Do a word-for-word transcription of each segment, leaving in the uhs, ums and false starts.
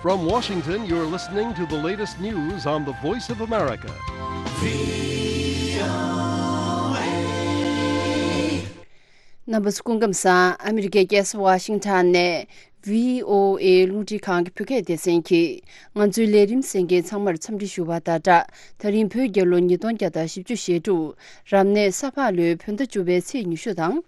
From Washington, you're listening to the latest news on the Voice of America. རྣམ་པ་ཚོ་སྐུ་ཁམས་བཟང་། ཨ་མི་རི་ཀའི་རྒྱལ་ས་ཝ་ཤིང་ཊོན་ནས་བྷི་ཨོ་ཨེ་རླུང་འཕྲིན་ཁང་གི་བོད་སྐད་སྡེ་ཚན་གྱིས་ང་ཚོའི་ལས་རིམ་གསན་མཁན་ཚང་མར་འཚམས་འདྲི་ཞུ་བ་དང་སྦྲགས། ད་རིང་བོད་རྒྱལ་ལོ་ཉིས་སྟོང་བརྒྱ་དང་བཞི་བཅུ་ཞེ་དྲུག་རབ་གནས་ས་ཕག་ལོའི་བོད་ཟླ་བཅུ་པའི་ཚེས་ཉི་ཤུ་དང་།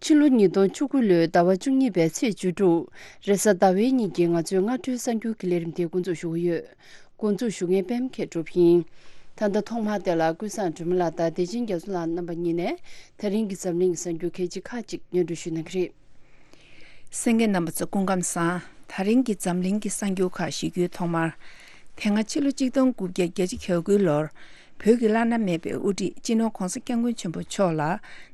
ཕྱི་ལོ་ཉིས་སྟོང་བཅུ་དགུ་ལོའི་ཟླ་བ་བཅུ་གཉིས་པའི་ཚེས་བཅུ་དྲུག་རེས་གཟའ་ཟླ་བའི་ཉིན་གྱི་ང་ཚོའི་སྔ་དྲོའི་གསར་འགྱུར་གྱི་ལས་རིམ་དེ་འགོ་འཛུགས་ཞུ་གི་ཡོད། འགོ་འཛུགས་ཞུ་མཁན་པད་མ་མཁས་གྲུབ་ཡིན། ད་ལྟ་ཐོག་མར་དེ་ལ་ཀུན་བཟང་སྒྲོལ་མ་ལགས་དང་བདེ་ཆེན་རྒྱ་མཚོ་ལགས་རྣམ་པ་གཉིས་ནས་ད་རིང་གི་འཛམ་གླིང་གི་གསར་འགྱུར་གལ་ཆེ་ཁག་ཅིག་སྙན་སྒྲོན་ཞུ་གནང་གི་རེད། གསན་མཁན་རྣམ་པ་ཚོ་སྐུ་ཁམས་བཟང་། ད་རིང་གི་འཛམ་གླིང་གི་གསར་འགྱུར་ཁག་ཞུ་རྒྱུའི་ཐོག་མར། དེ་སྔ་ཕྱི་ལོ་གཅིག་སྟོང་དགུ་བརྒྱ་གྱ་དགུ་ལོར། བོད་ཀྱི་བླ་ན་མེད་པའི་དབུ་ཁྲིད་སྤྱི་ནོར་༧གོང་ས་༧སྐྱབས་མགོན་ཆེན་པོ་མཆོག་ལ་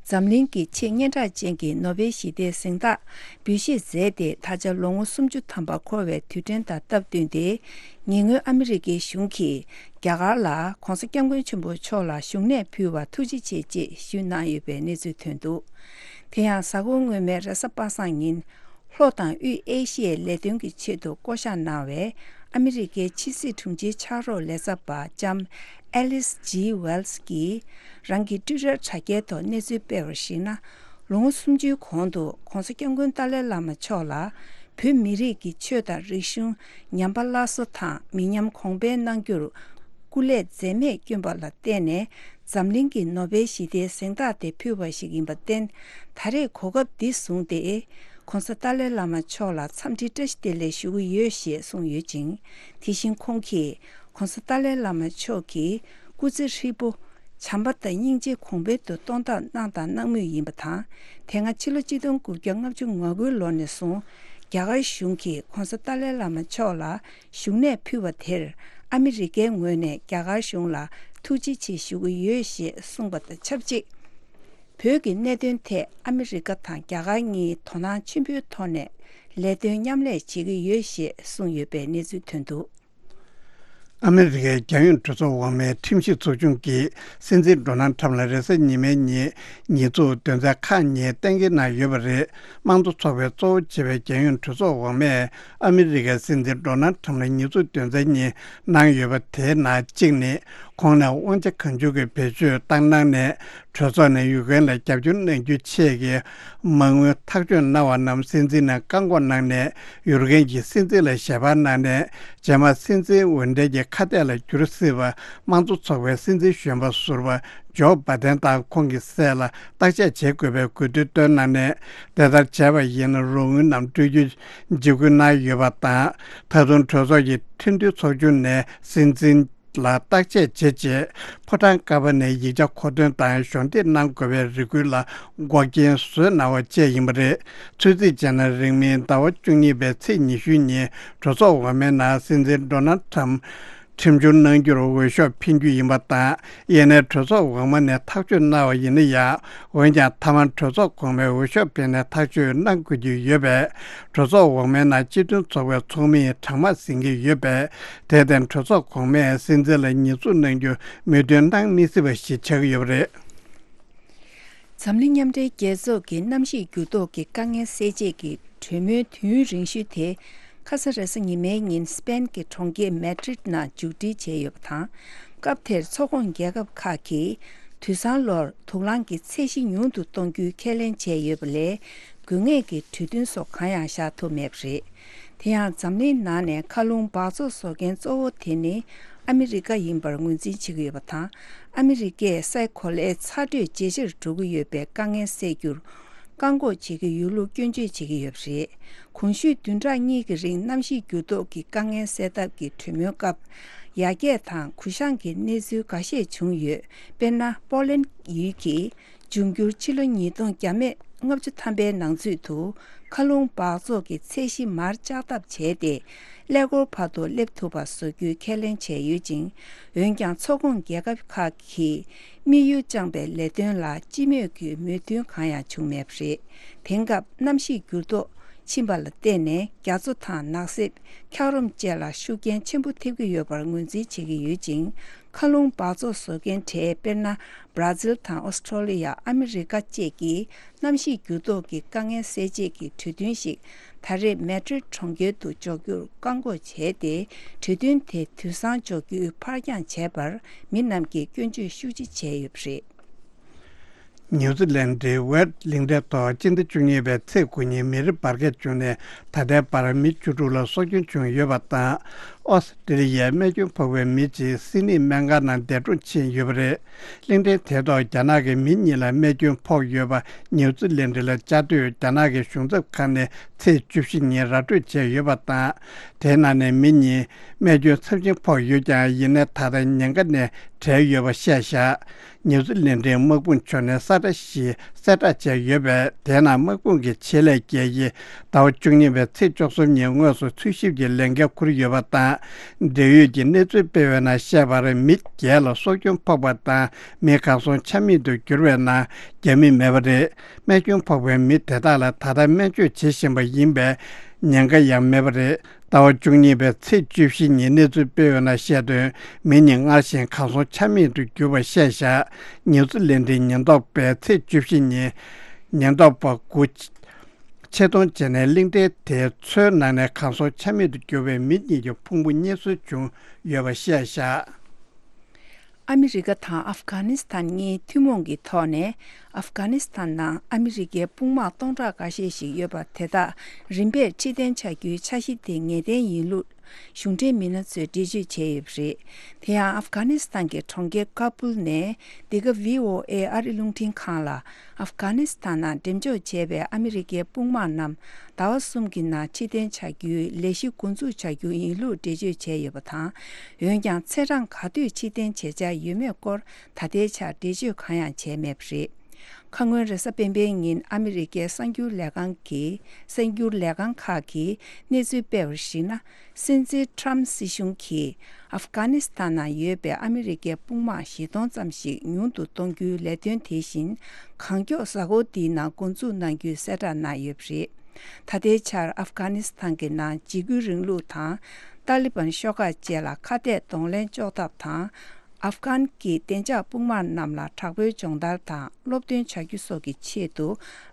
འཛམ་གླིང་གི་ཆེས་སྙན་གྲགས་ཅན་གྱི་ནོ་བེལ་ཞི་བདེའི་གཟེངས་རྟགས་འབུལ་བཞེས་མཛད་དེ་ད་ཆ་ལོ་ངོ་སུམ་ཅུ་ཐམ་པ་འཁོར་བའི་དུས་དྲན་དང་སྟབས་བསྟུན་ཏེ། ཉེ་སྔོན་ཨ་མི་རི་ཀའི་གཞུང་གིས་རྒྱ་གར་ལ་༧གོང་ས་༧སྐྱབས་མགོན་ཆེན་པོ་མཆོག་ལ་བཞུགས་གནས་ཕུལ་བར་ཐུགས་རྗེ་ཆེ་ཅེས་ཞུས་གནང་ཡོད་པའི་གནས་ཚུལ་ཐོན་འདུག་དེ་ཡང་གཟའ་འཁོར་སྔོན་མའི་རེས་གཟའ་པ་སངས་ཉིན། ལྷོ་དང་དབུས་ཨེ་ཤི་ཡའི་ལས་དོན་གྱི་ཆེད་དུ་བསྐོ་གཞག་གནང་བའི་ཨ་མི་རི་ཀའི་ཕྱི་སྲིད་དྲུང་ཆེའི་ཕྱག་རོགས་ལས་ཚབ་པ་ལྕམ་ཨེ་ལིས་ཇི་ཝེལ་སི་ཀྱིས་རང་གི་ཊུའི་ཊར་དྲ་རྒྱའི་ཐོག་གནས་ཚུལ་སྤེལ་བར་གཞིགས་ན། ལོ་ངོ་སུམ་ཅུའི་གོང་དུ་༧གོང་ས་༧སྐྱབས་མགོན་ཏཱ་ལའི་བླ་མ་མཆོག་ལ་བོད་མི་རིགས་ཀྱི་ཆོས་དང་རིག་གཞུང་ཉམས་པ་སླར་གསོ་དང་མི་ཉམས་གོང་འཕེལ་གནང་རྒྱུར་སྐུ་ལས་འཛད་མེད་བསྐྱོན་པ་ལ་བརྟེན་ནས། འཛམ་གླིང་གི་ནོ་བེལ་ཞི་བདེའི་གཟེངས་རྟགས་དེ་ཕུལ་བ་ཞིག་ཡིན་པར་བརྟེན། ད་རེས་གོ་སྐབས་འདི་བཟུང་སྟེ། ྋགོང་ས་ཏཱ་ལའི་བླ་མ་མཆོག་ལ་འཚམས་འདྲི་བཀྲ་ཤིས་བདེ་ལེགས་ཞུ་གི་ཡོད་ཞེས་གསུངས་ཡོད་ཅིང་། དེ་བཞིན་ཁོང་གིས་ྋགོང་ས་ཏཱ་ལའི་བླ་མ་མཆོག་གི་སྐུ་ཚེ་ཧྲིལ་པོ་བྱམས་པ་དང་སྙིང་རྗེ་གོང་འཕེལ་དུ་གཏོང་ཐབས་གནང་དང་གནང་མུས་ཡིན་པ་དང་། དེ་སྔ་ཕྱི་ལོ་གཅིག་སྟོང་དགུ་བརྒྱ་ལྔ་བཅུ་ང་དགུ་ལོ་ནས་བཟུང་རྒྱ་གར་གཞུང་གིས་ྋགོང་ས་ཏཱ་ལའི་བླ་མ་མཆོག་ལ་བཞུགས་གནས་ཕུལ་བ་དེར་ཨ་མི་རི་ཀའི་ངོས་ནས་རྒྱ་གར་གཞུང་ལ་ཐུགས་རྗེ་ཆེ་ཞུ་གི་ཡོད་ཞེས་གསུངས་པ་དང་ཆབས་ཅིག་བོད་ཀྱི་གནད་དོན་ཐད་ཨ་མི་རི་ཀ་དང་རྒྱ་གར་གཉིས་དོ་སྣང་ཆེན་པོའི་ཐོག་ནས་ལས་དོན་མཉམ་ལས་བྱེད་ཀྱི་ཡོད་ཞེས་གསུངས་ཡོད་པའི་གནས་ཚུལ་ཐོན་འདུག་ཨ་མི་རི་ཀའི་རྒྱལ་ཡོངས་གྲོས་ཚོགས་འོག་མའི་ཁྲིམས་ཞིབ་ཚོགས་ཆུང་གིས་སྲིད་འཛིན་ཌོ་ནལ་ཁྲམ་ལ་རེས་གཟའ་ཉི་མའི་ཉིན་ཉེས་འཛུགས་དོན་ཚན་ཁག་གཉིས་གཏན་འཁེལ་གནང་ཡོད་པ་རེད། དམངས་གཙོ་ཚོགས་པའི་གཙོ་བོ་བྱས་པའི་རྒྱལ་ཡོངས་གྲོས་ཚོགས་འོག་མས་ཨ་མི་རི་ཀའི་སྲིད་འཛིན་ཌོ་ནལ་ཁྲམ་ལ་ཉེས་འཛུགས་དོན་ཚན་གཉིས་གནང་ཡོད་པ་དེའི་ནང་གཅིག་ནི། ཁོང་ནས་དབང་ཆ་གང་བྱུང་གིས་བེད་སྤྱོད་བཏང་གནང་ནས། གྲོས་ཚོགས་ནས་ཡུཀ་རེན་ལ་རྒྱབ་སྐྱོར་གནང་རྒྱུའི་ཆེད་ཀྱི་མ་དངུལ་ཐག་གཅོད་གནང་བ་རྣམས་སྲིད་འཛིན་ནས་བཀག་འགོག་གནང་ནས། ཡུཀ་རེན་གྱི་སྲིད་འཛིན་ལ་ཞལ་པར་གནང་ནས། རྗེས་མ་སྲིད་འཛིན་འོས་འགྲན་གྱི་ཁ་གཏད་ལ་འགྱུར་སྲིད་པ། དམངས་གཙོ་ཚོགས་པའི་སྲིད་འཛིན་གཞོན་པ་ཟུར་པ་ཇོ་བྷ་དན་དང་ཁོང་གི་སྲས་ལ་བརྟག་དཔྱད་བྱེད་དགོས་པའི་དགོས་འདུན་བཏོན་གནང་ནས། དེ་ལྟར་བྱས་པ་ཡིན་ན་རོགས་དངུལ་རྣམས་སྤྲོད་རྒྱུ་འཇིགས་སྐུལ་གནང་ཡོད་པ་དང་། ད་དུང་གྲོས་ཚོགས་ཀྱི་ཁྲིམས་མཐུན་ཚོགས་ཆུང་ནས་སྲིད་འཛིན་ལ་བརྟག་དཔྱད་བྱས་རྗེས། ཕོ་བྲང་ཀ་པ་ནས་ཡིག་ཆ་མཁོ་འདོན་དང་གཞོགས་འདེགས་གནང་དགོས་པའི་རེ་སྐུལ་ལ་འགོག་རྐྱེན་བཟོས་གནང་བ་བཅས་ཡིན་པ་རེད། ཚོད་རྩིས་བྱས་ན། རིང་མིན་ཟླ་བ་བཅུ་གཉིས་པའི་ཚེས་ཉི་ཤུ་ཉིན་གྲོས་ཚོགས་འོག་མའི་ནང་སྲིད་འཛིན་ཌོ་ནལ་ཁྲམ་ཁྲིམས་སྦྱོར་གནང་རྒྱུར་འོས་ཤོག་འཕེན་རྒྱུ་ཡིན་པ་དང་། ཡིན་ནའི་གྲོས་ཚོགས་འོག་མ་ནས་ཐག་གཅོད་གནང་བ་ཡིན་ན་ཡང་། འོན་ཀྱང་། མཐའ་མར་གྲོས་ཚོགས་གོང་མའི་འོས་ཤོག་འཕེན་ནས་ཐག་གཅོད་གནང་དགོས་ཀྱི་ཡོད་པས། གྲོས་ཚོགས་འོག་མའི་ནང་སྤྱི་མཐུན་ཚོགས་པའི་ཚོགས་མིའི་གྲངས་མང་ཟིན་གྱི་ཡོད་པས། དེར་བརྟེན། གྲོས་ཚོགས་གོང་མས་སྲིད་འཛིན་ལ་ཉེས་འཛུགས་གནང་རྒྱུ་མོས་མཐུན་གནང་མི་སྲིད་པ་ཞིག་ཆགས་ཀྱི་ཡོད་པ་རེད། འཛམ་གླིང་མཉམ་འབྲེལ་རྒྱལ་ཚོགས་ཀྱི་གནམ་གཤིས་འགྱུར་ལྡོག་གི་དཀའ་ངལ་སེལ་ཆེད་ཀྱི་གྲོས་མོལ་དུས་ཡུན་རིང་ཤོས་དེ། ཁ་ས་རེས་གཟའ་ཉི་མའི་ཉིན་སི་པེན་གྱི་གྲོང་ཁྱེར་མེ་ཌྲིད་ནང་མཇུག་སྒྲིལ་བྱས་ཡོད་པ་དང་། སྐབས་དེར་ཚོགས་ཁོངས་རྒྱལ་ཁབ་ཁག་གིས་དུས་སང་ལོར་དུག་རླངས་ཀྱི་ཚད་གཞི་ཉུང་དུ་གཏོང་རྒྱུའི་ཁས་ལེན་བྱས་ཡོད་པ་ལས། དགོས་ངེས་ཀྱི་གྲོས་མཐུན་སོགས་གང་ཡང་བཞག་ཐུབ་མེད་པ་རེད། དེ་ཡང་འཛམ་གླིང་ནང་ནས་མཁའ་རླུང་འབག་བཙོག་བཟོ་མཁན་གཙོ་བོ་དེ་ནི་ཨ་མི་རི་ཀ་ཡིན་པར་ངོས་འཛིན་བྱེད་ཀྱི་ཡོད་པ་དང་། ཨ་མི་རི་ཀས་སའི་གོ་ལའི་ཚ་དྲོད་ཇེ་ཆེར་འགྲོ་གི་ཡོད་པའི་དཀའ་ངལ་སེལ་རྒྱུར། བཀག་འགོག་བྱེད་ཀྱི་ཡོད་ལུགས་སྐྱོན་བརྗོད་བྱེད་ཀྱི་ཡོད་པ་རེད། གོང་ཞུས་བདུན་ཕྲག་གཉིས་ཀྱི་རིང་གནམ་གཤིས་འགྱུར་ལྡོག་གི་དཀའ་ངལ་སེལ་ཐབས་ཀྱི་གྲོས་མོལ་སྐབས། ཡར་རྒྱས་དང་གུ་བཤངས་ཀྱི་གནས་ཚུལ་འགའ་ཤས་བྱུང་ཡོད། དཔེར་ན། པོ་ལན་ཡུལ་གྱིས་འབྱུང་འགྱུར་ཕྱི་ལོ་ཉིས་སྟོང་བརྒྱ་མེད་ལྔ་བཅུ་ཐམ་པའི་ནང་ཚུད་དུ་མཁའ་རླུང་འབག་བཙོག་གི་ཚད་གཞི་མར་བཅག་ཐབས་བྱས་ཏེ། ཀླད་ཀོར་བར་དུ་སླེབས་ཐུབ་པ་བཟོ་རྒྱུའི་ཁས་ལེན་བྱས་ཡོད་ཅིང་། འོན་ཀྱང་། ཚོགས་ཁོངས་རྒྱལ་ཁབ་ཁག་གིས་དམིགས་ཡུལ་བཅངས་པའི་ལས་དོན་ལ་སྤྱི་མོས་ཀྱི་མོས་མཐུན་གང་ཡང་བྱུང་མེད་པ་རེད། དེང་སྐབས་གནམ་གཤིས་འགྱུར་ལྡོག་ཕྱིན་པ་ལ་བརྟེན་ནས། རྒྱ་མཚོ་དང་ནགས་གསེབ། འཁྱགས་རོམ་བཅས་ལ་ཤུགས་རྐྱེན་ཆེན་པོ་ཐེབས་ཀྱི་ཡོད་པར་ངོས་འཛིན་བྱེད་ཀྱི་ཡོད་ཅིང་། མཁའ་རླུང་འབག་བཙོག་བཟོ་མཁན་གྲས་དཔེར་ན། བྷར་ཛིལ་དང་ཨོ་སི་ཁྲོ་ལི་ཡ། ཨ་མི་རི་ཀ་བཅས་ཀྱིས་གནམ་གཤིས་འགྱུར་ལྡོག་གི་དཀའ་ངལ་སེལ་ཆེད་ཀྱི་གྲོས་མཐུན་ཞིག་ད་རེས་མེ་ཏྲིད་གྲོང་ཁྱེར་དུ་འཇོག་རྒྱུར་བཀག་འགོག་བྱས་ཏེ། གྲོས་མཐུན་དེ་དུས་སང་འཇོག་རྒྱུའི་ཕར་འགྱངས་བྱས་པར་མི་རྣམས་ཀྱིས་སྐྱོན་བརྗོད་ཤུགས་ཆེ་བྱས་ཡོད་པ་རེད། ནིའུ་ཛི་ལན་ཌའི་ཝེད་གླིང་ཕྲན་ཐོག་སྤྱི་ཟླ་བཅུ་གཉིས་པའི་ཚེས་དགུ་ཉིན་མེ་རི་འབར་གས་བྱུང་ནས། ད་ལྟའི་བར་མི་བཅུ་དྲུག་ལ་སྲོག་སྐྱོན་བྱུང་ཡོད་པ་དང་། ཨོ་སི་ཀྲི་ལི་ཡའི་རྨས་སྐྱོན་ཕོག་པའི་མི་གཅིག་སིད་ནི་སྨན་ཁང་ནང་འདས་གྲོངས་ཕྱིན་ཡོད་པ་རེད། གླིང་ཕྲན་དེ་ཐོག་རྒྱ་ནག་གི་མི་གཉིས་ལ་རྨས་སྐྱོན་ཕོག་ཡོད་པ་ནིའུ་ཛི་ལན་ཌི་ལ་བཅའ་སྡོད་རྒྱ་ནག་གི་གཞུང་ཚབ་ཁང་ནས་ཚེས་བཅུ་བཞི་ཉིན་ར་སྤྲོད་བྱས་ཡོད་པ་དང་། དེའི་ནང་ནས་མི་གཉིས་རྨས་སྐྱོན་ཚབས་ཆེན་ཕོག་ཡོད་ཀྱང་། ཡིན་ནའི་ད་ལྟ་ཉེན་ཁ་ནས་བྲལ་ཡོད་པ་བཤད་བཞག་ནིའུ་ཛི་ལན་ཌིའི་དམག་དཔུང་ཕྱོགས་ནས་ས་ཁྲ་བཞི་གསལ་བསྒྲགས་བྱས་ཡོད་པས། དེའི་ནང་དམག་དཔུང་གི་ཆེད་ལས་དགེ་བཤེས་ཟླ་བ་བཅུ་གཉིས་པའི་ཚེས་བཅུ་གསུམ་ཉིན་དངོས་སུ་འཚོལ་ཞིབ་ཀྱི་ལས་འགན་འཁུར་ཡོད་པ་དང་། འབྲེལ་ཡོད་ཀྱི་གནས་ཚུལ་སྤེལ་བའི་ནང་བཤད་པར། མི་བརྒྱད་ལ་སྲོག་སྐྱོན་ཕོག་པ་དང་། མི་གར་སོང་ཆ་མེད་དུ་གྱུར་བའི་ནང་རྒྱ་མི་མེད་པ་རེད། རྨས་སྐྱོན་ཕོག་པའི་མི་དེ་དག་ལ་ད་ལྟ་སྨན་བཅོས་བྱེད་བཞིན་པ་ཡིན་པས། ཉེན་ཁ་ཡང་མེད་པ་རེད། ཟླ་བ་བཅུ་གཉིས་པའི་ཚེས་བཅུ་བཞི་ཉིན་གནས་ཚུལ་སྤེལ་བའི་ནང་བཤད་དོན། མི་གཉིས་སྔར་བཞིན་གར་སོང་ཆ་མེད་དུ་གྱུར་བ་བཤད་བཞག་ནིའུ་ཛི་ལན་ཌིའི་ཉེན་རྟོག་པས་ཚེས་བཅུ་བཞི་ཉིན་ཉེན་རྟོག་པ་དགུ་ཆེད་གཏོང་བྱས་ནས། གླིང་ཕྲན་དེའི་མཚོའི་ནང་ནས་གར་སོང་ཆ་མེད་དུ་གྱུར་བའི་མི་གཉིས་ཀྱི་ཕུང་པོ་རྙེད་སོན་བྱུང་ཡོད་པ་བཤད་བཞག་ཨ་མི་རི་ཀ་དང་ཨབ་གྷ་ནི་སི་ཐན་གཉིས་ཐུན་མོང་གི་ཐོག་ནས། ཨབ་གྷ་ནི་སི་ཐན་ནང་ཨ་མི་རི་ཀའི་དཔུང་དམག་སྟོང་ཕྲག་འགའ་ཤས་ཤིག་ཡོད་པ་དེ་དག་རིམ་པས་ཕྱིར་འཐེན་བྱ་རྒྱུའི་འཆར་གཞི་དེ་ངེས་གཏན་ཡིན་ལུགས། གཞུང་འབྲེལ་མི་སྣ་ཚོས་འགྲེལ་བརྗོད་བྱས་ཡོད་པ་རེད། དེ་ཡང་ཨབ་གྷ་ནི་སི་ཐན་གྱི་གྲོང་ཁྱེར་ཀ་བུལ་ནས། འདི་ག་བྷི་ཨོ་ཨེ་ཨ་རི་རླུང་འཕྲིན་ཁང་ལ། ཨབ་གྷ་ནི་སི་ཐན་ནང་འགྲེམས་འཇོག་བྱས་པའི་ཨ་མི་རི་ཀའི་དཔུང་དམག་རྣམས་ཟླ་བ་གསུམ་གྱི་ནང་ཕྱིར་འཐེན་བྱ་རྒྱུའི་ལས་གཞི་འགོ་འཛུགས་བྱ་རྒྱུ་ཡིན་ལུགས་འགྲེལ་བརྗོད་བྱས་ཡོད་པ་དང་། འོན་ཀྱང་ཚེས་གྲངས་ག་དུས་ཕྱིར་འཐེན་བྱེད་འཆར་ཡོད་མེད་སྐོར་ད་ལྟའི་ཆར་འགྲེལ་བརྗོད་གང་ཡང་བྱས་མེད་པ་རེད། ཁ་སྔོན་རེས་གཟའ་སྤེན་པའི་ཉིན་ཨ་མི་རི་ཀའི་གསར་འགྱུར་ལས་ཁང་གིས། གསར་འགྱུར་ལས་ཁང་ཁག་གིས་གནས་ཚུལ་སྤེལ་བར་གཞིགས་ན། སྲིད་འཛིན་ཊྲམ་སྲིད་གཞུང་གིས་ཨབ་གྷ་ནི་སི་ཐན་ནང་ཡོད་པའི་ཨ་མི་རི་ཀའི་དཔུང་དམག་བཞི་སྟོང་ཙམ་ཞིག་ཉུང་དུ་གཏོང་རྒྱུའི་ལས་དོན་དེ་བཞིན་གང་མགྱོགས་གཟའ་འཁོར་འདིའི་ནང་འགོ་འཛུགས་གནང་རྒྱུའི་གསལ་བསྒྲགས་གནང་ཡོད་པ་རེད། ད་ལྟའི་ཆར་ཨབ་གྷ་ནི་སི་ཐན་གྱི་ནང་འཇིགས་སྐུལ་རིང་ལུགས་དང་། ཏཱ་ལི་བན་ཤོག་ཁག་བཅས་ལ་ཁ་གཏད་གདོང་ལེན་གཅོག་ཐབས་དང་། ཨབ་གྷན་གྱི་བདེ་འཇགས་དཔུང་དམག་རྣམས་ལ་དྲག་པོའི་སྦྱོང་བརྡར་དང་སློབ་སྟོན་བྱ་རྒྱུ་སོགས་ཀྱི་ཆེད་དུ།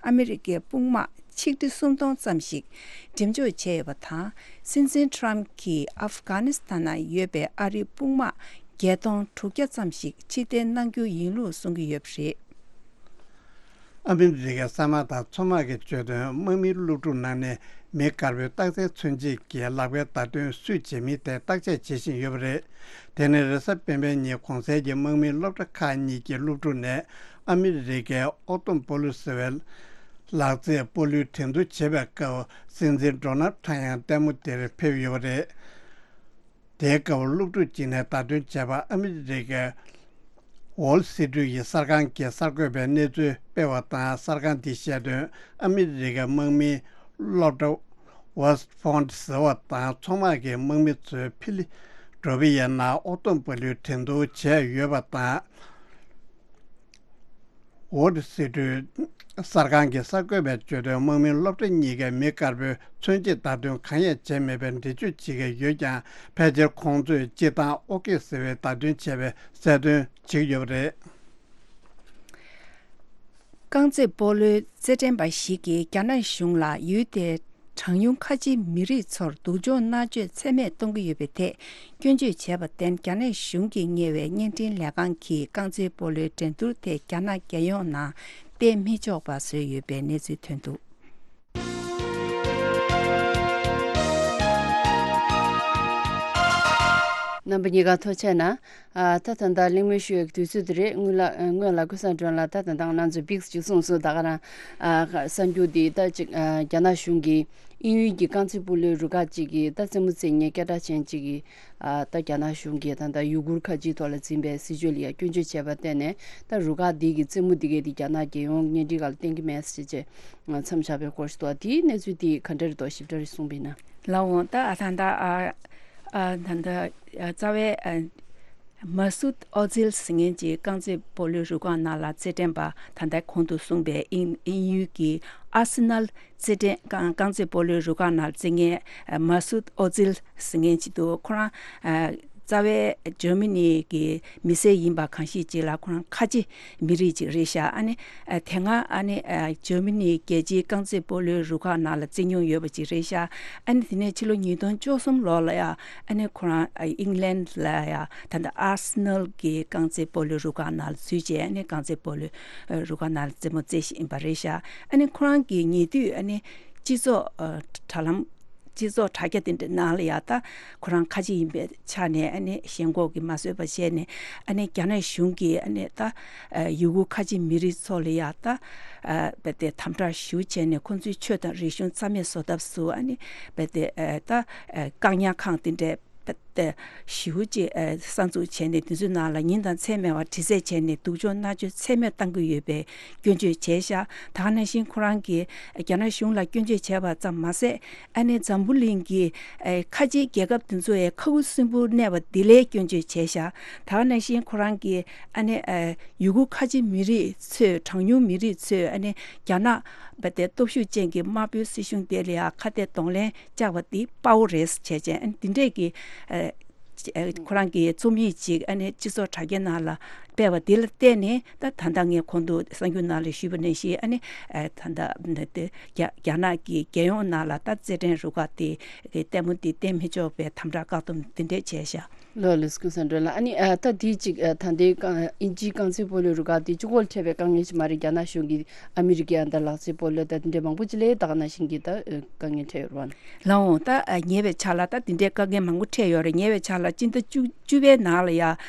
ཨ་མི་རི་ཀའི་དཔུང་དམག་ཆིག་ཁྲི་སུམ་སྟོང་ཙམ་ཞིག་འགྲེམས་འཇོག་བྱས་ཡོད་པ་དང་། སྲིད་འཛིན་ཊྲམ་གྱིས་ཨབ་གྷ་ནི་སི་ཐན་ནང་ཡོད་པའི་ཨ་རིའི་དཔུང་དམག་བརྒྱད་སྟོང་དྲུག་བརྒྱ་ཙམ་ཞིག་ཕྱིར་འཐེན་གནང་རྒྱུ་ཡིན་ལུགས་གསུང་གི་ཡོད་པ་རེད། ཨ་མི་རི་ཀའི་གསར་དམག་དང་མཚོ་དམག་གིས་བརྗོད་དོན། དམག་མིའི་སློབ་ཕྲུག་ནང་ནས་མི་དཀར་པོའི་རྟགས་མཚན་མཚོན་བྱེད་ཀྱི་ལག་པའི་བརྡ་དོན་སུས་བྱེད་མིན་ཐད་བརྟག་དཔྱད་བྱེད་བཞིན་ཡོད་པ་རེད། དེ་ནི་རེས་གཟའ་སྤེན་པའི་ཉིན་གོང་གསལ་གྱི་དམག་མིའི་སློབ་གྲྭ་ཁག་གཉིས་ཀྱི་སློབ་ཕྲུག་ནས་ཨ་མི་རི་ཀའི་ཨོ་ཏོམ་པོ་ལུ་ཟེར་བའི་ལག་རྩེད་སྤོ་ལོའི་འགྲན་བསྡུར་བྱེད་པའི་སྐབས། སྲིད་འཛིན་ཌོ་ནལ་ཊྲམ་ཡང་ལྟད་མོ་དེར་ཕེབས་ཡོད་པ་རེད། དེའི་སྐབས་སློབ་ཕྲུག་ཅིག་ནས་བརྡ་སྟོན་བྱས་པ། ཨ་མི་རི་ཀའི་ཝོལ་སི་ཊི་ཡི་གསར་ཁང་གིས་གསར་འགོད་པའི་གནས་ཚུལ་སྤེལ་བ་དང་། གསར་ཁང་དེས་བཤད་དོན། ཨ་མི་རི་ཀའི་དམག་མིའི་སློབ་གྲྭ་ཝེ་སི་ཊི་ཕོན་ཊི་ཟེར་བ་དང་མཚོ་དམག་གི་དམག་མི་ཚོས་ཕི་ལ་ཌེལ་ཕི་ཡའི་ནང་ཨོ་ཏོམ་པོ་ལོའི་འགྲན་བསྡུར་བྱས་ཡོད་པ་དང་། ཝོ་ཊི་སི་ཊི་གསར་ཁང་གི་གསར་འགོད་པས་བརྗོད་དོན། དམག་མིའི་སློབ་གྲྭ་གཉིས་ཀས་མི་དཀར་པོའི་མཚོན་བྱེད་བརྡ་སྟོན་གང་ཡང་བྱས་མེད་པའི་འགྲེལ་བརྗོད་བྱེད་ཀྱི་ཡོད་ཀྱང་། ཕལ་ཆེར་ཁོང་ཚོས་སྤྱིར་བཏང་ཨོ་ཀེ་ཟེར་བའི་བརྡ་སྟོན་བྱས་པའི་གསལ་སྟོན་བྱེད་ཀྱི་ཡོད་པ་རེད། རྐང་རྩེད་སྤོ་ལོའི་རྩེད་འགྲན་པ་ཞིག་གིས་རྒྱ་ནག་གཞུང་ལ་ཡུལ་དེའི་གྲངས་ཉུང་ཁ་ཆེའི་མི་རིགས་ཚོར་སྡུག་སྦྱོང་མནར་གཅོད་ཚད་མེད་གཏོང་གི་ཡོད་པའི་ཐད་སྐྱོན་བརྗོད་བྱས་པར་བརྟེན། རྒྱ་ནག་གཞུང་གིས་གཉེར་བའི་བརྙན་འཕྲིན་ལས་ཁང་གིས་རྐང་རྩེད་སྤོ་ལོའི་འགྲན་བསྡུར་དེ་རྒྱ་ནག་རྒྱལ་ཡོངས་ནང་སྤེལ་མི་ཆོག་པ་བཟོས་ཡོད་པའི་གནས་ཚུལ་ཐོན་འདུག་རྣམ་པ་གཉིས་ཀ་ཐུགས་རྗེ་གནང་། ཨ། ད་ད་ལྟ་གླེང་མོལ་ཞུ་ཡག་དུས་ཚོད་དེ་རེད། སྔོན་ལ་སྔོན་ལ་ཀུན་བཟང་སྒྲོན་ལགས་ད་ད་ལྟ་ང་ཚོ་བིག་ཅིག་གསུངས་སོང་། ད་ག་རང་ཨ་གསར་འགྱུར་འདི་ད་ཅིག་ཨ་རྒྱ་ནག་གཞུང་གིས་དབྱིན་ཡུལ་གྱི་རྐང་རྩེད་སྤོ་ལོའི་རུ་ཁག་ཅིག་གིས་ད་རྩེད་མོ་རྩེ་མཁན་སྐད་གྲགས་ཅན་ཅིག་གིས་ཨ་ད་རྒྱ་ནག་གཞུང་གིས་ད་ལྟ་ཡུ་གུར་ཁ་ཆེའི་ཐོག་ལ་འཛིན་པའི་སྲིད་བྱུས་ལ་ཡང་སྐྱོན་བརྗོད་བྱས་པར་བརྟེན་ནས། ད་རུ་ཁག་འདི་གི་རྩེད་མོ་འདི་གས་འདི་རྒྱ་ནག་རྒྱལ་ཡོངས་གཉེན་སྒྲིག་སྒང་ལ་གཏན་འཁེལ་མེད་ཟེར་བྱས་མཚམས་བཞག་པའི་སྐོར་ཞིག་འདུག་དེའི་གནས་ཚུལ་འདི་ག་འདྲ་རེད་འདུག་ཞིབ་ཕྲ་རེ་གསུངས་པ་ཡིན་ན། ལགས་འོང་། ད་ཨ་ད་ལྟ་ཨ་ཨ་ད་ལྟ་ཨ་རྩ་བའི་ཨ་མ་སུད་ཨོ་ཛིལ་ཟེར་མཁན་གྱི་རྐང་རྩེད་སྤོ་ལོའི་རུ་ཁག་ནང་ལ་རྩེད་འགྲན་པ། ད་ལྟ་གོང་དུ་གསུངས་པའི་དབྱིན་དབྱིན་ཡུལ་གྱི་ཨར་སེ་ནལ་རྩེད་འགྲན་རྐང་རྐང་རྩེད་སྤོ་ལོའི་རུ་ཁག་ནང་རྩེད་མཁན་ཨ་མ་སུད་ཨོ་ཛིལ་ཟེར་མཁན་ཅིག་འདུག་ཁོ་རང་ཨ་ རྩ་བའི་འཇར་མ་ནི་གི་མི་སེར་ཡིན་པ་གང་ཞིག་ཅིག་ལ་ཁོ་རང་ཁ་ཆེ་མི་རིགས་ཅིག་རེད་ཤག་ཨ་ནི་ཨ་དེ་སྔ་ཨ་ནི་ཨ་འཇར་མ་ནི་རྒྱལ་སྤྱིའི་རྐང་རྩེད་སྤོ་ལོའི་རུ་ཁག་ནང་ལ་རྩེད་མྱོང་ཡོད་པ་ཅིག་རེད་ཤག་ཨ་ནི་དེ་ནས་ཕྱི་ལོ་ཉིས་སྟོང་བཅུ་གསུམ་ལོ་ལ་ཡ་ཨ་ནི་ཁོ་རང་ཨ་ཨིང་ལན་ལ་ཡ་ད་ལྟ་ཨར་སི་ནལ་གི་རྐང་རྩེད་སྤོ་ལོའི་རུ་ཁག་ནང་ལ་འཛུལ་བྱས་ཨ་ནི་རྐང་རྩེད་སྤོ་ལོའི་རུ་ཁག་ནང་ལ་རྩེད་མོ་རྩེ་བཞིན་ཡིན་པ་རེད་ཤག་ཨ་ནི་ཁོ་རང་གི་ཉེ་དུས་ཨ་ནི་སྤྱི་ཚོགས་ཨ་དྲ་ལམ་སྤྱི་ཚོགས་དྲ་རྒྱ་དེ་འདྲ་ནང་ལ་ཡ་ད་ཁོ་རང་ཁ་ཆེ་ཡིན་པའི་ཆ་ནས་ཨ་ནི་ཞེན་ཁོག་གི་མ་བཟོད་པ་བྱས་ནས་ཨ་ནི་རྒྱ་ནག་གཞུང་གིས་ཨ་ནི་ད་ཨ་ཡུ་གུར་ཁ་ཆེ་མི་རིགས་ཚོ་ལ་ཡ་ད་ཨ་རྦད་དེ་དམ་དྲག་ཞེ་པོ་བྱས་ནས་ཁོང་ཚོའི་ཆོས་དང་རིག་གཞུང་རྩ་མེད་བཟོ་ཐབས་སུ་ཨ་ནི་རྦད་དེ་ཨ་ད་ཨ་བཀག་ཉར་ཁང་དེ་འདྲའི་རྦད་དེ་ཞེ་པོ་ཅིག་ཨ་གསར་འཛུགས་བྱས་ནས་དེ་ཚོའི་ནང་ལ་ཉིན་དང་མཚན་མེད་པར་དྲི་རྩད་བྱས་ནས་སྡུག་སྦྱོང་མནར་གཅོད་ཚད་མེད་བཏང་གི་ཡོད་པའི་སྐྱོན་བརྗོད་བྱས་ཤག་ད་ག་ནང་བཞིན་ཁོ་རང་གིས་རྒྱ་ནག་གཞུང་ལ་སྐྱོན་བརྗོད་བྱས་པ་ཙམ་མ་ཟད། ཨ་ནི་འཛམ་བུ་གླིང་གི་ཨེ་ཁ་ཆེའི་རྒྱལ་ཁབ་དེ་ཚོ་ཡང་ཁ་ཁུ་སིམ་པོར་གནས་པ་འདི་ལའི་སྐྱོན་བརྗོད་བྱས་ཤག་ད་ག་ནང་བཞིན་ཁོ་རང་གིས་ཨ་ནི་ཨེ་ཡུ་གུར་ཁ་ཆེ་མི་རིགས་ཚོས་གྲངས་ཉུང་མི་རིགས་ཚོས་ཨ་ནི་རྒྱ་ནག་པ་དེ་སྟོབས་ཤུགས་ཅན་གྱི་དམར་པོའི་སྲིད་གཞུང་དེ་ལ་ཡང་ཁ་གཏད་གདོང་ལེན་བཅག་པ་འདི་དཔའ་བོ་རེད་བྱས་བྱས་ཨ་ནི་འདི་འདྲས་ཀྱི་ཨེ་ཁོ་རང་གི་རྩོམ་ཡིག་ཅིག་ཨ་ནི་སྤྱི་ཚོགས་དྲ་རྒྱའི་ནང་ལ་སྤེལ་བ་འདི་ལ་བརྟེན་ནས་ད་ད་ལྟ་ངས་གོང་དུ་གསར་འགྱུར་ནང་ལ་ཞུས་པ་ནང་བཞིན་ཨ་ནི་ཨ་ད་ལྟ་འདི་རྒྱ་རྒྱ་ནག་གི་རྒྱལ་ཡོངས་ནང་ལ་ད་རྩེད་འགྲན་རུ་ཁག་དེ་ལྟད་མོ་འདི་བསྟན་མི་ཆོག་པའི་དམ་དྲག་བཀག་སྡོམ་འདི་འདྲས་བྱས་ཤག་ལོ་ལེགས་ཀུན་བཟང་སྒྲོལ་ལགས། ཨ་ནི་ཨ་ད་དེ་གཅིག་ཨ་ད་ལྟའི་རྐང་དབྱིན་ཇིའི་རྐང་རྩེད་སྤོ་ལོའི་རུ་ཁག་དེ་གཅིག་པོ་ལ་འཕྲད་པའི་དཀའ་ངལ་ཞིག་མ་རེད། རྒྱ་ནག་གཞུང་གིས་ཨ་མི་རི་ཀའི་ཨ་ད་ལག་རྩེད་སྤོ་ལོ་ད་དེ་འདྲའི་མང་པོ་ཅིག་ལ་ད་ག་ནང་བཞིན་གྱི་ད་ཨ་དཀའ་ངལ་འཕྲད་ཡོད་རེད་བ། ལགས་འོང་། ད་ཨ་ཉེ་བའི་ཆར་ལ་ད་དེ་འདྲའི་དཀའ་ངལ་མང་པོ་འཕྲད་ཡོད་རེད། ཉེ་བའི་ཆར་ལ་སྤྱི་ཟླ་བཅུ་བཅུ་པའི་ནང་ལ་ཡ་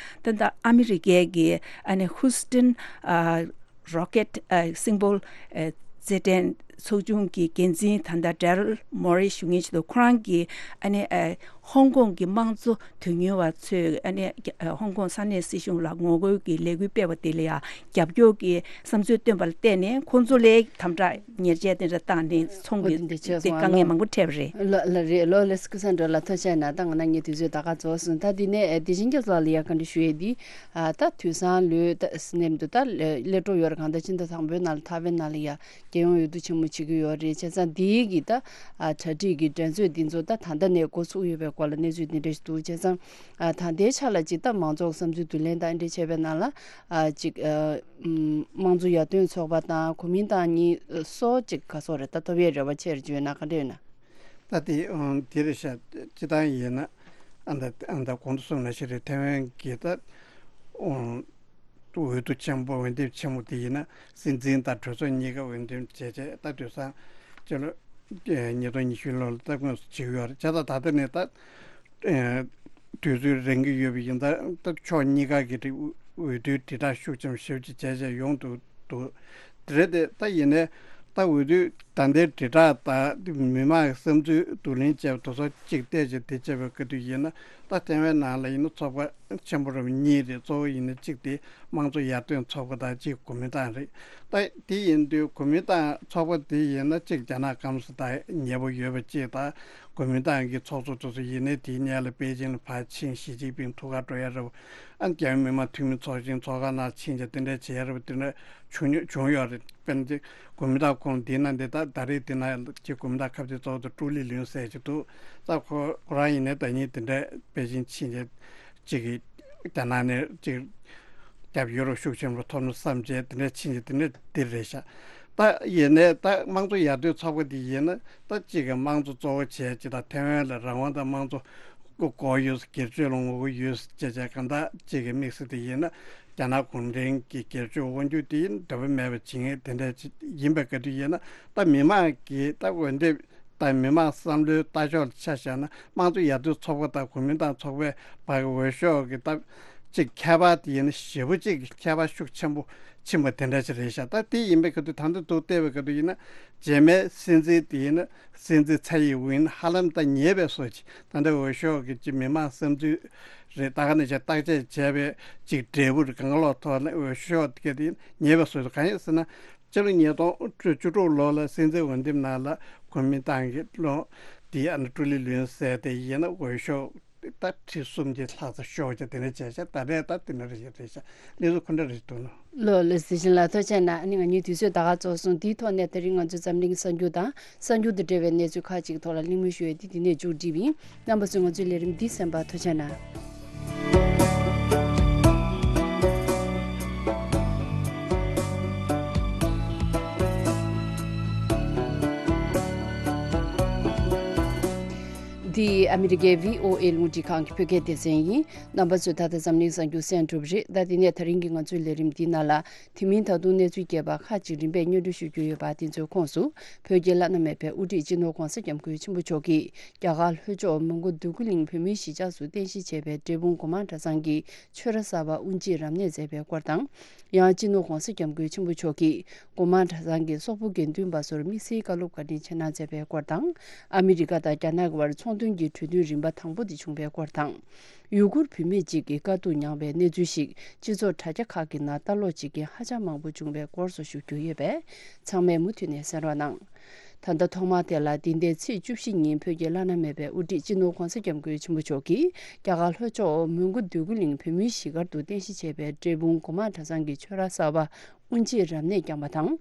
ད་ད་ཨ་མི་རི་ཀའི་གི་ཨ་ནི་ཧུ་སི་ཊོན་ཨ་རོ་ཀེ་ཊི་ཨ་སིང་པོལ་ཨ་རྩེད་འགྲན་ཚོགས་ཆུང་གི་འགན་འཛིན་ད་ལྟ་ཌེ་རལ་མོ་རེ་ཞུ་མཁན་ཞིག་འདུག་ཁོ་རང་གིས་ཨ་ནི་ཨ་ཧོང་ཀོང་གི་དམངས་གཙོ་དོན་གཉེར་བ་ཚོས་ཨ་ནི་ཨ་ཧོང་ཀོང་ས་གནས་སྲིད་གཞུང་ལ་ངོ་རྒོལ་གྱི་ལས་འགུལ་སྤེལ་བ་དེ་ལ་ཡང་རྒྱབ་སྐྱོར་གྱི་བསམ་ཚུལ་བཏོན་པ་ལ་བརྟེན་ནས་ཁོང་ཚོ་ལས་དམ་དྲག་ཉེས་ཆད་དེ་འདྲ་བཏང་ནས་ཚོང་གི་འོ་དེ་འདྲ་བྱས་དེ་སོང་ཨ་དཀའ་ངལ་ལོ། མང་པོ་འཕྲད་པ་རེད། ལ་ལ་རེད། ལོ་ལེགས་ཀུན་བཟང་སྒྲོལ་ལགས། ཐུགས་རྗེ་གནང་། ད་ང་ན་ངའི་དུས་ཚོད་ད་ག་རྫོགས་སོང་། ད་དེ་ནས་ཨ་བདེ་ཆེན་རྒྱ་མཚོ་ལགས་ལ་ཡ་བཀའ་འདྲི་ཞུ་ཡས་འདི་ཨ་ད་དུས་སང་ལོས་ད་སི་ནེམ་དུ་ད་སླེབས་འགྲོ་ཡོད་རེད། གང་ལྟར་ཕྱི་ཟླ་དང་པོའི་ནང་ལ་ཐའེ་ཝན་ནང་ལ་ཡ་རྒྱལ་ཡོངས་འོས་བསྡུ་ཆེན་མོ་བྱེད་ཀྱི་ཡོད་རེད། བྱས་ཙང་འདིའི་གི་ད་ཨ་གྲ་སྒྲིག་གི་འགྲན་རྩོད་འདི་ཚོ་ད་ད་ལྟ་ནས་འགོ་ཚུགས་ཡོད་པའི་སྐོར་ལ་གནས་ཚུལ་འདི་འདྲ་ཞིག་འདུག་བྱས་ཙང་ཨ་ད་ལྟའི་ཆ་ལ་ཅིག་ད་མང་ཚོགས་བསམ་ཚུལ་བསྡུ་ལེན་དང་འདྲ་བྱས་པའི་ནང་ལ་ཨ་ཅིག་ཨ་ཨམ་དམངས་གཙོ་ཡར་ཐོན་ཚོགས་པ་དང་གོ་མིན་ཏང་གཉིས་སོ་ཅིག་ག་སོགས་རེད་ད་ཐོབ་ཡས་རེ་བ་ཆེ་རེད་བརྗོད་ན་ག་འདྲ་ཡོད་ན། ད་དེ་ཨང་དེ་རེད་ཤག་སྤྱི་བཏང་ཡིན་ན་ཨ་ད་ཨ་ད་གོང་དུ་གསུངས་ན་ཞིག་རེད། ཐའེ་ཝན་གྱི་ད་ཨང་འོས་བསྡུ་ཆེན་པོ་འོས་འདེམས་ཆེན་མོ་དེ་ཡིན་ན་སྲིད་འཛིན་དང་གྲོས་ཚོགས་གཉིས་ཀ་འོས་འདེམས་བྱས་བྱས་ད་དུས་སང་སྤྱི་ལོ་ཉིས་སྟོང་ཉི་ཤུ་ལོ་ལ་ད་དངོས་སུ་བྱེད་ཀྱི་ཡོད་རེད། བྱས་ཙང་ད་ལྟ་ནས་ད་དུས་ཚོད་རན་གྱི་ཡོད་པ་ཡིན་ད་ད་ཕྱོགས་གཉིས་ཀ་གི་འོས་བསྡུའི་དྲིལ་བསྒྲགས་ཤུགས་ཆེན་པོ་ཞེ་པོ་ཅིག་བྱས་བྱས་ཡོང་འདུག་འདུག་དེ་རེད་དེ། ད་ཡིན་ནའི་ད་འོས་བསྡུ་ད་ལྟའི་དྲིལ་བསྒྲགས་དང་མི་མང་གི་བསམ་ཚུལ་བསྡུ་ལེན་བྱས་པ་དེ་ཚོ་གཅིག་བལྟས་བྱས་དེ་བྱས་པའི་སྐབས་དུས་ཡིན་ན་ད་ཐའེ་ཝན་ནང་ལ་ཡིན་ན་ཚོགས་པ་ཆེན་པོ་རུ་གཉིས་རེད། གཙོ་བོ་ཡིན་ན་གཅིག་དེ་དམངས་གཙོ་ཡར་ཐོན་ཚོགས་པ་དང་གཅིག་གོ་མིན་ཏང་རེད། ད་དེ་ཡིན་དུས་གོ་མིན་ཏང་ཚོགས་པ་དེ་ཡིན་ན་གཅིག་རྒྱ་ནག་སྐམ་ས་དང་ཉེ་པོ་ཡོད་པ་གཅིག་དང་གོ་མིན་ཏང་གི་ཚོགས་གཙོ་དེ་ཚོ་ཡིན་ནའི་དེའི་སྔོན་ལ་པེ་ཅིང་ལ་ཕར་ཕྱིན་ཞི་ཅིན་ཕིང་ཐུག་གར་འགྲོ་ཡ་རེད། ཨ་རྒྱ་མི་མི་མང་འཐུས་མི་ཚོགས་ཆེན་ཚོགས་ཁང་ནང་ཕྱིན་བྱས་དེ་འདྲ་བྱས་རབས་དེ་འདྲ་བྱུང་བྱུང་ཡོད་རེད། དཔེར་ན་ཅིག་གོ་མིན་ཏང་ཁོངས་འདི་ན་འདི་ད་ད་རེས་དེ་ན་ཅིག་གོ་མིན་ཏང་ཁ་གཏད་གཙོ་བོ་དེ་ཀྲུའུ་ལི་ལུན་ཟེར་ཅིག་འདུག་ད་ཁོ་ཁོ་རང་ཡིན་ནའི་ཟླ་ཉིན་དེ་འདྲ་པེ་ཅིན་ཕྱིན་བྱས་ཅིག་གི་རྒྱ་ནག་ནས་ཅིག་རྒྱབ་ཡོ་རོབ་ཤུགས་ཆེན་པོ་ཐོབ་ན་བསམ་བྱས་དེ་འདྲ་ཕྱིན་བྱས་དེ་འདྲ་འདི་རེད་ཤག་ད་ཡིན་ནའི་ད་དམངས་གཙོ་ཡར་ཐོན་ཚོགས་པ་འདི་ཡིན་ན་ད་ཅིག་གི་དམངས་གཙོ་གཙོ་བོ་བྱས་ཅིག་ད་ཐའེ་ཝན་ལ་རང་དབང་དང་དམངས་གཙོ་དགོས་ཡོད། སྒེར་གཅོད་ལ་ངོ་རྒོལ་ཡོད་ཅེས་བྱས་གང་ལྟར་གཅིག་གི་དམིགས་བསལ་དེ་ཡིན་ན་རྒྱ་ནག་གུང་ཁྲན་གྱི་སྒེར་གཅོད་དབང་སྒྱུར་དེ་ཡིན་འདྲ་པོ་མེད་པ་བྱེད་མཁན་དེ་འདྲ་ཅིག་ཡིན་པའི་སྐབས་དུ་ཡིན་ན་ད་མི་མང་གིས་ད་འོས་འདེམས་ད་མི་མང་བསམ་བློའི་ལྟ་ཕྱོགས་ལ་ཆ་བཞག་ན་དམངས་གཙོ་ཡར་ཐོན་ཚོགས་པ་དང་གོ་མིན་ཏང་ཚོགས་པའི་བར་གྱི་འོས་ཤོག་གི་ད་ཅིག་ཁྱད་པར་དེ་ཡིན་ན་ཞེ་པོ་ཅིག་གི་ཁྱད་པར་ཤུགས་ཆེན་པོ་ཕྱིན་པ་དེ་འདྲ་ཅིག་རེད་ཤག་ད་དེ་ཡིན་པའི་སྐབས་དུ་ད་ལྟ་འདུག་བལྟས་པའི་སྐབས་དུ་ཡིན་ན་རྗེས་མའི་སྲིད་འཛིན་དེ་ཡིན་ན། སྲིད་འཛིན་ཚའེ་ཡིན་ཧྥིང་ཧ་ལམ་ད་ཉེ་བའི་བཟོ་ཅིག་ད་ལྟ་འོས་ཤོག་གི་ཅིག་མི་མང་བསམ་ཚུལ་རེད། ད་ག་ནང་བཞིན་བརྟག་དཔྱད་བྱས་པའི་ཅིག་འབྲས་བུ་རེད། གང་ལོག་ཐོག་ནས་འོས་ཤོག་དེ་ག་དེ་ཉེ་བའི་བཟོ་ཅིག་གང་ཡིན་ཟེར་ན་སྤྱི་ལོ་ཉིས་སྟོང་བཅུ་དྲུག་ལོ་ལ་སྲིད་འཛིན་འོས་འདེམས་ནང་ལ་གོ་མིན་ཏང་གི་ལོ་དེའི་ཨ་ནི་ཀྲུའུ་ལི་ལུན་ཟེར་དེ་ཡིན་ན་འོས་ཤོག་ད་ཁྲི་གསུམ་གྱི་ལྷག་ཙམ་ཤོར་བྱས་དེ་འདྲ་བྱས་ཤག་ད་རེས་ད་དེ་འདྲ་རེད་ཤག་རེད་ཤག་གནས་ཚུལ་ཁོ་འདྲ་རེད་འདུག་ནོ། ལོ་ལེགས་སི་ཤིན་ལ་ཐུགས་རྗེ་གནང་། ཨ་ནི་ང་གཉིས་དུས་ཚོད་ད་ག་རྫོགས་སོང་། དེའི་ཐོག་ནས་དེ་རིང་ང་ཚོའི་འཛམ་གླིང་གསར་འགྱུར་དང་གསར་འགྱུར་དང་འབྲེལ་བའི་གནས་ཚུལ་ཁག་ཅིག་ཐོག་ལ་གླེང་མོལ་ཞུ་ཡས་དེ་འདི་ནས་མཇུག་སྒྲིལ་བ་ཡིན། རྣམ་པ་ཚོས་ང་ཚོའི་ལས་རིམ་འདི་གསན་པར་ཐུགས་རྗེ་གནང་། འདི་ཨ་མི་རི་ཀའི་བྷི་ཨོ་ཨེ་རླུང་འཕྲིན་ཁང་གི་བོད་སྐད་སྡེ་ཚན་ཡིན། རྣམ་པ་ཚོས་ད་ལྟ་འཛམ་གླིང་གསར་འགྱུར་གསན་གྲུབ་རེད། ད་དེ་ནས་ད་རིང་གི་ང་ཚོའི་ལས་རིམ་འདིའི་ནང་ལ། དེ་མིན་ད་དུང་གནས་ཚུལ་རྒྱས་པ་ཁག་ཅིག་རིམ་པས་སྙན་སྒྲོན་ཞུ་རྒྱུ་ཡོད་པ། དེ་ཚོའི་ཁོངས་སུ། བོད་ཀྱི་བླ་ན་མེད་པའི་དབུ་ཁྲིད་སྤྱི་ནོར་༧གོང་ས་༧སྐྱབས་མགོན་ཆེན་པོ་མཆོག་གིས་རྒྱ་གར་ལྷོ་ཕྱོགས་མོན་གྷོ་འདོད་རྒུ་གླིང་བོད་མིའི་གཞིས་ཆགས་སུ་རྟེན་གཞི་བྱས་པའི་འབྲས་སྤུངས་སྒོ་མང་གྲྭ་ཚང་གི་ཆོས་ར་གསར་པ་དབུ་འབྱེད་རབ་གནས་མཛད་པའི་སྐོར་དང་། ཡང་སྤྱི་ནོར་༧གོང་ས་༧སྐྱབས་མགོན་ཆེན་པོ་མཆོག་གིས་སྒོ་མང་གྲྭ་ཚང་གི་སོག་པོ་དགེ་འདུན་པ་ཚོར་དམིགས་བསལ་བཀའ་སློབ་བཀའ་དྲིན་ཆེ་གནང་མཛད་པའི་སྐོར་དང་། ཨ་མི་རི་ཀ་དང་རྒྱ་ནག་གི་བར་ཚོང་དོན་གྱི་གྲོས་མཐུན་རིམ་པ་དང་པོ་དེ་བྱུང་བའི་སྐོར་དང་། ཡུ་གུར་བུད་མེད་ཅིག་གིས་དཀའ་སྡུག་མྱངས་པའི་གནས་ཚུལ་ཞིག་སྤྱི་ཚོགས་དྲ་རྒྱ་ཁག་གི་ནང་ལྟ་ཀློག་བྱེད་མཁན་ཧ་ཅང་མང་པོ་བྱུང་བའི་སྐོར་སོགས་ཞུ་རྒྱུ་ཡོད་པས། ཚང་མས་མུ་མཐུད་ནས་གསན་རོགས་གནང་། ད་ལྟ་ཐོག་མར་དེ་ལ་འདི་ཟླའི་ཚེས་བཅུ་བཞི་ཉིན་བོད་ཀྱི་བླ་ན་མེད་པའི་དབུ་ཁྲིད་སྤྱི་ནོར་༧གོང་ས་༧སྐྱབས་མགོན་ཆེན་པོ་མཆོག་གིས་རྒྱ་གར་ལྷོ་ཕྱོགས་མོན་གྷོ་འདོད་རྒུ་གླིང་བོད་མིའི་གཞིས་སྒར་དུ་རྟེན་གཞི་བྱས་པའི་འབྲས་སྤུངས་སྒོ་མང་གྲྭ་ཚང་གི་ཆོས་ར་གསར་པ་དབུ་འབྱེད་རབ་གནས་བསྐྱངས་པ་དང་།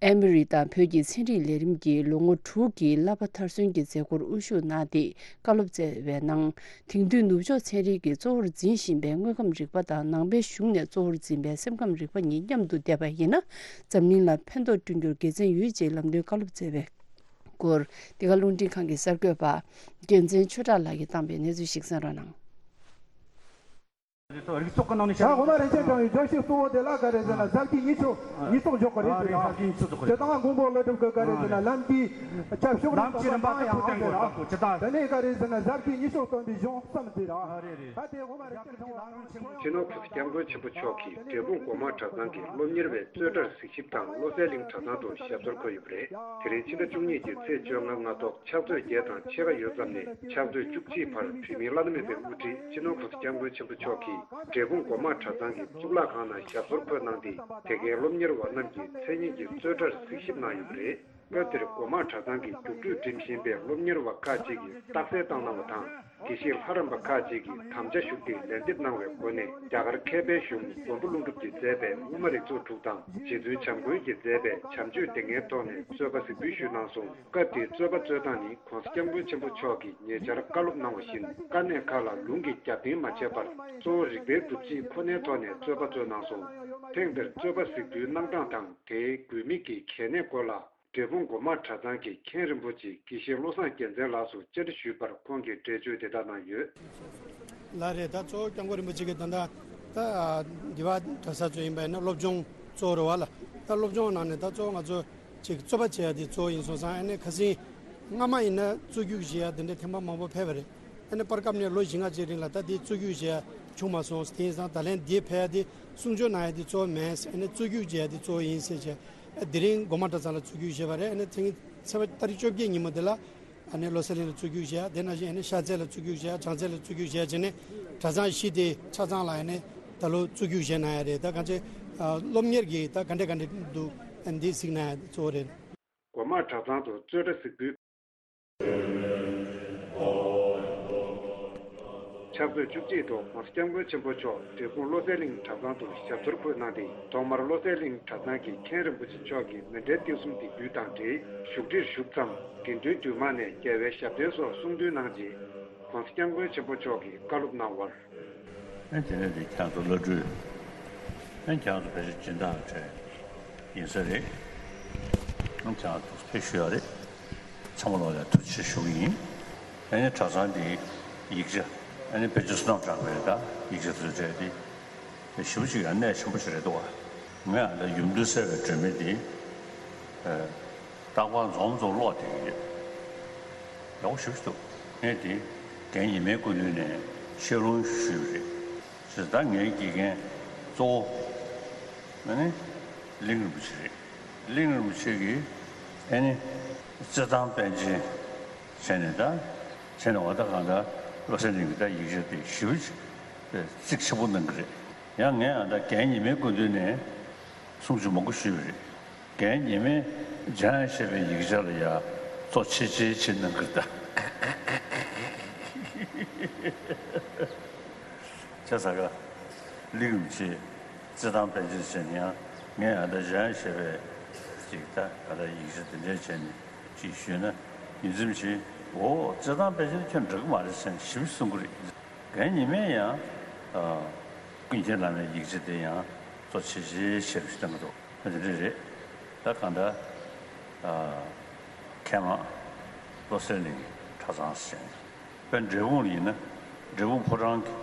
ཨེ་མོ་རི་དང་བོད་ཀྱི་ཚན་རིག་ལས་རིམ་གྱི་ལོ་ངོ་དྲུག་གི་བསླབ་པ་མཐར་སོན་གྱི་མཛད་སྒོར་དབུ་བཞུགས་གནང་སྟེ་བཀའ་སློབ་སྩལ་བའི་ནང་། དེང་དུས་ནུབ་ཕྱོགས་ཚན་རིག་གིས་གཙོ་བོར་འཛིན་བཞིན་པའི་དངོས་ཁམས་རིག་པ་དང་ནང་པའི་གཞུང་ནས་གཙོ་བོར་འཛིན་པའི་སེམས་ཁམས་རིག་པ་གཉིས་མཉམ་དུ་བསྡེབས་པ་ཡིན་ན། འཛམ་གླིང་ལ་ཕན་ཐོགས་བསྐྲུན་རྒྱུར་དགེ་མཚན་ཡོད་ཅེས་ལམ་སྟོན་བཀའ་སློབ་སྩལ་བའི་སྐོར། འདི་ག་རླུང་འཕྲིན་ཁང་གི་གསར་འགོད་པ་རྒྱལ་མཚན་ཆོས་གྲགས་ལགས་ཀྱིས་བཏང་པའི་གནས་ཚུལ་ཞིག་གསན་རོགས་གནང་། རིགས་ཚོགས་ཀྱི་ནང་ནས་བྱ་དགོས་མ་རེད། ཅེས་དྲངས་ཡོད། དགྲ་ཞིག་གཙོ་བོ་དེ་ལ་ག་རེ་ཟེར་ན། ཟབ་རྒྱས་གཉིས་ཆོག་གཉིས་ཐོག་འཇོག་གི་རེད་ཟེར་ཡང་། ཟབ་རྒྱས་གཉིས་ཆོག་འཇོག་གི་རེད། སྤྱིར་བཏང་དགོངས་པ་བློ་གྲོས་དགོས་ག་རེ་ཟེར་ན། ལམ་གྱི་ཆབ་ཤོག་ལམ་གྱི་རིམ་པ་ཡང་ཐུགས་བསྟན་དགོས་རེད། ད་ནས་ག་རེ་ཟེར་ན། ཟབ་རྒྱས་གཉིས་ཆོག་སྟོན་པའི་གཞུང་བརྩམས་ཏེ་ར། ད་དེ་དགོངས་མ་རེད། ཅེས་དྲངས་པ། སྤྱི་ནོར་༧གོང་ས་༧སྐྱབས་མགོན་ཆེན་པོ་མཆོག་གིས་འབྲས་སྤུངས་སྒོ་མང་གྲྭ་ཚང་གི་སློབ་གཉེར་བའི་རྩོད་གྲྭར་གཟིགས་ཞིབ་དང་། བློ་གསལ་གླིང་གྲྭ་ཚང་དུ་ཞབས་སོར་འཁོད་ཡོད་པ་རེད། དེ་རིང་ཕྱི་ཟླ་བཅུ་གཉིས་ཀྱི་ཚེས་བཅོ་ལྔ་སྔ་ཐོག་ཕྱག་ཚོད་བརྒྱད་དང་ཕྱེད་ཀ་ཡོལ་ཙམ་ནས་ཕྱག་ཚོད་བཅུ་གཅིག་བར་བོད་མིའི་བླ་ན་མེད་པའི་དབུ་ཁྲིད་སྤྱི་ནོར་༧གོང་ས་༧སྐྱབས་མགོན་ཆེན་པོ་མཆོག་གིས་འབྲས་སྤུངས་སྒོ་མང་གྲྭ་ཚང་གི་གཙུག་ལག་ཁང་ནང་ཞབས་སོར་འཁོད་གནང་སྟེ། དེ་གའི་སློབ་གཉེར་བ་རྣམས་ཀྱི་མཚན་ཉིད་ཀྱི་རྩོད་གྲྭར་གཟིགས་ཞིབ་གནང་ཡོད་པ་རེད། སྐབས་དེར་སྒོ་མང་གྲྭ་ཚང་གི་རྒྱུགས་སྤྲོད་འགྲིམ་བཞིན་པའི་སློབ་གཉེར་བ་ཁག་ཅིག་གིས་རྟགས་གསལ་བཏང་གནང་བ་དང་། དགེ་བཤེས་ལྷ་རམས་པ་ཁག་ཅིག་གིས་དམ་བཅའ་ཞུགས་ཏེ་ལན་འདེབས་གནང་བའི་སྒོ་ནས། རྒྱ་གར་མཁས་པའི་གཞུང་མགོན་པོ་ཀླུ་སྒྲུབ་ཀྱིས་མཛད་པའི་དབུ་མ་རིགས་ཚོགས་དྲུག་དང་། རྗེ་བཙུན་བྱམས་མགོན་གྱིས་མཛད་པའི་བྱམས་ཆོས་སྡེ་ལྔའི་ཐོག་ནས་རྩོད་པ་གཟིགས་འབུལ་ཞུས་གནང་སོང་། སྐབས་དེའི་རྩོད་པ་རྩོད་སྟངས་ནི། ༸གོང་ས་༸སྐྱབས་མགོན་ཆེན་པོ་མཆོག་གིས་ཉེ་ཆར་བཀའ་སློབ་གནང་བ་བཞིན། དཀའ་གནད་ཁག་ལ་ལུང་གིས་རྒྱབ་རྟེན་མ་བྱས་པར། གཙོ་བོ་རིགས་པའི་སྒྲུབ་བྱེད་ཁོ་ནའི་ཐོག་ནས་རྩོད་པ་རྩོད་གནང་སོང་། ཐེངས་འདིར་རྩོད་པ་གཟིགས་འབུལ་གནང་སྟངས་དང་། དེའི་དགོས་དམིགས་ཀྱི་གལ་གནད་སྐོར་ལ། འབྲས་སྤུངས་སྒོ་མང་གྲྭ་ཚང་གི་མཁན་རིན་པོ་ཆེ་དགེ་བཤེས་བློ་བཟང་རྒྱལ་མཚན་ལགས་སུ་བཅར་འདྲི་ཞུས་པར། ཁོང་གིས་འགྲེལ་བརྗོད་འདི་ལྟར་གནང་ཡོད། ལགས་རེད། ད་གཙོ་བོ་སྐྱབས་མགོན་རིན་པོ་ཆེ་གིས་ད་ལྟ་ད་འདི་བ་གྲྭ་ས་ཚོ་ཡིན་པ་ཡིན་ན་སློབ་སྦྱོང་གཙོ་བོ་རེད་བ་ལ། ད་སློབ་སྦྱོང་ནང་ནས་ད་གཙོ་བོ་ང་ཚོ་ཅིག་རྩོད་པ་བྱེད་ཡ་དེ་གཙོ་བོ་ཡིན་སོང་ཙང་། ཨ་ནི་ཁ་སང་སྔ་མ་ཡིན་ན་རྩོད་རྒྱུགས་བྱེད་ཡ་དེ་འདྲའི་ཐེངས་མ་མང་པོ་ཕེབས་པ་རེད། ཨ་ནི་བར་སྐབས་ནས་ལོ་བཞི་ལྔ་ཅིག་རིང་ལ་ད་དེ་རྩོད་རྒྱུགས་བྱེད་ཡ་བྱུང་མ་སོང་། དེ་ཡིན་ཙང་ད་ལན་འདི་ཕེབས་ཡ་དེ་གསུང་ཆོས་གནང་ཡ་དེ་གཙོ་བོ་མེད། ཨ་ནི་རྩོད་རྒྱུགས་བྱེད་ཡ་དེ་གཙོ་བོ་ཡིན་ཟེར་བྱས། ཨ་དེ་རིང་སྒོ་མང་གྲྭ་ཚང་ལ་རྩོད་རྒྱུགས་བྱས་པ་རེད། ཨ་ནི་ཚེ་རིང་ཚེས་པ་ཏ་རིག་བཅོ་བརྒྱད་ཉིན་མོ་དེ་ལ་ཨ་ནི་བློ་གསལ་གླིང་ལ་རྩོད་རྒྱུགས་བྱས། དེ་ནང་བཞིན་ཨ་ནི་ཤར་རྩེ་ལ་རྩོད་རྒྱུགས་བྱས། བྱང་རྩེ་ལ་རྩོད་རྒྱུགས་བྱས་བྱས་ནས་གྲྭ་ཚང་བཞི་དེ་ཆ་ཚང་ལ་ཨ་ནི་ད་ལོ་རྩོད་རྒྱུགས་བྱས་གནང་ཡ་རེད། ད་གང་ཅི་ཨ་སློབ་གཉེར་གྱི་ད་ག་འདྲ་ག་འདྲ་འདུག་ཨ་འདི་གཟིགས་གནང་ཡ་གཙོ་བོ་རེད། སྒོ་མང་གྲྭ་ཚང་དུ་རྩོད་གྲྭ་གཟིགས་འབུལ། ཕྱག་ཚོད་བཅུ་གཅིག་ཐོག་༸གོང་ས་༸སྐྱབས་མགོན་ཆེན་པོ་མཆོག་འབྲས་སྤུངས་བློ་གསལ་གླིང་གྲྭ་ཚང་དུ་ཞབས་སོར་འཁོད་གནང་སྟེ། ཐོག་མར་བློ་གསལ་གླིང་གྲྭ་ཚང་གི་མཁན་རིན་པོ་ཆེ་མཆོག་གིས་མཎྜལ་ཏིལ་གསུམ་འདེགས་འབུལ་དང་འབྲེལ་བཞུགས་ཁྲིར་བཞུགས་མཚམས། དགེ་འདུན་འདུས་མང་ནས་རྒྱལ་བའི་ཞབས་བརྟན་སོགས་གསུང་འདོན་གནང་རྗེས། ༸གོང་ས་༸སྐྱབས་མགོན་ཆེན་པོ་མཆོག་གིས་བཀའ་སློབ་གནང་བར། ཨ་དེ་ནས་དེ་ཁྱེད་ཚོ་བླ་སྤྲུལ། ཨ་ཁྱེད་ཚོ་ཕལ་ཆེར་སྦྱིན་བདག་གྲས་ཡིན་ས་རེད། ཨ་ཁྱེད་ཚོ་ཕེབས་ཞུ་ཡ་རེད། ཚང་མ་ལོག་ལ་ཐུགས་རྗེ་ཆེ་ཞུ་གི་ཡིན། ཨ་ནི་གྲྭ་ཚང་འདི་ཡིག་ཆ་ཨ་ནི་དཔེ་ཆ་བསོད་ནམས་གྲགས་པའི་ད་ཡིག་ཆ་དེ་ཚོ་སྤྲད་དེ་ཞེ་པོ་ཅིག་ཡང་གནད་ཆེན་པོ་ཞིག་རེད་འདུག་བ། ངས་ཨ་ད་ཡུམ་དུ་གསལ་བའི་སྒྲོན་མེ་འདི་ཨ་རྟག་པར་འཛོམས་འཛོམས་ཀློག་བསྡད་ཀྱི་ཡོད། ཡག་པོ་ཞེ་པོ་ཅིག་འདུག་ངས་འདི་རྒན་ཉི་མའི་སྐུ་མདུན་ནས་བཤད་ལུང་ཞུས་པ་རེད། ཅེས་ད་ངའི་དགེ་རྒན་གཙོ་བོ་ཨ་ནི་གླིང་རིན་པོ་ཆེ་རེད། གླིང་རིན་པོ་ཆེ་གིས་ཨ་ནི་རྩེད་ཐང་པཎ་ཆེན་བྱས་ནས་ད་བྱས་ནས་འོ་ད་གང་ལྟར་བློ་གསལ་གླིང་གི་ད་ཡིག་ཆ་དེ་ཞེ་པོ་ཅིག་གཙིགས་ཆེན་པོ་གནང་གི་རེད། ཡང་ངས་ཨ་ད་རྒན་ཉི་མའི་སྐུ་མདུན་ནས་གསུང་ཆོས་མང་པོ་ཞུས་པ་རེད། རྒན་ཉི་མས་འཇམ་དབྱངས་བཞད་པའི་ཡིག་ཆ་ལ་ཡ་གཙོ་ཆེ་ཆེ་བྱེད་གནང་གི་རེད་ད། བྱས་ཙང་ཀ་གླིང་རིན་པོ་ཆེ་རྩེད་ཐང་པཎ་ཆེན་ཟེར་ནས་ཡང་ངས་ཨ་ད་འཇམ་དབྱངས་བཞད་པའི་ཅིག་ད་ཨ་ད་ཡིག་ཆ་དེ་འདྲ་བྱས་ནས་ཅིག་ཞུས་ན། ཡིད་ཚིམ་ཆེ། འོ་རྩེད་ཐང་པཎ་ཆེན་ཁྱོད་འགྲིག་གི་མ་རེད་ཟེར་ནས་ཞིབ་གསུང་གི་རེད། རྒན་ཉི་མས་ཡང་ཨ་ཀུན་མཁྱེན་བླ་མའི་ཡིག་ཆ་དེ་ཡང་གཙོ་ཆེ་ཆེ་ཞེས་ཞུ་བཏང་གི་འདུག་དེ་འདྲ་རེད། ད་གང་ལྟར་ཨ་མཁས་མང་བློ་གསལ་གླིང་ གྲྭ་ཚང་ཟེར། དཔེར་འབྲས་སྤུངས་ལ་ཡིན་ན་འབྲས་སྤུངས་ཕོ་བྲང་གི་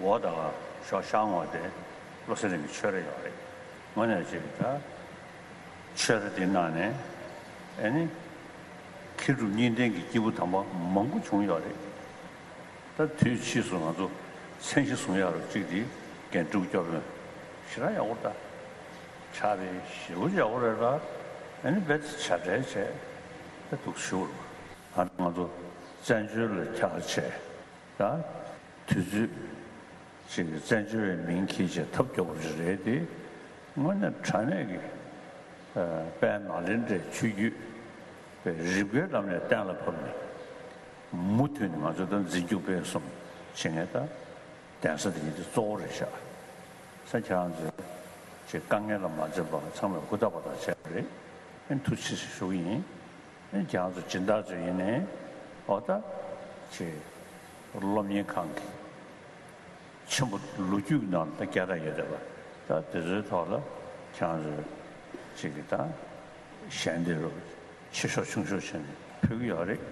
འོག་དང་ཤོག་ཤར་ངོས་དེ་བློ་གསལ་གླིང་གི་ཆོས་ར་ཡོད་རེད། དངོས་གནས་ཅིག་ད་ཆོས་ར་དེ་ནང་ནས་ཨེ་ནི་མཁས་གྲུབ་གཉིས་ལྡན་གྱི་སྐྱེས་བུ་དམ་པ་མང་པོ་བྱུང་ཡོད་རེད། ད་དུས་ཕྱིས་སུ་ང་ཚོ་མཚན་གཞི་བཟུང་ཡག་རུ་གཅིག་དེ་རྒན་སྤྲུལ་སྐུ་སྐྱབས་མགོན་ཞེ་དྲག་ཡག་པོ་རེད། ད་ཕྱག་དཔེ་ཞེ་པོ་ཡག་པོ་རེད་ལ། ཨ་ནི་རྦད་དེ་བྱ་བྲལ་བྱས་ད་འདུག་ཞུ་རུ། ཨ་ནི་ང་ཚོ་བཙན་བྱོལ་ལ་འཁྱར་བྱས་ད་དུས་ཚོད་ཅིག་གི་བཙན་བྱོལ་བའི་མིང་འཁྱེར་བྱས་ཐབས་སྐྱོ་པོ་རེ་རེད་དེ། དངོས་གནས་དྲང་གནས་ཀྱི་དཔལ་ནཱ་ལེནྡྲའི་ཆོས་བརྒྱུད་རིམ་གྱིས་ལམ་ནས་གཏན་ལ་ཕབ་ནས། མུ་མཐུད་ནས་ང་ཚོ་ད་འཛིན་སྐྱོང་སྤེལ་གསུམ་བྱེད་མཁན་ད་གདན་ས་དེ་ཉིད་དེ་གཙོ་བོ་རེད་ཤག་ས་ཁྱེད་རང་ཚོས་ཅིག་དཀའ་ངལ་ལ་མ་འཛེམས་པར་ཚང་མས་ཧུར་ཐག་པ་དང་བྱས་པ་རེད། ཨེ་ཐུགས་རྗེ་ཆེ་ཞུ་གི་ཡིན། ཨེ་ཁྱེད་རང་ཚོ་སྦྱིན་བདག་ཚོ་ཡིན་ནའི་འོ་ད་ཅིག་སློབ་གཉེར་ཁང་གི་ཆེན་པོ་ལོ་རྒྱུས་ནང་ད་བསྐྱར་དུ་ཡོད་བསྡད་པ་ད་དེ་ཚོའི་ཐོག་ལ་ཁྱེད་རང་ཚོས་ཅིག་གི་ད་ཞལ་འདེབས་རོགས་ཆེ་ཤོས་ཆུང་ཤོས་བྱས་ནས་ཕུལ་གྱི་ཡོད་རེད།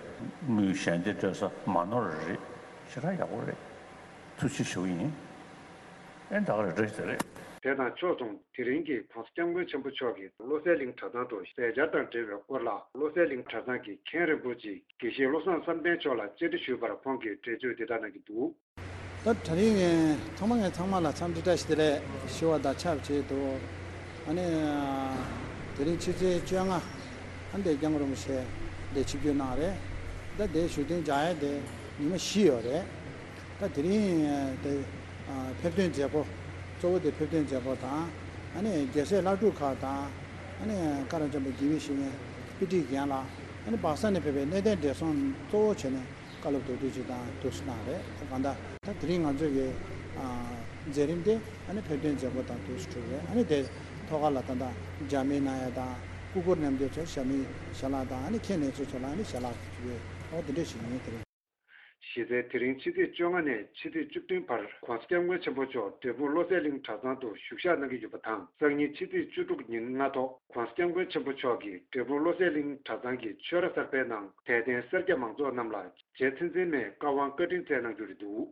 དངུལ་ཞལ་འདེབས་སྤྲད་ས་མ་ནོར་རེད། ཞེ་དྲག་ཡག་པོ་རེད། ཐུགས་རྗེ་ཆེ་ཞུ་གི་ཡིན། ཨེ་ད་ག་རེ་འདྲ་ཞིག་རེད། དེ་དང་ཕྱོགས་མཚུངས་དེ་རིང་གི་༸གོང་ས་༸སྐྱབས་མགོན་ཆེན་པོ་མཆོག་གིས་བློ་གསལ་གླིང་གྲྭ་ཚང་དུ་ཟས་སྦྱར་དང་འབྲེལ་བའི་སྐོར་ལ་བློ་གསལ་གླིང་གྲྭ་ཚང་གི་མཁན་རིན་པོ་ཆེ་དགེ་བཤེས་བློ་བཟང་བསམ་གཏན་མཆོག་ལ་བཅར་འདྲི་ཞུས་པར་ཁོང་གིས་འགྲེལ་བརྗོད་འདི་ལྟར་གནང་གི་འདུག་ད་དེ་རིང་ཐོག་མ་ངས་ཚང་མ་ལ་འཚམས་འདྲི་བཀྲ་ཤིས་བདེ་ལེགས་ཞུ་བ་དང་ཆབས་ཅིག་ཏུ། ཨ་ནི་དེ་རིང་ཕྱི་ཚེས་བཅོ་ལྔ་ཨ་འདས་སྐྱབས་མགོན་རིན་པོ་ཆེ་འདས་ཆིབས་བསྒྱུར་གནང་རེད། ད་དེ་བཞུགས་གདན་འཇག་ཡས་དེ་ཉི་མ་བཞི་ཡོད་རེད། ད་དེ་རིང་དེ་ཕེབས་ཐོན་མཛད་སྒོ་གཙོ་བོ་དེ་ཕེབས་ཐོན་མཛད་སྒོ་དང་། ཨ་ནི་རྒྱལ་སྲས་བླ་སྤྲུལ་ཁག་དང་། ཨ་ནི་བཀའ་བློན་ཆེན་པོ་དགེ་བཤེས་གཉེན་དཔེ་ཁྲིད་རྒན་ལགས། ཨ་ནི་སྦག་ས་ནས་ཕེབས་པའི་གནས་བརྟན་བགྲེས་སོང་གཙོ་བོ་བྱས་ནས་བཀའ་སློབ་དོན་གྲོས་ཅིག་དང་འདུག་སེ་གནང་རེད། ད་གང་ལྟར་ད་དེ་རིང་ང་ཚོ་གི་མཛད་རིམ་དེ་ཨ་ནི་ཕེབས་ཐོན་མཛད་སྒོ་དང་འདུག་སེ་གྲུབ་རེད། ཨ་ནི་དེ་ཐོག་ཁ་ལ་ད་ལྟ་མཇལ་མོལ་གནང་ཡ་དང་སྐུ་འཁོར་མཉམ་འདུས་ཚོ་ཞལ་མི་ཞལ་ལག་དང་། ཨ་ནི་མཁན་ལས་ཚོགས་ཚོ་ལ་ཨ་ནི་ཞལ་ལག་ཕུལ་བའི་འོ་དེ་འདྲ་ཞིག་ཡིན། དེ་རིང་གཞི་རྩའི་དེ་རིང་ཕྱི་ཚེས་བཅོ་ལྔ་ནས་ཕྱི་ཚེས་བཅུ་བདུན་བར་༸གོང་ས་༸སྐྱབས་མགོན་ཆེན་པོ་མཆོག་འབྲས་སྤུངས་བློ་གསལ་གླིང་གྲྭ་ཚང་དུ་བཞུགས་ཞག་གནང་གི་ཡོད་པ་དང་། སང་ཉིན་ཕྱི་ཚེས་བཅུ་དྲུག་ཉིན་སྔ་ཐོག་༸གོང་ས་༸སྐྱབས་མགོན་ཆེན་པོ་མཆོག་གིས་འབྲས་སྤུངས་བློ་གསལ་གླིང་གྲྭ་ཚང་གི་ཆོས་ར་གསར་པའི་ནང་དད་ལྡན་སེར་སྐྱ་མང་ཚོགས་རྣམས་ལ་རྗེ་བཙུན་འཛིན་མའི་བཀའ་དབང་བཀའ་དྲིན་སྩལ་གནང་རྒྱུ་རེད་འདུག་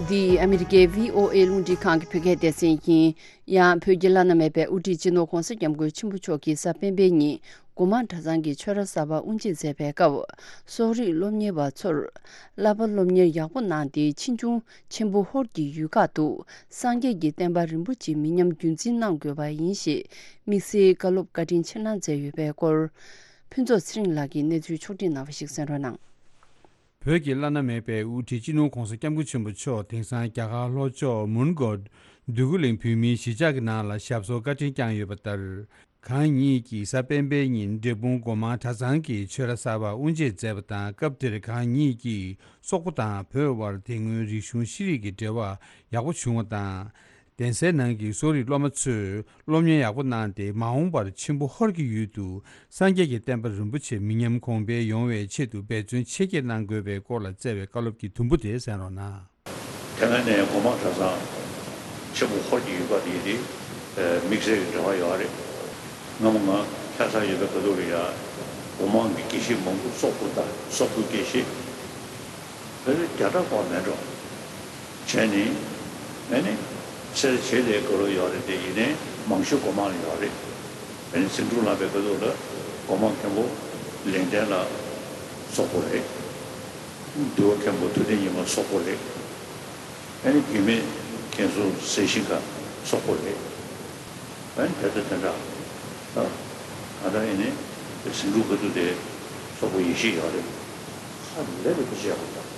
འདི་ཨ་མི་རི་ཀའི་བྷི་ཨོ་ཨེ་རླུང་འཕྲིན་ཁང་གི་བོད་སྐད་སྡེ་ཚན་ཡིན། ཡང་བོད་ཀྱི་བླ་ན་མེད་པའི་དབུ་ཁྲིད་སྤྱི་ནོར་༸གོང་ས་༸སྐྱབས་མགོན་ཆེན་པོ་མཆོག་གིས་གཟའ་སྤེན་པའི་ཉིན་སྒོ་མང་གྲྭ་ཚང་གི་ཆོས་ར་གསར་པ་དབུ་འབྱེད་མཛད་པའི་སྐབས། གསོ་རིག་སློབ་གཉེར་བ་ཚོར་བསླབ་པ་སློབ་གཉེར་ཡག་པོ་གནང་སྟེ། ཕྱིས་འབྱུང་ཆེན་པོ་ཧོར་གྱི་ཡུལ་ཁག་ཏུ་སངས་རྒྱས་ཀྱི་བསྟན་པ་རིན་པོ་ཆེ་མི་ཉམས་རྒྱུན་འཛིན་གནང་དགོས་པ་ཡིན་ཞེས་དམིགས་བསལ་བཀའ་སློབ་བཀའ་དྲིན་ཆེ་གནང་མཛད་ཡོད་པའི་སྐོར། ཕུན་ཚོགས་ཚེ་རིང་ལགས་ཀྱིས་གནས་ཚུལ་ཕྱོགས་སྒྲིག་གནང་བ་ཞིག་གསན་རོགས་གནང་། བོད་ཀྱི་བླ་ན་མེད་པའི་དབུ་ཁྲིད་སྤྱི་ནོར་༸གོང་ས་༸སྐྱབས་མགོན་ཆེན་པོ་མཆོག་དེང་སང་རྒྱ་གར་ལྷོ་ཕྱོགས་མོན་གྷོ་འདོད་རྒུ་གླིང་བོད་མིའི་གཞིས་ཆགས་ཀྱི་ནང་ལ་ཞབས་སོར་བཀའ་དྲིན་བསྐྱངས་ཡོད་པ་ལྟར། གང་ཉིད་ཀྱིས་གཟའ་སྤེན་པའི་ཉིན་འབྲས་སྤུངས་སྒོ་མང་གྲྭ་ཚང་གི་ཆོས་ར་གསར་པ་དབུ་འབྱེད་མཛད་པ་དང་། སྐབས་དེར་གང་ཉིད་ཀྱིས་སོག་པོ་དང་བོད་དབར་དེ་སྔོན་རིག་གཞུང་ཤེས་རིག་གི་འབྲེལ་བ་ཡག་པོ་བྱུང་བ་དང་། གདན་སའི་ནང་གི་གསོ་རིག་སློབ་མ་ཚོས་སློབ་གཉེར་ཡག་པོ་གནང་སྟེ། མ་འོངས་པར་ཆེན་པོ་ཧོར་གྱི་ཡུལ་དུ་སངས་རྒྱས་ཀྱི་བསྟན་པ་རིན་པོ་ཆེ་མི་ཉམས་གོང་འཕེལ་ཡོང་བའི་ཆེད་དུ་འབད་བརྩོན་ཆེ་བསྐྱེད་གནང་དགོས་པའི་སྐོར་ལ་སྩལ་བའི་བཀའ་སློབ་ཀྱི་དུམ་བུ་དེ་གསན་རོགས་གནང་། དེ་སྔ་ནས་སྒོ་མང་གྲྭ་ཚང་ཆེན་པོ་ཧོར་གྱི་ཡུལ་པ་དེ་ཡིན་ཏེ། དམིགས་བསལ་གྱི་འབྲེལ་བ་ཡོད་རེད། སྔ་མོ་ང་ལྷ་སར་ཡོད་པའི་སྐབས་དུས་ལ་ཡ། སྒོ་མང་གི་དགེ་བཤེས་མང་པོ་སོག་པོ་དང་སོག་པོའི་དགེ་བཤེས། བོད་བརྒྱ་ཕྲག་གོ་མེད་འགྲོ། བྱས་ནས། ཨ་ནི། སེར་བྱེས་ལས་དགའ་རབ་ཡོད་རེད་དེ། ཡིན་ནའི་མང་ཤོས་སྒོ་མང་ལ་ཡོད་རེད། ཨ་ནི་ཟིང་འཁྲུག་ལངས་པའི་སྐབས་དུས་ལ་སྒོ་མང་མཁན་པོ་ལེགས་ལྡན་ལགས་སོག་པོ་རེད། འདུལ་བ་མཁན་པོ་ཐུབ་བསྟན་ཉི་མ་སོག་པོ་རེད། ཨ་ནི་རྒྱུད་སྨད་མཁན་ཟུར་ཟས་ཤིང་ཁ་སོག་པོ་རེད། ཨ་ནི་དེ་ལྟར་དེ་འདྲ། ད་ང་དང་ཨེ་ནི་ཟིང་འཁྲུག་ག་དུས་དེ་སོག་པོ་ཡེ་ཤེས་ཡོད་རེད། ཧ་ལས་པའི་དུས་ཆེ་ཡག་པོ་འདུག་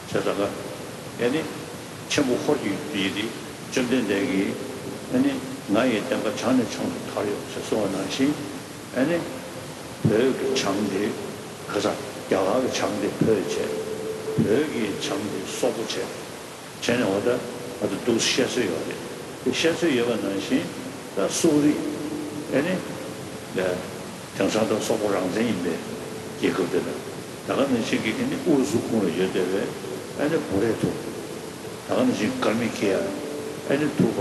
བྱས་ཙང་ཀ་ཨེ་ནི་ཆེན་པོ་ཧོར་གྱི་ཡུལ་དེ་བཅོམ་ལྡན་འདས་ཀྱིས་ཨེ་ནི་ང་ཡི་བསྟན་པ་བྱང་ནས་བྱང་དུ་དར་ཡོད་ཅེས་གསུངས་པ་ནང་བཞིན། ཨེ་ནི་བོད་ཀྱི་བྱང་དེ་ག་ས་རྒྱ་གར་གྱི་བྱང་དེ་བོད་བྱས། བོད་ཀྱི་བྱང་དེ་སོག་པོ་བྱས། བྱས་ནས་འོ་ད་ང་ཚོ་འདུག་བཤད་སྲོལ་ཡོད་རེད། དེ་བཤད་སྲོལ་ཡོད་པ་ནང་བཞིན་ད་སོག་རིགས་ཨེ་ནི་ལ་དེང་སང་ད་སོག་པོ་རང་བཙན་ཡིན་པའི་རྒྱལ་ཁབ་དེ་ལ། ད་ག་ནང་བཞིན་གྱི་ཨེ་ནི་ཨུ་རུ་སུ་ཁོངས་ལ་ཡོད་བསྡད་པའི་ཨེ་ནི་བྷུ་རེ་ཐུ། ད་ག་ནང་བཞིན་ཀརྨ་ཁི་ཡ། ཨེ་ནི་ཐུག་པ།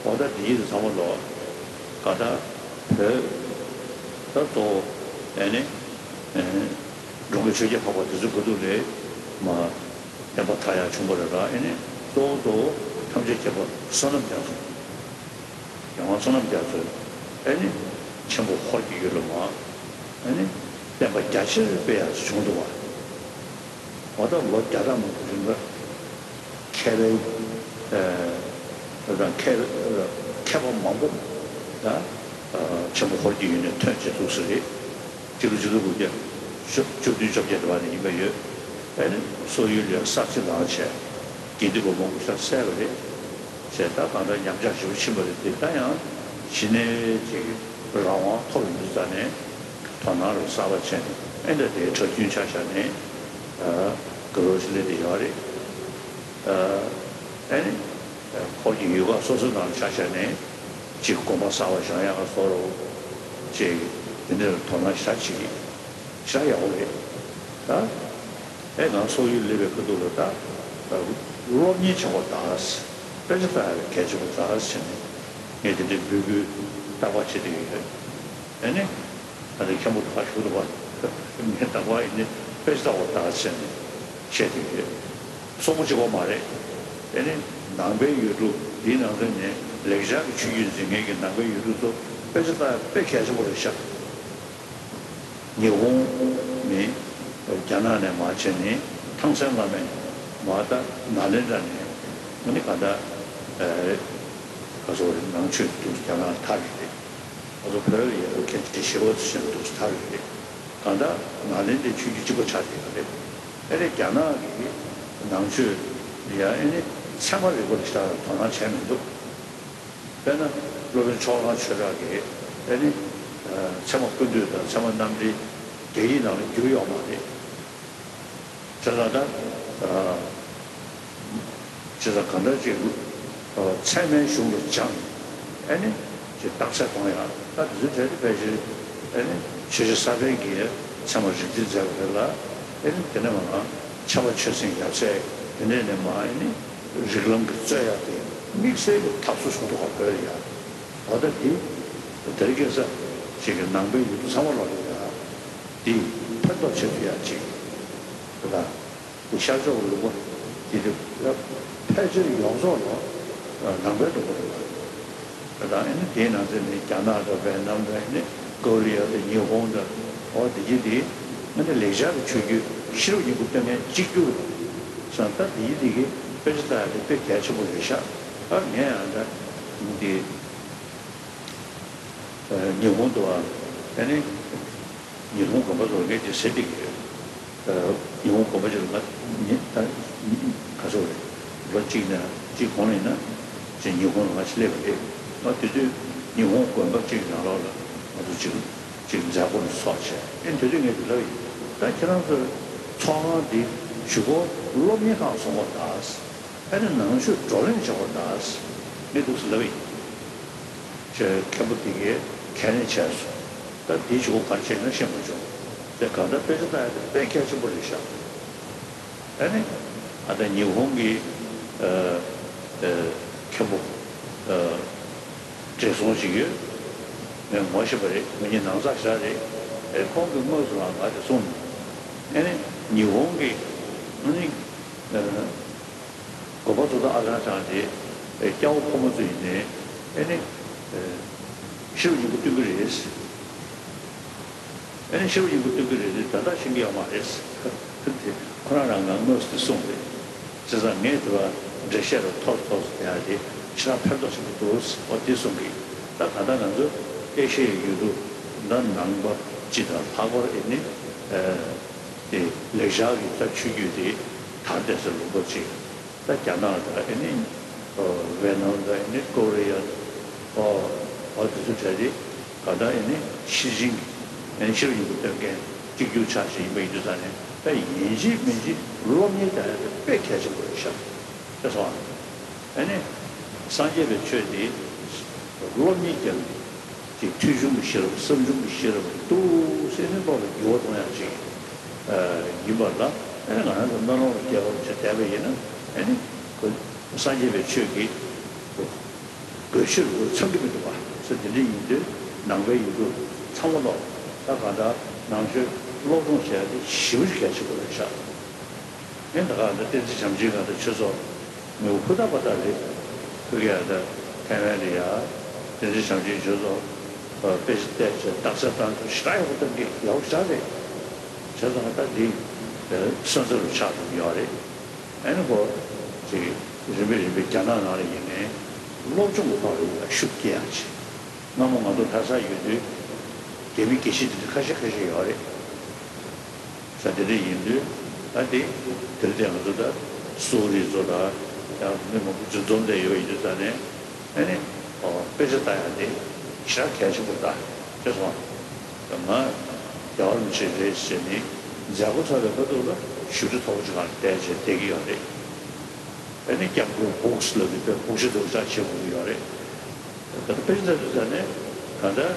འོ་ད་འདི་ཡིན་ཚང་མ་ལོ། ག་ད་བོད་ད་གཙོ་བོ་ཨེ་ནི་འགྲོ་མགོན་ཆོས་རྒྱལ་འཕགས་པ་དེ་ཚོའི་སྐུ་དུས་ལས་མ་བསྟན་པ་དར་ཡག་བྱུང་བ་རེད་ལ། ཨེ་ནི་གཙོ་བོ་གཙོ་བོ་ཐམས་ཅད་མཁྱེན་པ་བསོད་ནམས་རྒྱ་མཚོ། རྒྱལ་དབང་བསོད་ནམས་རྒྱ་མཚོས་ཨེ་ནི་ཆེན་པོ་ཧོར་གྱི་ཡུལ་ལ་མ་ཨེ་ནི་བསྟན་པ་རྒྱ་ཆེར་སྤེལ་ཡག་བྱུང་འདུག་བ། འོ་ད་ལོ་བརྒྱ་ཕྲག་མང་པོ་རིང་ལ་མཁས་པའི་ཨ་དང་མཁས་མཁས་པ་མང་པོ་ད་ཆེན་པོ་ཧོར་གྱི་ཡུལ་ནས་ཐོན་བྱས་འདུག་ས་རེད། སྤྱི་ལོ་ཆིག་སྟོང་དགུ་བརྒྱ་བཅུ་བདུན་བཅོ་བརྒྱད་དེ་བར་ནས་ཡིན་པ་ཡོད། ཨེ་ནི་སོག་ཡུལ་ལ་གསར་བརྗེ་བཏང་བྱས་དགེ་འདུན་པ་མང་པོ་ཞིག་བསད་པ་རེད། བྱས་ད་གང་ལྟར་ཉམས་ཆག་ཞེ་པོ་ཕྱིན་པ་རེད་དེ། ད་ཡང་གཞི་ནས་ཅིག་རང་དབང་ཐོབ་ཡོང་དུས་ཙ་ནས་དོ་སྣང་རུ་གསར་པ་བྱས་ནས་ཨེ་འདྲ་དེའི་གྲྭ་རྒྱུན་ཆ་བཞག་ནས་དགའ་རབ་ཞིག་སླེབས་བསྡད་ཡོད་རེད། ཨེ་ནི་ཧོར་གྱི་ཡུལ་ཁག་སོ་སོའི་ནང་ལ་ཆ་བཞག་ནས་ཅིག་དགོན་པ་གསར་པ་བཞེངས་ཡག་བཟོ་རོགས་ཅིག་དེ་འདྲར་དོ་སྣང་ཞེ་དྲག་བྱེད་ཀྱི་ཞེ་དྲག་ཡག་པོ་རེད། ད་ཨེ་ང་སོག་ཡུལ་སླེབས་པའི་ཁ་ཐུག་ལ་ད་སློབ་གཉེར་བྱེད་དགོས་ད། དཔེ་ཆ་ལྟ་ཡག་གལ་ཆེན་པོ་ད་ཟེར་ནས་ངས་དེ་འདྲའི་འབོད་སྐུལ་རྟག་པར་བྱེད་བསྡད་ཡོད། ཨེ་ནི། ད་ལྟ་མཁན་པོ་ད་ག་བཞུགས་འདུག་པ། ངས་རྟག་པར་ཨེ་ནི་དཔེ་ཆ་ལྟ་དགོས་ད་ཟེར་ནས་བཤད་བསྡད་ཡོད། སོག་པོ་གཅིག་པོ་མ་རེད། ཨེ་ནི་ནང་པའི་ཡུལ་གྲུ་འདིའི་ནང་ཚན་ནས་ལེགས་སྦྱར་གྱི་ཆོས་བརྒྱུད་འཛིན་མཁན་གྱི་ནང་པའི་ཡུལ་གྲུ་ཚོ་དཔེ་ཆ་ལྟ་ཡག་དཔེ་གལ་ཆེན་པོ་རེད་ཤག་ཉི་ཧོང་ནས་རྒྱ་ནག་ནས་མར་བྱས་ནས་ཐང་སན་བླ་མས་མར་ད་ནཱ་ལེནྡྲ་ནས་ཨ་ནི་ག་ད་ཨེ་ག་ཚོད་རེད། ནང་ཆོས་འདུག་རྒྱ་ནག་ལ་ཐར་རེད། ང་ཚོ་བོད་ལ་ཡ་མཁན་ཆེན་ཞི་བ་འཚོ་ཞེས་པ་འདུག་ཐར་རེད། གང་ལྟར་ནཱ་ལེནྡྲའི་ཆོས་བརྒྱུད་གཅིག་པ་ཆགས་བསྡད་པ་རེད། ཨེ་རེད། རྒྱ་ནག་གི་ནང་ཆོས་ཡ་ཨེ་ནི་ཚད་མ་རིག་པ་ལ་ཞེ་དྲག་དོ་སྣང་བྱས་མི་འདུག་དཔེར་ན་སློབ་དཔོན་ཕྱོགས་གླང་ཆོས་གྲགས་ཀྱིས་ཨེ་ནི་ཚད་མ་ཀུན་བཏུས་དང་ཚད་མ་རྣམ་འགྲེལ་རྒྱ་ཡིག་ནང་ལ་བསྒྱུར་ཡོད་མ་རེད། བྱས་ཙང་ད། བྱས་ཙང་གང་ལྟར་ཅིག་ཚད་མའི་གཞུང་ལ་སྦྱངས། ཨེ་ནི། ཅིག་རྟགས་གསལ་གཏོང་ཡག་ད་དེ་ཚོའི་གྲས་དེ་ཕལ་ཆེར། ཨེ་ནི། ཆོས་རྗེ་ས་པཎ་གྱིས་ཚད་མ་རིག་འཛིན་མཛད་པ་རེད་ལ། ཨེ་ནི་དེ་ནས་མར་ཕྱྭ་པ་ཆོས་སེང་ཡབ་སྲས་དེ་འདྲས་ནས་མར་ཨེ་ནི། རིགས་ལམ་གྱི་རྩོད་ཡག་དེ་དམིགས་བསལ་གྱི་ཐབས་སུ་བྱུང་འདུག་ག་བོད་ལ་ཡ། འོ་ད་འདི། དེ་རིང་ཁ་སང་ཅིག་གི་ནང་པའི་ཡུལ་གྲུ་ཚང་མ་ལོག་ཡོད་ཡ། འདི་ཕན་ཐོགས་ཆེ་ཤོས་ཡ་ཅིག་རེད་ད། འདི་ཤར་ཕྱོགས་ལུང་པ་འདི་རེད། ཕལ་ཆེར་ཡོངས་རྫོགས་ལ་ནང་པའི་ལུང་པ་རེད་པ། རེད་ད། ཨེ་ནི་དེའི་ནང་ཚན་ནི་རྒྱ་ནག་དང་ཝེ་ནམ་དང་ཨེ་ནི་ཀོ་རི་ཡ་དང་ཉི་ཧོང་དང་། འོ་འདི་གྱི་འདི་ཨེ་ནི་ལེགས་སྦྱར་གྱི་ཆོས་བརྒྱུད་ཤེས་རབ་སྙིང་པོ་སྟོན་མཁན་གཅིག་གྱུར་རེད་པ། སོང་ད་འདི་གྱི་འདི་གི་དཔེ་ཆ་ལྟ་ཡག་དེ་དཔེ་གལ་ཆེན་པོ་རེད་ཤག་ཨ་ངས་ཨ་ད་འདི། ཉི་ཧོང་དུ་བ། ཨ་ནི། ཉི་ཧོང་དགོན་པ་ཚོ་ངས་ཀྱི་ཟེར་བསྡད་ཀྱི་ཡོད། ཉི་ཧོང་དགོན་པ་ཅིག་ལ་ང་ཉི་ད་ག་ཚོད་རེད། ལོ་གཅིག་ནས་གཅིག་གོང་ལ་ཡིན་ན་ཅིག་ཉི་ཧོང་ལ་ང་ཅིག་སླེབས་པ་རེད། ང་དེ་དུས་ཉི་ཧོང་དགོན་པ་གཅིག་ནང་ལོགས་ལ་ང་ཚོ་ཅིག་ཅིག་མཛད་སྒོ་ནས་ཚོགས་བྱས། ཨེ་དེ་དུས་ངས་དེ་ལབ་ཡིན། ད་ཁྱེད་རང་ཚོའི་ཚོགས་ཁང་འདི་གཞུག་གུ་སློབ་གཉེར་ཁང་བཟོ་དགོས་ད། ཨ་ནི་ནང་ཆོས་བགྲོ་གླེང་བྱེད་དགོས་ད། ངས་འདུག་སེ་ལབ་ཡིན། ཅེས་མཁན་པོ་དེ་གས་ཁས་ལེན་བྱས་སོང་། ད་དེའི་གཞུག་གུ་ག་རེ་བྱས་ན་ཤེས་མ་བྱུང་། དེ་གང་ལྟར་དཔེ་ཆ་ལྟ་ཡག་དེ་དཔེ་གལ་ཆེན་པོ་རེད་ཤག་ཨ་ནི། ཨ་ད་ཉི་ཧོང་གི་ཨ་ཨ་མཁན་པོ་ཨ་བགྲེས་སོང་ཞིག་ཡོད། ངས་ངོ་ཤེས་པ་རེད། ང་གཉིས་ནང་ཚགས་ཞེ་དྲག་རེད། ཨེ་ཁོང་གིས་དངོས་སུ་ལ་ང་དེ་གསུངས། ཨ་ནི་ཉི་ཧོང་གི་ཨ་ནི་ཨ། དགོན་པ་ཚོ་དང་ཨ་ཅང་ཅང་རེད། ཨེ་སྐྱ་བོ་ཕོ་མོ་ཚོ་ཡིན་ནའི་ཨེ་ནི་ཨེ་ཤེས་རབ་སྙིང་པོ་སྟོན་གྱི་རེད། ཨེ་ནི་ཤེས་རབ་སྙིང་པོ་སྟོན་གྱི་རེད་དེ་ད་ལྟ་ཤེས་ཀྱི་ཡོད་མ་རེད། དེ་ཁོ་རང་རང་ང་དངོས་སུ་གསུངས་རེད། བྱས་ཙང་ངས་དེ་བ་འགྲེལ་བཤད་རུ་ཐོར་ཐོར་དེ་ཡང་དེ་ཕྱི་ར་ཕན་ཐོགས་ཆེན་པོ་འདུག་འོ་དེ་གསུངས་གི། ད་ག་ད་ང་ཚོ་ཨེ་ཤེ་ཡའི་ཡུལ་གྲུ་ད་ནང་པ་སྤྱི་དང་ལྷག་པར་ཨེ་ནི་ཨེ། དེ་ལེགས་སྦྱར་གྱི་ད་ཆོས་བརྒྱུད་དེ་དར་བསྡད་ས་ལུང་པ་ཅིག་ད་རྒྱ་ནག་དང་ཨེ་ནི་ཝེ་ནམ་དང་ཨེ་ནི་ཀོ་རི་ཡ་ཨོ་ཨོ་དེ་ཚོ་གྲས་དེ་ག་ད་ཨེ་ནི་ཤེར་ཕྱིན་ཨེ་ནི་ཤེར་ཕྱིན་གྱི་སྟོན་མཁན་གཅིག་གྱུར་ཆགས་ཤིག་ཡིན་པ་ཡིན་དུས་ཙང་ནས་ད་ཡིན་གཅིག་མིན་གཅིག་སློབ་གཉེར་རྒྱག་ཡ་དེ་དཔེ་གལ་ཆེན་པོ་རེད་ཤག་དེ་སོང་ཨ་ནི་སངས་རྒྱས་པའི་ཆོས་དེ་སློབ་གཉེར་རྒྱག་ཅིག་ཐོས་བྱུང་གི་ཤེས་རབ་བསམ་བྱུང་གི་ཤེས་རབ་འདུག་སེ་ནི་བློ་ལ་འགྱུར་བ་གཏོང་ཡག་ཅིག་ཡིན་པ་ལ། ཨེ་ནི་ང་རང་ཚོ་སྨོན་ལམ་ལ་སྐྱེ་བ་ཅིག་བསྡད་པ་ཡིན་ན་ཨེ་ནི་ཁོ་སངས་རྒྱས་པའི་ཆོས་ཀྱི་ བོད་གཞས་རུ་ཚང་གི་མི་འདུག་པ། ས་འདི་འདྲ་ཡིན་དུས་ནང་པའི་ཡུལ་གྲུ་ཚང་མ་ལོག་ད་གང་ལྟར་ནང་ཆོས་སློབ་སྦྱོང་བྱས་ཏེ་ཞེ་པོ་ཞིག་གལ་ཆེན་པོ་རེད་ཤག་ཨེ་ད་གང་ལྟར་བསྟན་འཛིན་བྱམས་ཆེན་གང་ལྟར་ཆོས་ཚོགས་མི་འུ་ཧུ་ད་པ་ད་རེད། ཁོ་གི་ཨ་ད་ཐའེ་ཝན་རེད་ཡ། བསྟན་འཛིན་བྱམས་ཆེན་ཆོས་ཚོགས་དཔེ་ཆ་བལྟས་བྱས་རྟགས་གསལ་བཏང་ཐུབ་ཞེ་དྲག་ཡག་པོ་བཏང་གི་ཡག་པོ་ཞེ་དྲག་རེད། བྱས་ཙང་ད་འདི་སོན་རྩ་རུ་ཆགས་ཐུབ་ཡོད་རེད། ཨ་ནི་ཁོ་ཅིག་རིམ་པས་རིམ་པས་རྒྱ་ནག་ནང་ལ་ཡིན་ནའི་སློབ་སྦྱོང་གི་ཐོག་ལ་ཡ་ཤུགས་རྒྱག་ཡག་ཅིག་སྔ་མོ་ང་ཚོ་ལྷ་སར་ཡོད་དུས་རྒྱ་མི་དགེ་བཤེས་དེ་འདྲ་ཁ་ཤས་ཁ་ཤས་ཡོད་རེད། ས་དེ་འདྲ་ཡིན་དུས་ད་དེ་དེར་བརྟེན་ང་ཚོ་ད་སུའུ་རི་ཚོ་ད་ཡང་མི་མང་པོ་འཛུལ་འཛོམས་བསྡད་ཡོད་ཡིན་དུས་ད་ནས་ཨ་ནི་དཔེ་ཆ་ལྟ་ཡག་དེ་ཞེ་དྲག་གལ་ཆེན་པོ་ད་ཅེས་སོང་། ང་རྒྱལ་བ་རིན་པོ་ཆེ་རེད་ཟེར་ནས་མཛད་སྒོ་ཚར་བའི་ཁ་ཐུག་ལ་ཞབས་ཕྱི་མཐོ་པོ་ཅིག་སྒང་བསྡད་བྱས་བསྡད་ཀྱི་ཡོད་རེད། ཨ་ནི་སྐྱབས་མགོན་སྦུག་སི་ལབ་ཀྱི་དཔེ་སྦུག་ཤ་འདུག་ཅག་བྱེད་དགོས་ཀྱི་ཡོད་རེད། ད་ལྟ་དཔེ་ཆ་ལྟ་དུས་ཙ་ནས་གང་ལྟར་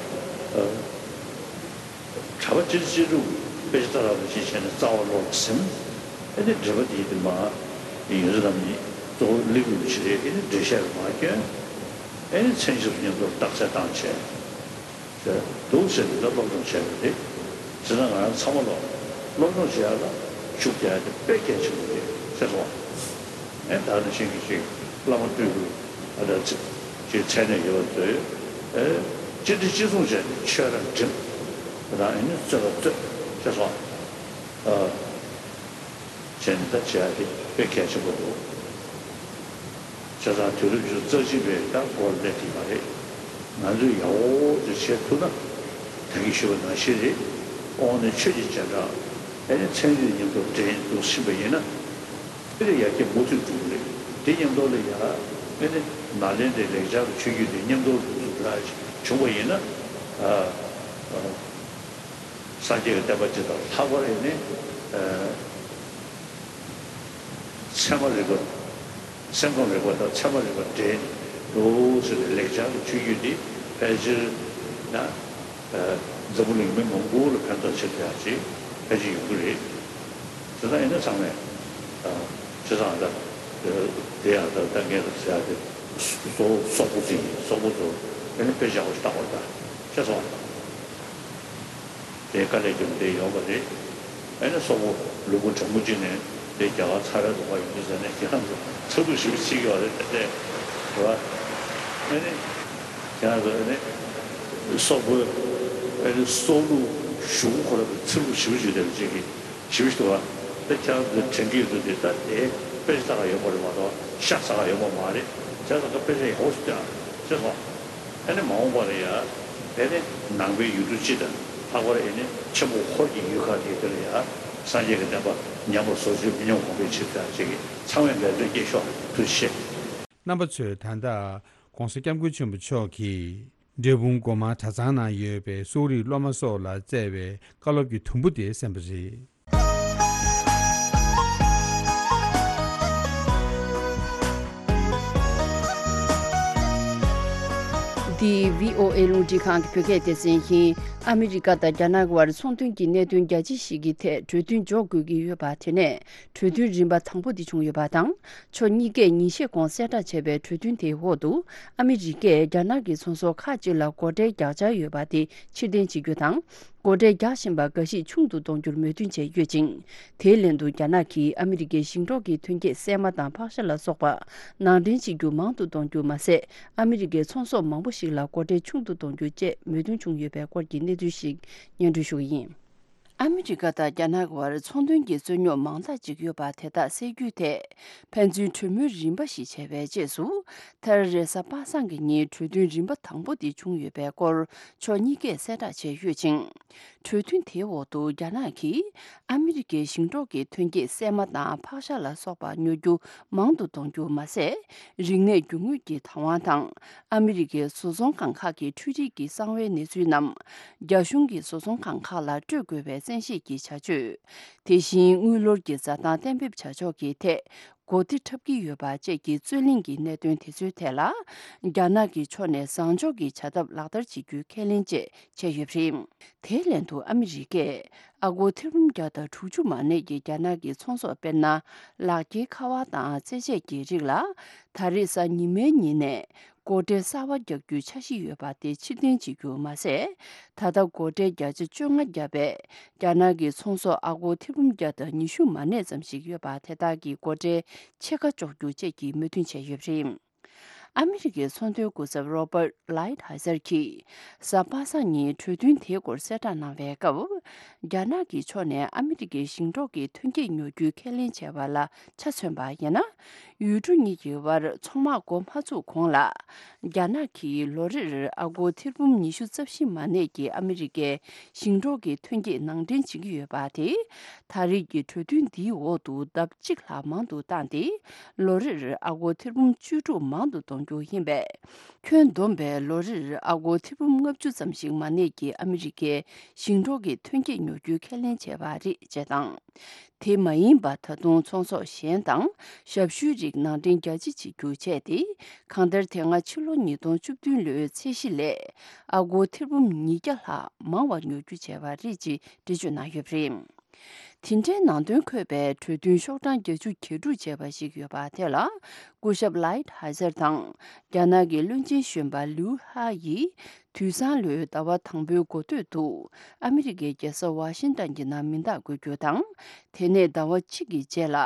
གྲྭ་པ་སྤྱིར་སྤྱིར་རུ་དཔེ་ཆ་ལྟ་རག་པ་ཞིག་བྱས་ནས་རྩ་བ་ལོག་ལ་ཟིན། ཨ་ནི་འགྲེལ་པ་དེ་དེ་མ་ཡོད་ཚད་ལམ་གཉིས་གཙོ་བོ་ལེགས་འགྲུབ་ཆེ་རེད། ཨ་ནི་འགྲེལ་བཤད་མ་སྐྱོན། ཨ་ནི་མཚན་ཞབས་སུ་མཉམ་དུ་རྟགས་གསལ་བཏང་བྱས། འདུག་ཟེར་ནས་ད་སློབ་སྦྱོང་བྱས་པ་རེད། བྱས་ཙང་ང་རང་ཚང་མ་ལོག་སློབ་སྦྱོང་བྱེད་ཡག་ལ་ཤུགས་རྒྱག་ཡག་དེ་དཔེ་གལ་ཆེན་པོ་རེད་ཟེར་སོང་། ཨེ་ད་ནི་ཤིང་གི་ཅིག་བླ་མ་སྤྲུལ་སྐུ་ཨ་ད་ཚེ་ཅིག་མཚན་གནས་ཡོད་པ་ཚོས་ཨེ་ཅི་འདྲ་ཅི་གསུང་བྱས་ནས་ཆོས་ར་འགྲིམ་རང་ཨེ་ནི་རྩོད་པ་རྩོད་ཟེར་སོང་། ཨ། བྱས་ནས་ད་བྱེད་ཡག་དེ་དཔེ་གལ་ཆེན་པོ་འདུག་བྱས་ཙང་དུས་རབས་ཉི་ཤུ་རྩ་གཅིག་པའི་ད་འགོར་སླེབས་ཀྱི་མ་རེད། ང་ཚོས་ཡག་པོ་ཅིག་བྱེད་ཐུབ་ན་ད་གིན་ཞུས་པ་ནང་བཞིན་རེད། དབང་ནི་ཆོས་ཀྱི་རྗེས་འབྲང་ཨེ་ནི་ཚན་རིག་མཉམ་དུ་འདྲེས་འདུག་ཕྱིན་པ་ཡིན་ན་དེ་ལས་ཡར་རྒྱས་མུ་མཐུད་འགྲོ་གི་རེད། དེ་མཉམ་དུ་ལ་ཡ་ཨེ་ནི་ནཱ་ལེནྡྲའི་ལེགས་སྦྱར་གྱི་ཆོས་བརྒྱུད་དེ་མཉམ་དུ་འགྲོ་ཐུབ་འདྲ་བྱུང་བ་ཡིན་ན་ཨ་ཨ། སངས་རྒྱས་ཀྱི་བསྟན་པ་ཇི་ལྟར་ལྷག་པར་ཨེ་ནི་ཨ། ཚད་མ་རིག་པ། སེམས་ཁམས་རིག་པ་དང་ཚད་མ་རིག་པ་འདྲེས་འདུག་ཟེར་བའི་ལེགས་སྦྱར་གྱི་ཆོས་བརྒྱུད་འདི་ཕལ་ཆེར་ན་ཨ། འཛམ་བུ་གླིང་མི་མང་པོ་ལ་ཕན་ཐོགས་ཆེ་ཡག་ཅིག་ཕལ་ཆེར་ཡོང་གི་རེད། དེ་ལྟར་ཡིན་ན་ཚང་མས་ཨ། བྱས་ཙང་ད་དེ་ཡང་ད་ད་ངས་ད་ཟེར་ཡག་དེ་སོ་སོ་སོག་པོ་ཅིག་ཡིན། སོག་པོ་ཚོ་ཨེ་ནི་དཔེ་ཆ་ཡག་པོ་ཞིག་བལྟ་དགོས་ད་ཤེས་སོང་། དེ་དཀའ་ལས་རྒྱབ་བསྡད་ཡོད་པ་རེད། ཨེ་ནི་སོག་པོ་ལུང་པ་གྲང་མོ་ཅིག་ནས་དེ་རྒྱ་གར་ཚ་བའི་ལུང་པ་ཡོང་གི་ཟེར་ནས་ཁྱེད་རང་ཚོ་ཚ་གདུང་ཞེ་པོ་བྱེད་ཀྱི་ཡོད་རེད་དེ་འདྲས་རེད་བ། ཨེ་ནི་ཁྱེད་རང་ཚོ་ཨེ་ནི་སོག་པོའི་ཨེ་ནི་སྲོག་བླུ་ཞུ་གུ་ཁོ་ར་གི་ཚ་གདུང་ཞེ་པོ་བྱེད་བསྡད་པ་ཅིག་གིས་ཞེ་པོ་ཞིག་འདུག་བ། དེ་ཁྱེད་རང་ཚོའི་དྲན་གྱི་ཡོད་དུས་དེ་ད་དེ་དཔེ་ཆ་ལྟ་ག་ཡོད་པ་རེད་མ་གཏོགས་ཤ་ཚ་ག་ཡོད་པ་མ་རེད། བྱས་ཙང་ད་དཔེ་ཆ་ཡག་པོ་ཞིག་བལྟ་ཤེས་སོང་། ཨ་ནི་མ་འོངས་པ་ལ་ཡ། དེ་ནི་ནང་པའི་ཡུལ་གྲུ་སྤྱི་དང་ལྷག་པར་ཨེ་ནི་ཆེན་པོ་ཧོར་གྱི་ཡུལ་ཁག་དེ་དེ་ལ་ཡ། སངས་རྒྱས་ཀྱི་བསྟན་པ་ཉམས་པར་བཟོ་ཆེད་མི་ཉམས་གོང་འཕེལ་ཆེད་དུ་ཡང་ཅིག་གིས་ཚང་མས་འབད་བརྩོན་སྐྱེད་ཤོག་ཐུགས་རྗེ་ཆེ། རྣམ་པ་ཚོས་ད་ལྟ་༸གོང་ས་༸སྐྱབས་མགོན་ཆེན་པོ་མཆོག་གིས་འབྲས་སྤུངས་སྒོ་མང་གྲྭ་ཚང་ནང་ཡོད་པའི་གསོ་རིག་སློབ་མ་སོགས་ལ་བསྩལ་བའི་བཀའ་སློབ་ཀྱི་དུམ་བུ་དེ་གསན་པ་རེད། འདི་བྷི་ཨོ་ཨེ་རླུང་འཕྲིན་ཁང་གི་བོད་སྐད་སྡེ་ཚན་ཡིན། ཨ་མི་རི་ཀ་དང་རྒྱ་ནག་དབར་ཚོང་དོན་གྱི་གནད་དོན་རྒྱ་ཆེ་ཞིག་གི་ཐད་གྲོས་མཐུན་འཇོག་དགོས་ཀྱི་ཡོད་པ་དེ་ནས་གྲོས་མཐུན་རིམ་པ་དང་པོ་འདི་བྱུང་ཡོད་པ་དང་། ཕྱོགས་གཉིས་ཀས་ཉིན་ཤས་གོང་གསལ་བསྒྲགས་བྱས་པའི་གྲོས་མཐུན་དེའི་འོག་ཏུ་ཨ་མི་རི་ཀས་རྒྱ་ནག་གི་ཚོང་ཟོག་ཁག་ཅིག་ལ་སྒོ་ཁྲལ་རྒྱག་འཆར་ཡོད་པ་དེ་ཕྱིར་འཐེན་བྱེད་རྒྱུ་དང་། སྒོ་ཁྲལ་རྒྱག་བཞིན་པ་འགའ་ཞིག་ཆུང་དུ་གཏོང་རྒྱུར་མོས་མཐུན་བྱས་ཡོད་ཅིང་། དེའི་ལན་དུ་རྒྱ་ནག་གིས་ཨ་མི་རི་ཀའི་ཞིང་འབྲོག་གི་ཐོན་སྐྱེད་སྲན་མ་དང་ཕག་ཤ་ལ་སོགས་པ་ནང་འདྲེན་བྱེད་རྒྱུ་མང་དུ་གཏོང་རྒྱུ་མ་ཟད། ཨ་མི་རི་ཀའི་ཚོང་ཟོག་མང་པོ་ཞིག་ལ་སྒོ་ཁྲལ་ཆུང་དུ་གཏོང་རྒྱུ་བཅས་མོས་མཐུན་བྱུང་ཡོད་པའི་སྐོར་གྱི་གནས་ཚུལ་ཞིག་སྙན་སྒྲོན་ཞུ་གི་ཡིན། ཨ་མི་རི་ཀ་དང་རྒྱ་ནག་དབར་ཚོང་དོན་གྱི་རྩོད་རྙོག་མང་དག་ཅིག་ཡོད་པ་དེ་དག་སེལ་རྒྱུའི་ཐད་ཕན་ཚུན་གྲོས་མོལ་རིམ་པ་ཞིག་བྱས་པའི་རྗེས་སུ། མཐར་རེས་གཟའ་པ་སངས་ཀྱི་ཉིན་གྲོས་མཐུན་རིམ་པ་དང་པོ་དེ་བྱུང་ཡོད་པའི་སྐོར་ཕྱོགས་གཉིས་ཀས་གསལ་བསྒྲགས་བྱས་ཡོད་ཅིང་། གྲོས་མཐུན་དེའི་འོག་ཏུ་རྒྱ་ནག་གིས་ཨ་མི་རི་ཀའི་ཞིང་འབྲོག་གི་ཐོན་སྐྱེད་སྲན་མ་དང་ཕག་ཤ་ལ་སོགས་པ་ཉོ་རྒྱུ་མང་དུ་གཏོང་རྒྱུ་མ་ཟད། རིག་གནས་རྒྱུ་དངོས་ཀྱི་བདག་དབང་དང་ཨ་མི་རི་ཀའི་བཟོ་ཚོང་ཁང་ཁག་གི་འཕྲུལ་རིག་གི་གསང་བའི་གནས་ཚུལ་རྣམས་རྒྱ་གཞུང་གི་བཟོ་ཚོང་ཁང་ཁག་ལ་སྤྲོད་དགོས་པའི་བཙན་ཤེད་ཀྱི་བྱ་སྤྱོད། དེ་བཞིན་དངུལ་ལོར་གྱི་བཟའ་བཏང་གཏན་འབེབས་བྱ་ཕྱོགས་ཀྱི་ཐད་གོ་སྒྲིག་འཁྲབ་ཀྱི་ཡོད་པ་བཅས་ཀྱི་རྩོད་གླེང་གི་གནད་དོན་དེ་ཚོའི་ཐད་ལ། རྒྱ་ནག་གི་ཕྱོགས་ནས་བཟང་ཕྱོགས་ཀྱི་བྱ་ཐབས་ལག་བསྟར་བྱེད་རྒྱུའི་ཁས་ལེན་བཅས་བྱས་ཡོད་པ་རེད། དེའི་ལན་དུ་ཨ་མི་རི་ཀས་ཨ་སྒོར་ཐེར་འབུམ་བརྒྱ་དང་དྲུག་ཅུ་མ་གནས་ཀྱི་རྒྱ་ནག་གི་ཚོང་ཟོག་དཔེར་ན། ལག་འཁྱེར་ཁ་པར་དང་རྩེད་ཆས་ཀྱི་རིགས་ལ། ད་རེས་གཟའ་ཉི་མའི་ཉིན་ནས་ སྒོ་ཁྲལ་གསར་པ་རྒྱག་རྒྱུའི་འཆར་གཞི་ཡོད་པ་དེ་ཕྱིར་འཐེན་བྱེད་རྒྱུ་མ་ཟད། ད་ལྟ་སྒོ་ཁྲལ་བརྒྱ་ཆ་བཅོ་ལྔ་བརྒྱབ་པའི་རྒྱ་ནག་གི་ཚོང་ཟོག་ཨ་སྒོར་ཐེར་འབུམ་བརྒྱ་དང་ཉི་ཤུ་མ་གནས་ཙམ་ཞིག་ཡོད་པ་དེ་དག་གི་སྒོ་ཁྲལ་ཕྱེད་ཀ་གཅོག་རྒྱུ་བཅས་ཀྱི་མོས་མཐུན་བྱས་ཡོད་པ་རེད། ཨ་མི་རི་ཀའི་ཚོང་དོན་སྐུ་ཚབ་Robert Lighthizer་གྱིས་གཟའ་པ་སངས་ཉིན་གྲོས་མཐུན་དེའི་སྐོར་གསལ་བསྒྲགས་གནང་བའི་སྐབས། རྒྱ་ནག་གི་ཕྱོགས་ནས་ཨ་མི་རི་ཀའི་ཞིང་འབྲོག་གི་ཐོན་སྐྱེད་ཉོ་རྒྱུའི་ཁས་ལེན་བྱས་པ་ལ་ཆ་མཚོན་པ་ཡིན་ན། ཡུལ་གྲུ་གཉིས་ཀྱི་དབར་ཚོང་དམག་འགོ་མ་ཚུགས་གོང་ལ། རྒྱ་ནག་གིས་ལོ་རེར་ཨ་སྒོར་ཐེར་འབུམ་ཉི་ཤུ་རྩ་བཞི་མ་གནས་ཀྱི་ཨ་མི་རི་ཀའི་ཞིང་འབྲོག་གི་ཐོན་སྐྱེད་ནང་འདྲེན་བྱེད་ཀྱི་ཡོད་པ་དེ། ད་རེས་ཀྱི་གྲོས་མཐུན་འདིའི་འོག་ཏུ་ལྡབ་གཅིག་ལྷག་མང་དུ་བཏང་སྟེ། ལོ་རེར་ཨ་སྒོར་ཐེར་འབུམ་བཅུ་དྲུག་མང་དུ་གཏོང་རྒྱུ་ཡིན་པས། ཁྱོན་བསྡོམས་པས་ལོ་རེར་ཨ་སྒོར་ཐེར་འབུམ་ལྔ་བཅུ་ཙམ་ཞིག་མ་གནས་ཀྱི་ཨ་མི་རི་ཀའི་ཞིང་འབྲོག་གི་ཐོན་སྐྱེད་ཉོ་རྒྱུའི་ཁས་ལེན་བྱས་པ་རེད་ཅེས་དང་། དེ་མ་ཡིན་པ་ད་དུང་ཚོང་ཟོག་གཞན་དང་ཞབས་ཞུའི་རིགས་ནང་འདྲེན་རྒྱ་ཆེ་བྱེད་རྒྱུ་བྱས་ཏེ། གང་ལྟར་དེ་སྔ་ཕྱི་ལོ་ཉིས་སྟོང་བཅུ་བདུན་ལོའི་ཚད་གཞི་ལས་ཨ་སྒོར་ཐེར་འབུམ་ཉིས་བརྒྱ་ལྷག་མང་བ་ཉོ་རྒྱུ་བྱས་པ་རེད་ཅེས་འགྲེལ་བརྗོད་གནང་ཡོད་པ་རེད། དེ་འདྲའི་ནང་དོན་འཁོད་པའི་གྲོས་མཐུན་ཤོག་གྲངས་བརྒྱད་ཅུ་གྱ་དྲུག་ཅེས་པ་ཞིག་ཡོད་པ་དེ་ལ། སྐུ་ཞབས་Lighthizer་དང་རྒྱ་ནག་གི་བློན་ཆེན་གཞོན་པ་Liu He་ཡིས། དུས་སང་ལོའི་ཟླ་བ་དང་པོའི་འགོ་སྟོད་དུ། ཨ་མི་རི་ཀའི་རྒྱལ་ས་ཝ་ཤིང་ཏན་གྱི་ནང་མི་རྟག་འགོད་རྒྱུ་དང་། དེ་ནས་ཟླ་བ་གཅིག་གི་རྗེས་ལ།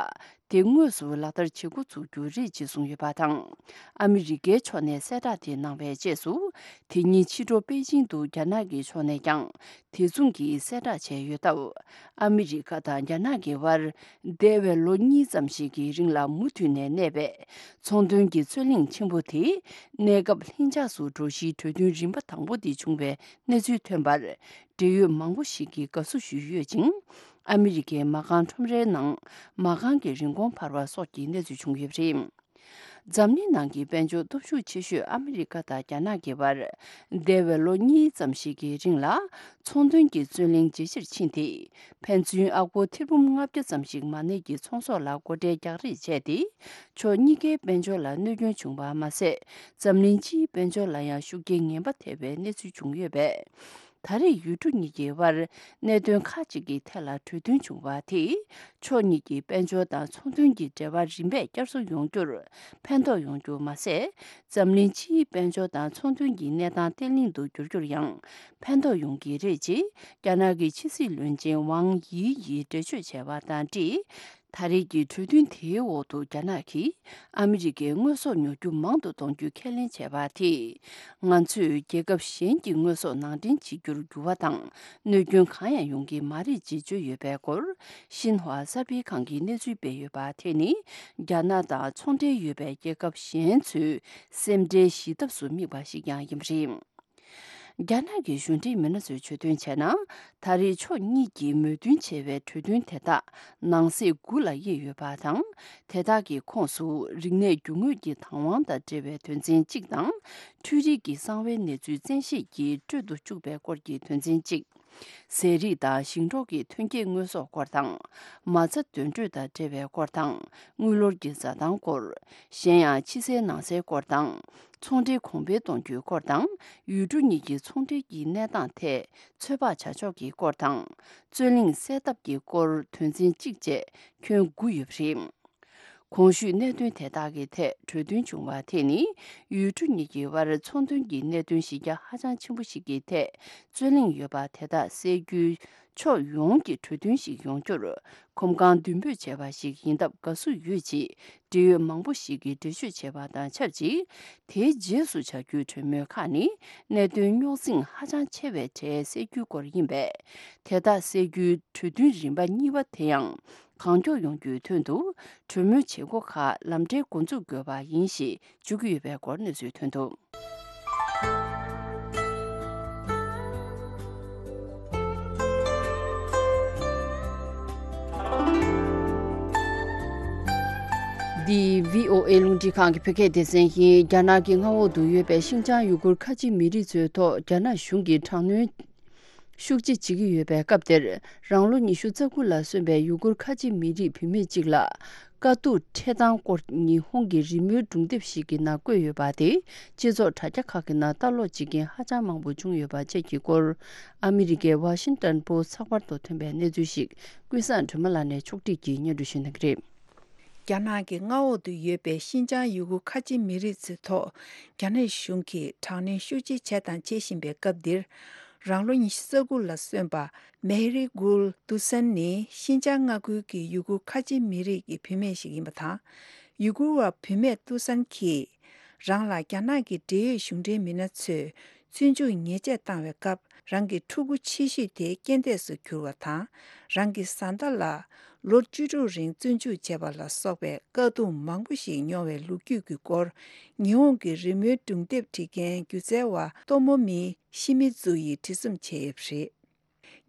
དེ་དངོས་སུ་ལག་བསྟར་བྱེད་འགོ་ཚུགས་རྒྱུ་རེད་ཅེས་གསུངས་ཡོད་པ་དང་། ཨ་མི་རི་ཀའི་ཕྱོགས་ནས་གསལ་བསྒྲགས་དེ་གནང་བའི་རྗེས་སུ། དེ་ཉིན་ཕྱི་དྲོ་པེ་ཅིང་དུ་རྒྱ་ནག་གི་ཕྱོགས་ནས་ཀྱང་། དེ་མཚུངས་ཀྱི་གསལ་བསྒྲགས་བྱས་ཡོད་སྟབས། ཨ་མི་རི་ཀ་དང་རྒྱ་ནག་གི་དབར། འདས་པའི་ལོ་གཉིས་ཙམ་ཞིག་གི་རིང་ལ་མུ་མཐུད་ནས་གནས་པའི། ཚོང་དོན་གྱི་རྩོད་གླེང་ཆེན་པོ་དེ། གནས་སྐབས་ལྷིང་འཇགས་སུ་འགྲོ་གཞིའི་གྲོས་མཐུན་རིམ་པ་དང་པོ་དེ་བྱུང་བའི་གནས་ཚུལ་ཐོན་པར། འབྲེལ་ཡོད་མང་པོ་ཞིག་གིས་དགའ་བསུ་ཞུས་ཡོད་ཅིང་། ཨ་མི་རི་ཀའི་མ་རྐང་ཁྲོམ་རའི་ནང་མ་རྐང་གི་རིན་གོང་འཕར་བ་སོགས་ཀྱི་གནས་ཚུལ་བྱུང་ཡོད་པ་རེད། འཛམ་གླིང་ནང་གི་དཔལ་འབྱོར་སྟོབས་ཤུགས་ཆེ་ཤོས་ཨ་མི་རི་ཀ་དང་རྒྱ་ནག་གི་བར། འདས་པའི་ལོ་གཉིས་ཙམ་ཞིག་གི་རིང་ལ། ཚོང་དོན་གྱི་རྩོད་གླེང་ཇེ་ཆེར་ཕྱིན་ཏེ། ཕན་ཚུན་ཨ་སྒོར་ཐེར་འབུམ་ལྔ་བརྒྱ་ཙམ་ཞིག་མ་གནས་ཀྱི་ཚོང་ཟོག་ལ་སྒོ་ཁྲལ་རྒྱག་རེས་བྱས་ཏེ། ཕྱོགས་གཉིས་ཀའི་དཔལ་འབྱོར་ལ་གནོད་སྐྱོན་བྱུང་བ་མ་ཟད། འཛམ་གླིང་སྤྱིའི་དཔལ་འབྱོར་ལ་ཡང་ཤུགས་རྐྱེན་ངན་པ་ཐེབས་པའི་གནས་ཚུལ་བྱུང་ཡོད་པས། ད་རེས་ཡུལ་གྲུ་གཉིས་ཀྱི་དབར་གནད་དོན་ཁག་ཅིག་གི་ཐད་ལ་གྲོས་མཐུན་བྱུང་བ་དེས། ཕྱོགས་གཉིས་ཀྱི་དཔལ་འབྱོར་དང་ཚོང་དོན་གྱི་འབྲེལ་བ་རིམ་པས་བསྐྱར་གསོ་ཡོང་རྒྱུར་ཕན་ཐོགས་ཡོང་རྒྱུ་མ་ཟད། འཛམ་གླིང་སྤྱིའི་དཔལ་འབྱོར་དང་ཚོང་དོན་གྱི་གནས་སྟངས་བརྟན་ལྷིང་དུ་འགྱུར་རྒྱུར་ཡང་ཕན་ཐོགས་ཡོང་གི་རེད་ཅེས། རྒྱ་ནག་གི་ཕྱི་སྲིད་བློན་ཆེན་ཝང་དབྱི་ཡིས་འགྲེལ་བརྗོད་བྱས་པ་དང་འབྲེལ། ད་རེས་ཀྱི་གྲོས་མཐུན་དེའི་འོག་ཏུ་རྒྱ་ནག་གིས་ཨ་མི་རི་ཀའི་དངོས་ཟོག་ཉོ་རྒྱུ་མང་དུ་གཏོང་རྒྱུའི་ཁས་ལེན་བྱས་པ་དེས། ང་ཚོས་རྒྱལ་ཁབ་གཞན་གྱི་དངོས་ཟོག་ནང་འདྲེན་བྱེད་རྒྱུར་འགྱུར་བ་དང་གནོད་སྐྱོན་གང་ཡང་ཡོང་གི་མ་རེད་ཅེས་བརྗོད་ཡོད་པའི་སྐོར། ཤིན་ཧྭ་གསར་སྤེལ་ཁང་གིས་གནས་ཚུལ་སྤེལ་ཡོད་པ་དེ་ནི། རྒྱ་ནག་དང་ཚོང་འབྲེལ་ཡོད་པའི་རྒྱལ་ཁབ་གཞན་ཚོའི་སེམས་ཁྲལ་ཞི་ཐབས་སུ་དམིགས་པ་ཞིག་ཀྱང་ཡིན་པ་རེད། རྒྱ་ནག་གི་གཞུང་འབྲེལ་མི་སྣ་ཚོས་བརྗོད་དོན་བྱས་ན། ད་རེས་ཕྱོགས་གཉིས་ཀྱིས་མོས་མཐུན་བྱས་པའི་གྲོས་མཐུན་དེ་དག་ནང་གསེས་དགུ་ལ་དབྱེ་ཡོད་པ་དང་། དེ་དག་གི་ཁོངས་སུ་རིག་གནས་རྒྱུ་དངོས་ཀྱི་བདག་དབང་དང་འབྲེལ་བའི་དོན་ཚན་གཅིག་དང་། འཕྲུལ་རིག་གི་གསང་བའི་གནས་ཚུལ་བཙན་ཤེད་ཀྱིས་སྤྲོད་དུ་བཅུག་པའི་སྐོར་གྱི་དོན་ཚན་གཅིག་ཟས་རིགས་དང་ཞིང་འབྲོག་གི་ཐོན་སྐྱེད་དངོས་ཟོག་སྐོར་དང་། མ་རྩ་འདོན་སྤྲོད་དང་འབྲེལ་བའི་སྐོར་དང་། དངུལ་ལོར་གྱི་འཛའ་ཐང་སྐོར། གཞན་ཡང་ཕྱི་གསལ་ནང་གསལ་སྐོར་དང་། ཚོང་འབྲེལ་གོང་འཕེལ་གཏོང་རྒྱུའི་སྐོར་དང་། ཡུལ་གྲུ་གཉིས་ཀྱི་ཚོང་འབྲེལ་གྱི་གནས་སྟངས་ཐད་ཚོད་དཔག་བྱ་ཕྱོགས་ཀྱི་སྐོར་དང་། རྩོད་གླེང་སེལ་ཐབས་ཀྱི་སྐོར་དོན་ཚན་གཅིག་བཅས་ཁྱོན་དགུ་ཡོད་པ་རེད། གོང་ཞུས་གནད་དོན་དེ་དག་གི་ཐད་གྲོས་མཐུན་བྱུང་བ་དེ་ནི། ཡུལ་གྲུ་གཉིས་ཀྱི་དབར་ཚོང་དོན་གྱི་གནད་དོན་གཞི་རྒྱ་ཧ་ཅང་ཆེན་པོ་ཞིག་གི་ཐད་རྩོད་གླེང་ཡོད་པ་དེ་དག་སེལ་རྒྱུའི་ཕྱོགས་ཡོངས་ཀྱི་གྲོས་མཐུན་ཞིག་ཡོང་རྒྱུར་གོམ་གང་མདུན་སྤོས་བྱས་པ་ཞིག་ཡིན་སྟབས་དགའ་བསུ་ཡོད་ཅེས་འབྲེལ་ཡོད་མང་པོ་ཞིག་གིས་འགྲེལ་བརྗོད་བྱས་པ་དང་ཆབས་ཅིག་དེའི་རྗེས་སུ་བྱ་རྒྱུའི་གྲོས་མོལ་ཁག་ནི། གནད་དོན་རྙོག་འཛིང་ཧ་ཅང་ཆེ་བའི་གྲས་སེལ་རྒྱུའི་སྐོར་ཡིན་པས། དེ་དག་སེལ་རྒྱུའི་གྲོས་མཐུན་རིམ་པ་གཉིས་པ་དེ་ཡང་། གང་མགྱོགས་ཡོང་རྒྱུའི་དོན་དུ་གྲོས་མོལ་བྱེད་སྒོ་ཁག་ལམ་འབྲས་འགོ་འཛུགས་དགོས་པ་ཡིན་ཞེས་བརྗོད་ཀྱི་ཡོད་པའི་སྐོར་གནས་ཚུལ་ཐོན་འདུག། འདི་བྷི་ཨོ་ཨེ་རླུང་འཕྲིན་ཁང་གི་བོད་སྐད་སྡེ་ཚན་ཡིན། རྒྱ་ནག་གི་མངའ་འོག་ཏུ་ཡོད་པའི་ཤིན་ཅང་ཡུ་གུར་ཁ་ཆེ་མི་རིགས་ཚོའི་ཐོག་རྒྱ་ནག་གཞུང་གིས་དྲག་གནོན། ཤུགས་ཆེ་བྱེད་ཀྱི་ཡོད་པའི་སྐབས་དེར། རང་ལོ་ཉི་ཤུ་རྩ་དགུ་ལ་སོན་པའི་ཡུ་གུར་ཁ་ཆེ་མི་རིགས་བུད་མེད་ཅིག་ལ། དཀའ་སྡུག་འཕྲད་སྟངས་སྐོར་ཉི་ཧོང་གི་རི་མོའི་སྒྲུང་དེབ་ཞིག་གི་ནང་བཀོད་ཡོད་པ་དེ། སྤྱི་ཚོགས་དྲ་རྒྱ་ཁག་གི་ནང་ལྟ་ཀློག་བྱེད་མཁན་ཧ་ཅང་མང་པོ་བྱུང་ཡོད་པ་བཅས་ཀྱི་སྐོར། ཨ་མི་རི་ཀའི་ཝ་ཤིང་ཏོན་པོ་སི་ཚགས་པར་དུ་ཐོན་པའི་གནས་ཚུལ་ཞིག་ཀུན་བཟང་སྒྲོལ་མ་ལགས་ནས་ཕྱོགས་བསྒྲིགས་ཀྱིས་སྙན་སྒྲོན་ཞུ་གནང་གི་རེད། རྒྱ་ནག་གི་མངའ་འོག་ཏུ་ཡོད་པའི་ཤིན་ཅང་ཡུ་གུར་ཁ་ཆེ་མི་རིགས་ཚོའི་ཐོག་རྒྱ་ནག་གཞུང་གིས་དྲག་གནོན་ཤུགས་ཆེ་བྱས་དང་བྱེད་བཞིན་པའི་སྐབས་འདིར། རང་ལོ་ཉི་ཤུ་རྩ་དགུ་ལ་སོན་པ་མེ་རི་གུལ་ཏུ་སན་ནི་ཤིན་ཅང་མངའ་ཁུལ་གྱི་ཡུ་གུར་ཁ་ཆེ་མི་རིགས་ཀྱི་བུད་མེད་ཞིག་ཡིན་པ་དང་། ཡུ་གུར་བ་བུད་མེད་ཏུ་སན་གྱིས་རང་ལ་རྒྱ་ནག་གི་འབྲེལ་ཡོད་གཞུང་འབྲེལ་མི་སྣ་ཚོས་བཙོན་འཇུག་ཉེས་ཆད་བཏང་བའི་སྐབས། རང་གི་ཕྲུ་གུ་ཆེ་ཤོས་དེ་རྐྱེན་འདས་སུ་གྱུར་བ་དང་། རང་གི་བཟའ་ཟླ་ལ་ལོ་བཅུ་དྲུག་རིང་བཙོན་འཇུག་བྱས་པ་ལ་སོགས་པའི་དཀའ་སྡུག་མང་པོ་ཞིག་མྱོང་བའི་ལོ་རྒྱུས་ཀྱི་སྐོར། ཉི་ཧོང་གི་རི་མོའི་སྒྲུང་དེབ་བྲིས་མཁན་སྒྱུ་རྩལ་བ་ཏོ་མོ་མི་ཤི་མི་ཛུ་ཡིས་བྲིས་རྩོམ་བྱས་ཡོད་པ་རེད།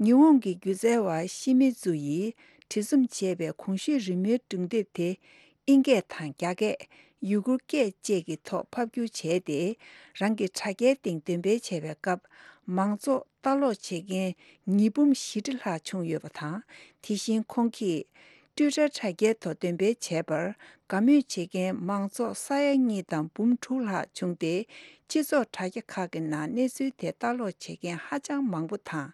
ཉི་ཧོང་གི་སྒྱུ་རྩལ་བ་ཤི་མི་ཛུ་ཡིས་བྲིས་རྩོམ་བྱས་པའི་གོང་ཞུས་རི་མོའི་སྒྲུང་དེབ་དེ་ཨིན་སྐད་དང་རྒྱ་སྐད། ཡུ་གུར་སྐད་བཅས་ཀྱི་ཐོག་ཕབ་བསྒྱུར་བྱས་ཏེ། རང་གི་དྲ་རྒྱའི་སྟེང་འདོན་སྤེལ་བྱས་པའི་སྐབས། མང་ཚོགས་ལྟ་ཀློག་བྱེད་མཁན་ཉིས་འབུམ་བཞི་ཁྲི་ལྷག་བྱུང་ཡོད་པ་དང་། དེ་བཞིན་ཁོང་གིས་ཊུའི་ཊར་དྲ་རྒྱའི་ཐོག་འདོན་སྤེལ་བྱས་པར་དགའ་མོས་བྱེད་མཁན་མང་ཚོགས་ས་ཡ་གཉིས་དང་འབུམ་དྲུག་ལྷག་བྱུང་སྟེ། སྤྱི་ཚོགས་དྲ་རྒྱ་ཁག་གི་ནང་གནས་ཚུལ་དེ་ལྟ་ཀློག་བྱེད་མཁན་ཧ་ཅང་མང་པོ་དང་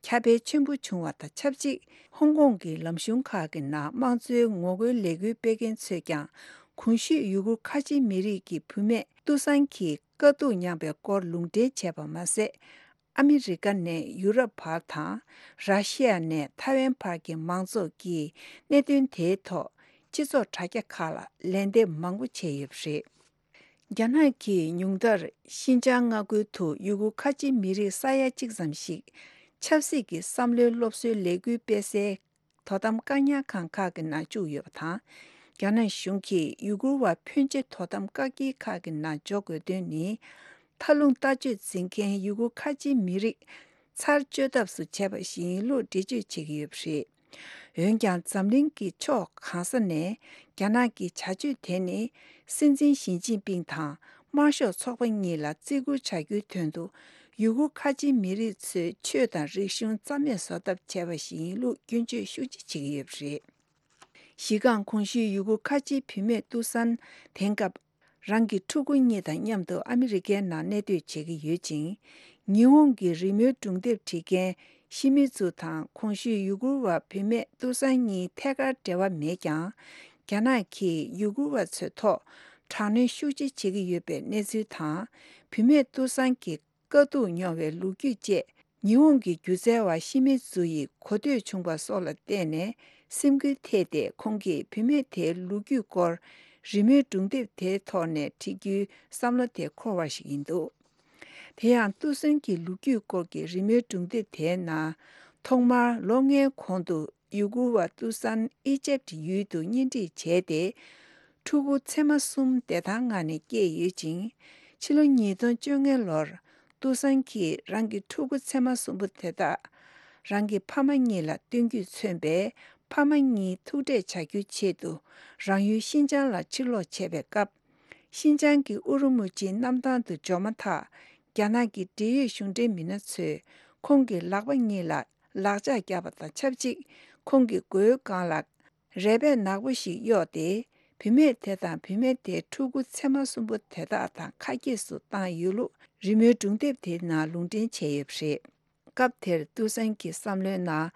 ཁྱབ་སྤེལ་ཆེན་པོ་བྱུང་བ་དང་ཆབས་ཅིག་ཧོང་ཀོང་གི་ལམ་གཞུང་ཁག་གི་ནང་དམངས་གཙོའི་ངོ་རྒོལ་ལས་འགུལ་སྤེལ་མཁན་ཚོས་ཀྱང་གོང་ཞུས་ཡུ་གུར་ཁ་ཆེ་མི་རིགས་ཀྱི་བུད་མེད་ཏུ་སན་གྱིས་དཀའ་སྡུག་མྱངས་པའི་སྐོར་ལུང་འདྲེན་བྱས་པ་མ་ཟད། ཨ་མི་རི་ཀ་ནས་ཡུ་རོབ་བར་དང་། ར་ཤི་ཡ་ནས་ཐའེ་ཝན་བར་གྱི་མང་ཚོགས་ཀྱིས་གནད་དོན་དེའི་ཐོག་སྤྱི་ཚོགས་དྲ་རྒྱ་ཁག་ལ་ལན་འདེབས་མང་པོ་བྱས་ཡོད་པ་རེད། རྒྱ་ནག་གིས་ཉུང་མཐར་ཤིན་ཅང་མངའ་ཁུལ་དུ་ཡུ་གུར་ཁ་ཆེ་མི་རིགས་ས་ཡ་གཅིག་ཙམ་ཞིག་ཆབ་སྲིད་ཀྱི་བསམ་བློའི་སློབ་གསོའི་ལས་འགུལ་སྤེལ་སའི་དོ་དམ་བཀག་ཉར་ཁང་ཁག་གི་ནང་བཅུག་ཡོད་པ་དང་། རྒྱ་ནག་གཞུང་གིས་ཡུ་གུར་བ་ཕོན་ཆེ་དོ་དམ་བཀག་སྐྱིལ་ཁག་གི་ནང་འཇོག་དགོས་དོན་ནི། མཐའ་ལྷུང་ལྟ་སྤྱོད་འཛིན་མཁན་ཡུ་གུར་ཁ་ཆེའི་མི་རིགས་ཚར་གཅོད་ཐབས་སུ་བྱས་པ་ཞིག་ཡིན་ལུགས་འགྲེལ་བརྗོད་བྱེད་ཀྱི་ཡོད་པ་རེད། འོན་ཀྱང་འཛམ་གླིང་གི་ཕྱོགས་གང་ས་ནས་རྒྱ་ནག་གི་བྱ་སྤྱོད་དེ་ནི་སྲིད་འཛིན་ཞི་ཅིན་ཕིང་དང་དམར་ཤོག་ཚོགས་པ་གཉིས་ལ་བརྩི་བཀུར་བྱ་རྒྱུའི་དོན་དུ། ཡུ་གུར་ཁ་ཆེའི་མི་རིགས་ཚོའི་ཆོས་དང་རིག་གཞུང་རྩ་མེད་བཟོ་ཐབས་བྱས་པ་ཞིག་ཡིན་ལུགས་སྐྱོན་བརྗོད་ཤུགས་ཆེ་བྱེད་ཀྱི་ཡོད་པ་རེད། གཞི་རྐང་གོང་ཞུས་ཡུ་གུར་ཁ་ཆེའི་བུད་མེད་ཏུ་སན་དེང་སྐབས། རང་གི་ཕྲུ་གུ་གཉིས་དང་མཉམ་དུ་ཨ་མི་རི་ཀའི་ནང་གནས་སྡོད་བྱེད་ཀྱི་ཡོད་ཅིང་། ཉི་ཧོང་གི་རི་མོའི་སྒྲུང་དེབ་བྲིས་མཁན་ཤི་མི་ཛུ་དང་གོང་ཞུས་ཡུ་གུར་བ་བུད་མེད་ཏུ་སན་གཉིས་ཐད་ཀར་འབྲེལ་བ་མེད་ཀྱང་། རྒྱ་ནག་གིས་ཡུ་གུར་བ་ཚོའི་ཐོག་དྲག་གནོན་ཤུགས་ཆེ་བྱེད་ཀྱི་ཡོད་པའི་གནས་ཚུལ་དང་། བུད་མེད་ཏུ་སན་གྱི་དཀའ་སྡུག་མྱོང་བའི་ལོ་རྒྱུས་བཅས། ཉི་ཧོང་གི་སྒྱུ་རྩལ་བ་ཤི་མི་ཛུ་ཡི་གོ་ཐོས་བྱུང་བ་སོགས་ལ་བརྟེན་ནས་སེམས་འགུལ་ཐེབས་ཏེ། ཁོང་གིས་བུད་མེད་དེའི་ལོ་རྒྱུས་སྐོར་རི་མོའི་སྒྲུང་དེབ་དེའི་ཐོག་ནས་བྲིས་རྒྱུའི་བསམ་བློ་དེ་འཁོར་བ་ཞིག་ཡིན་འདུག་དེ་ཡང་ཏུ་སན་གྱི་ལོ་རྒྱུས་སྐོར་གྱི་རི་མོའི་སྒྲུང་དེབ་དེའི་ནང་། ཐོག་མར་ལོ་ལྔའི་གོང་དུ་ཡུ་གུར་བ་ཏུ་སན་ཨི་ཇེབ་ཡུལ་དུ་གཉེན་སྒྲིག་བྱས་ཏེ། ཕྲུ་གུ་མཚེ་མ་གསུམ་བདེ་ཐང་ངང་ནས་སྐྱེས་ཡོད་ཅིང་། ཕྱི་ལོ་ཉིས་སྟོང་བཅོ་ལྔ་ལོར་ཏུ་སན་གྱིས་རང་གི་ཕྲུ་གུ་མཚེ་མ་གསུམ་པོ་དེ་དག་རང་གི་ཕ་མ་གཉིས་ལ་སྟོན་རྒྱུས་མཚོན་པའི་ཕ་མ་གཉིས་ཐུག་འཕྲད་བྱ་རྒྱུའི་ཆེད་དུ་རང་ཡུལ་ཤིན་ཅང་ལ་ཕྱིར་ལོག་བྱས་པའི་སྐབས། ཤིན་ཅང་གི་ཨུ་རུ་མུ་ཅིའི་གནམ་ཐང་དུ་འབྱོར་མ་ཐག་རྒྱ་ནག་གི་འབྲེལ་ཡོད་གཞུང་འབྲེལ་མི་སྣ་ཚོས་ཁོང་གི་ལག་པ་གཉིས་ལ་ལག་ལྕགས་བརྒྱབ་པ་དང་ཆབས་ཅིག་ཁོང་གི་མགོའི་སྒང་ལ་རས་པས་ནག་པོ་ཞིག་གཡོགས་ཏེ། བུད་མེད་དེ་དང་བུད་མེད་དེའི་ཕྲུ་གུ་མཚེ་མ་གསུམ་པོ་དེ་དག་དང་ཁ་གྱེས་སུ་བཏང་ཡོད་ལུགས་རི་མོའི་སྒྲུང་དེབ་དེའི་ནང་ལུང་འདྲེན་བྱས་ཡོད་པ་རེད། སྐབས་དེར་ཏུའུ་སན་གྱི་བསམ་བློའི་ནང་།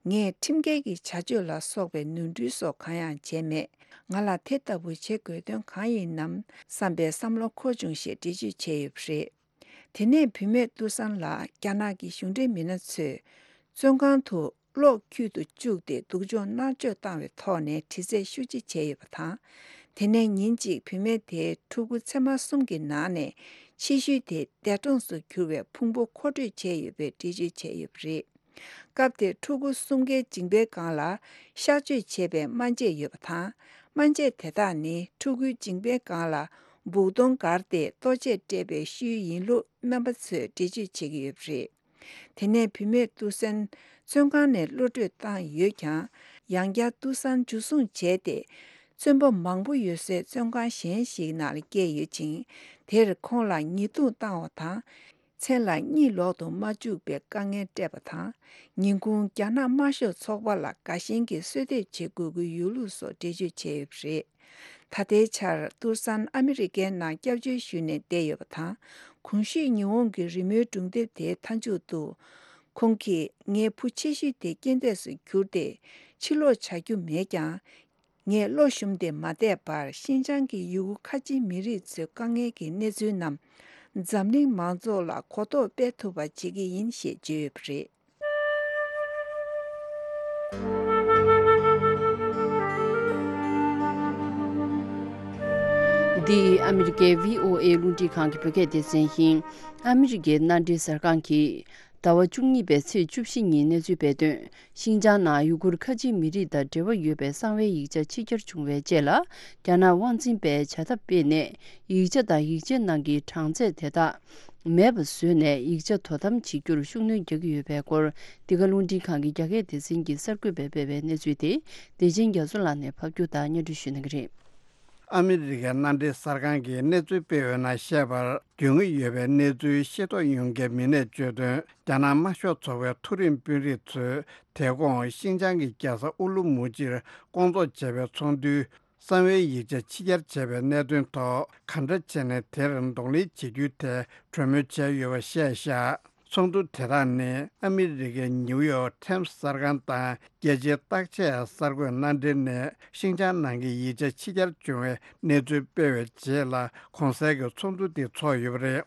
ངས་ཁྲིམས་འགལ་གྱི་བྱ་སྤྱོད་ལ་སོགས་པའི་ནོར་འཁྲུལ་སོགས་གང་ཡང་བྱས་མེད། ང་ལ་དེ་ལྟ་བུ་བྱེད་དགོས་དོན་གང་ཡིན་ནམ་བསམ་པའི་བསམ་བློ་འཁོར་བྱུང་ཞེས་འགྲེལ་བརྗོད་བྱས་ཡོད་པ་རེད། དེ་ནས་བུད་མེད་ཏུའུ་སན་ལ་རྒྱ་ནག་གི་གཞུང་འབྲེལ་མི་སྣ་ཚོས་བཙོན་ཁང་དུ་གློག་འཁྱུད་དུ་བཅུག་སྟེ་སྡུག་སྦྱོང་མནར་གཅོད་བཏང་བའི་ཐོག་ནས་དྲི་རྩད་ཤུགས་ཆེ་བྱས་ཡོད་པ་དང་། དེ་ནས་ཉིན་གཅིག་བུད་མེད་དེའི་ཕྲུ་གུ་མཚེ་མ་གསུམ་གྱི་ནང་ནས་ཕྱི་ཤུལ་དེ་འདས་གྲོངས་སུ་གྱུར་བའི་ཕུང་པོ་མཁོ་སྤྲོད་བྱས་ཡོད་པའི་འགྲེལ་བརྗོད་བྱས་ཡོད་པ་རེད། སྐབས་དེར་ཕྲུ་གུ་གསུམ་ཀའི་མཇིང་པའི་སྒང་ལ་གཤག་བཅོས་བྱས་པའི་སྨན་དཔྱད་ཡོད་པ་དང་། སྨན་དཔྱད་དེ་དག་ནི་ཕྲུ་གུའི་མཇིང་པའི་སྒང་ལ་སྦུག་དོང་བསྒར་ཏེ་ལྟོ་ཆས་སྤྲད་པའི་ཤུལ་ཡིན་ལུགས་སྨན་པ་ཚོས་འགྲེལ་བརྗོད་བྱེད་ཀྱི་ཡོད་པ་རེད། དེ་ནས་བུད་མེད་ཏུའུ་སན་བཙོན་ཁང་ནས་གློད་བཀྲོལ་བཏང་ཡོད་ཀྱང་། ཡང་བསྐྱར་ཏུའུ་སན་འཇུ་བཟུང་བྱས་ཏེ། བཙོན་པ་མང་པོ་ཡོད་སའི་བཙོན་ཁང་གཞན་ཞིག་ནང་ལ་བསྐྱལ་ཡོད་ཅིང་། དེར་ཁོང་ལ་ཉེས་རྡུང་བཏང་བ་དང་། མཚན་ལ་གཉིད་ལོག་ཏུ་མ་བཅུག་པའི་དཀའ་ངལ་སྤྲད་པ་དང་། ཉིན་གུང་རྒྱ་ནག་དམར་ཤོག་ཚོགས་པ་ལ་དགའ་ཞེན་གྱི་གསོལ་འདེབས་བྱེད་དགོས་ཀྱི་ཡོད་ལུགས་སོགས་འགྲེལ་བརྗོད་བྱས་ཡོད་པ་རེད། ད་ལྟའི་ཆར་ཏུར་སན་ཨ་མི་རི་ཀའི་ནང་སྐྱབས་བཅོལ་ཞུས་ནས་བསྡད་ཡོད་པ་དང་། གོང་ཞུས་ཉི་ཧོང་གི་རི་མོའི་སྒྲུང་དེབ་དེའི་མཐའ་མཇུག་ཏུ། ཁོང་གིས་ངའི་བུ་ཆེ་ཤོས་དེ་རྐྱེན་འདས་སུ་གྱུར་ཏེ་ཕྱིར་ལོག་བྱ་རྒྱུ་མེད་ཀྱང་། ངས་བློ་ཞུམ་སྟེ་མ་བསྡད་པར་ཤིན་ཅང་གི་ཡུ་གུར་ཁ་ཆེ་མི་རིགས་ཚོའི་དཀའ་ངལ་གྱི་གནས་ཚུལ་རྣམས་འཛམ་གླིང་མང་ཚོགས་ལ་གོ་རྟོགས་སྤེལ་ཐུབ་པ་བྱེད་ཀྱི་ཡིན་ཞེས་བརྗོད་ཡོད་པ་རེད། འདི་ཨ་མི་རི་ཀའི་བྷི་ཨོ་ཨེ་རླུང་འཕྲིན་ཁང་གི་བོད་སྐད་སྡེ་ཚན་ཡིན། ཨ་མི་རི་ཀའི་མནའ་འབྲེལ་གསར་ཁང་གིས་ཟླ་བ་བཅུ་གཉིས་པའི་ཚེས་བཅུ་བཞི་ཉིན་གནས་ཚུལ་སྤེལ་དོན། ཤིན་ཅང་ནང་ཡུ་གུར་ཁ་ཆེ་མི་རིགས་དང་འབྲེལ་བ་ཡོད་པའི་གསང་བའི་ཡིག་ཆ་ཕྱི་གྱར་བྱུང་བའི་རྗེས་ལ། རྒྱ་ནག་དབང་འཛིན་པས་བྱ་ཐབས་སྤེལ་ནས། ཡིག་ཆ་དང་ཡིག་ཆའི་ནང་གི་གྲངས་ཚད་དེ་དག་མེད་པ་བཟོས་ནས། ཡིག་ཆ་དོ་དམ་བྱེད་རྒྱུར་ཤུགས་སྣོན་རྒྱག་གི་ཡོད་པའི་སྐོར། འདི་ག་རླུང་འཕྲིན་ཁང་གི་རྒྱ་སྐད་སྡེ་ཚན་གྱིས་གསར་འགོད་པས་སྤེལ་བའི་གནས་ཚུལ་དེ། བདེ་ཆེན་རྒྱ་མཚོ་ལགས་ནས་ཕབ་སྒྱུར་དང་སྙན་སྒྲོན་ཞུ་གནང་གི་རེད། ཨ་མི་རི་ཀའི་མནའ་འབྲེལ་གསར་ཁང་གིས་གནས་ཚུལ་སྤེལ་བའི་ནང་བཤད་པར། རྒྱུས་མངའ་ཡོད་པའི་གནས་ཚུལ་ཤེས་རྟོགས་ཡོང་མཁན་མི་སྣས་བརྗོད་དོན། རྒྱ་ནག་དམར་ཤོག་ཚོགས་པའི་མཐོ་རིམ་དཔོན་རིགས་ཚོས་དེ་གོང་ཤིན་ཅང་གི་རྒྱལ་ས་ཨུ་ལུ་མུ་ཅིར་སྐོང་ཚོགས་བྱས་པའི་ཚོགས་འདུའི་གསང་བའི་ཡིག་ཆ་ཕྱི་གྱར་བྱས་པའི་གནད་དོན་ཐོག་ག་འདྲ་བྱས་ནས་དེར་གདོང་ལེན་བྱེད་རྒྱུའི་ཐད་གྲོས་མོལ་བྱས་ཡོད་པ་བཤད་བཞག། ཚོགས་འདུ་དེ་དག་ནི་ཨ་མི་རི་ཀའི་ནིའུ་ཡོག་ཊེམ་སི་གསར་ཁང་དང་རྒྱལ་སྤྱིའི་བརྟག་དཔྱད་གསར་འགོད་མནའ་འབྲེལ་ནས་ཤིན་ཅང་ནང་གི་ཡིག་ཆ་ཕྱི་གྱར་བྱུང་བའི་གནས་ཚུལ་སྤེལ་བའི་རྗེས་ལ་གོང་གསལ་གྱི་ཚོགས་འདུ་འདི་ཚོགས་ཡོད་པ་རེད།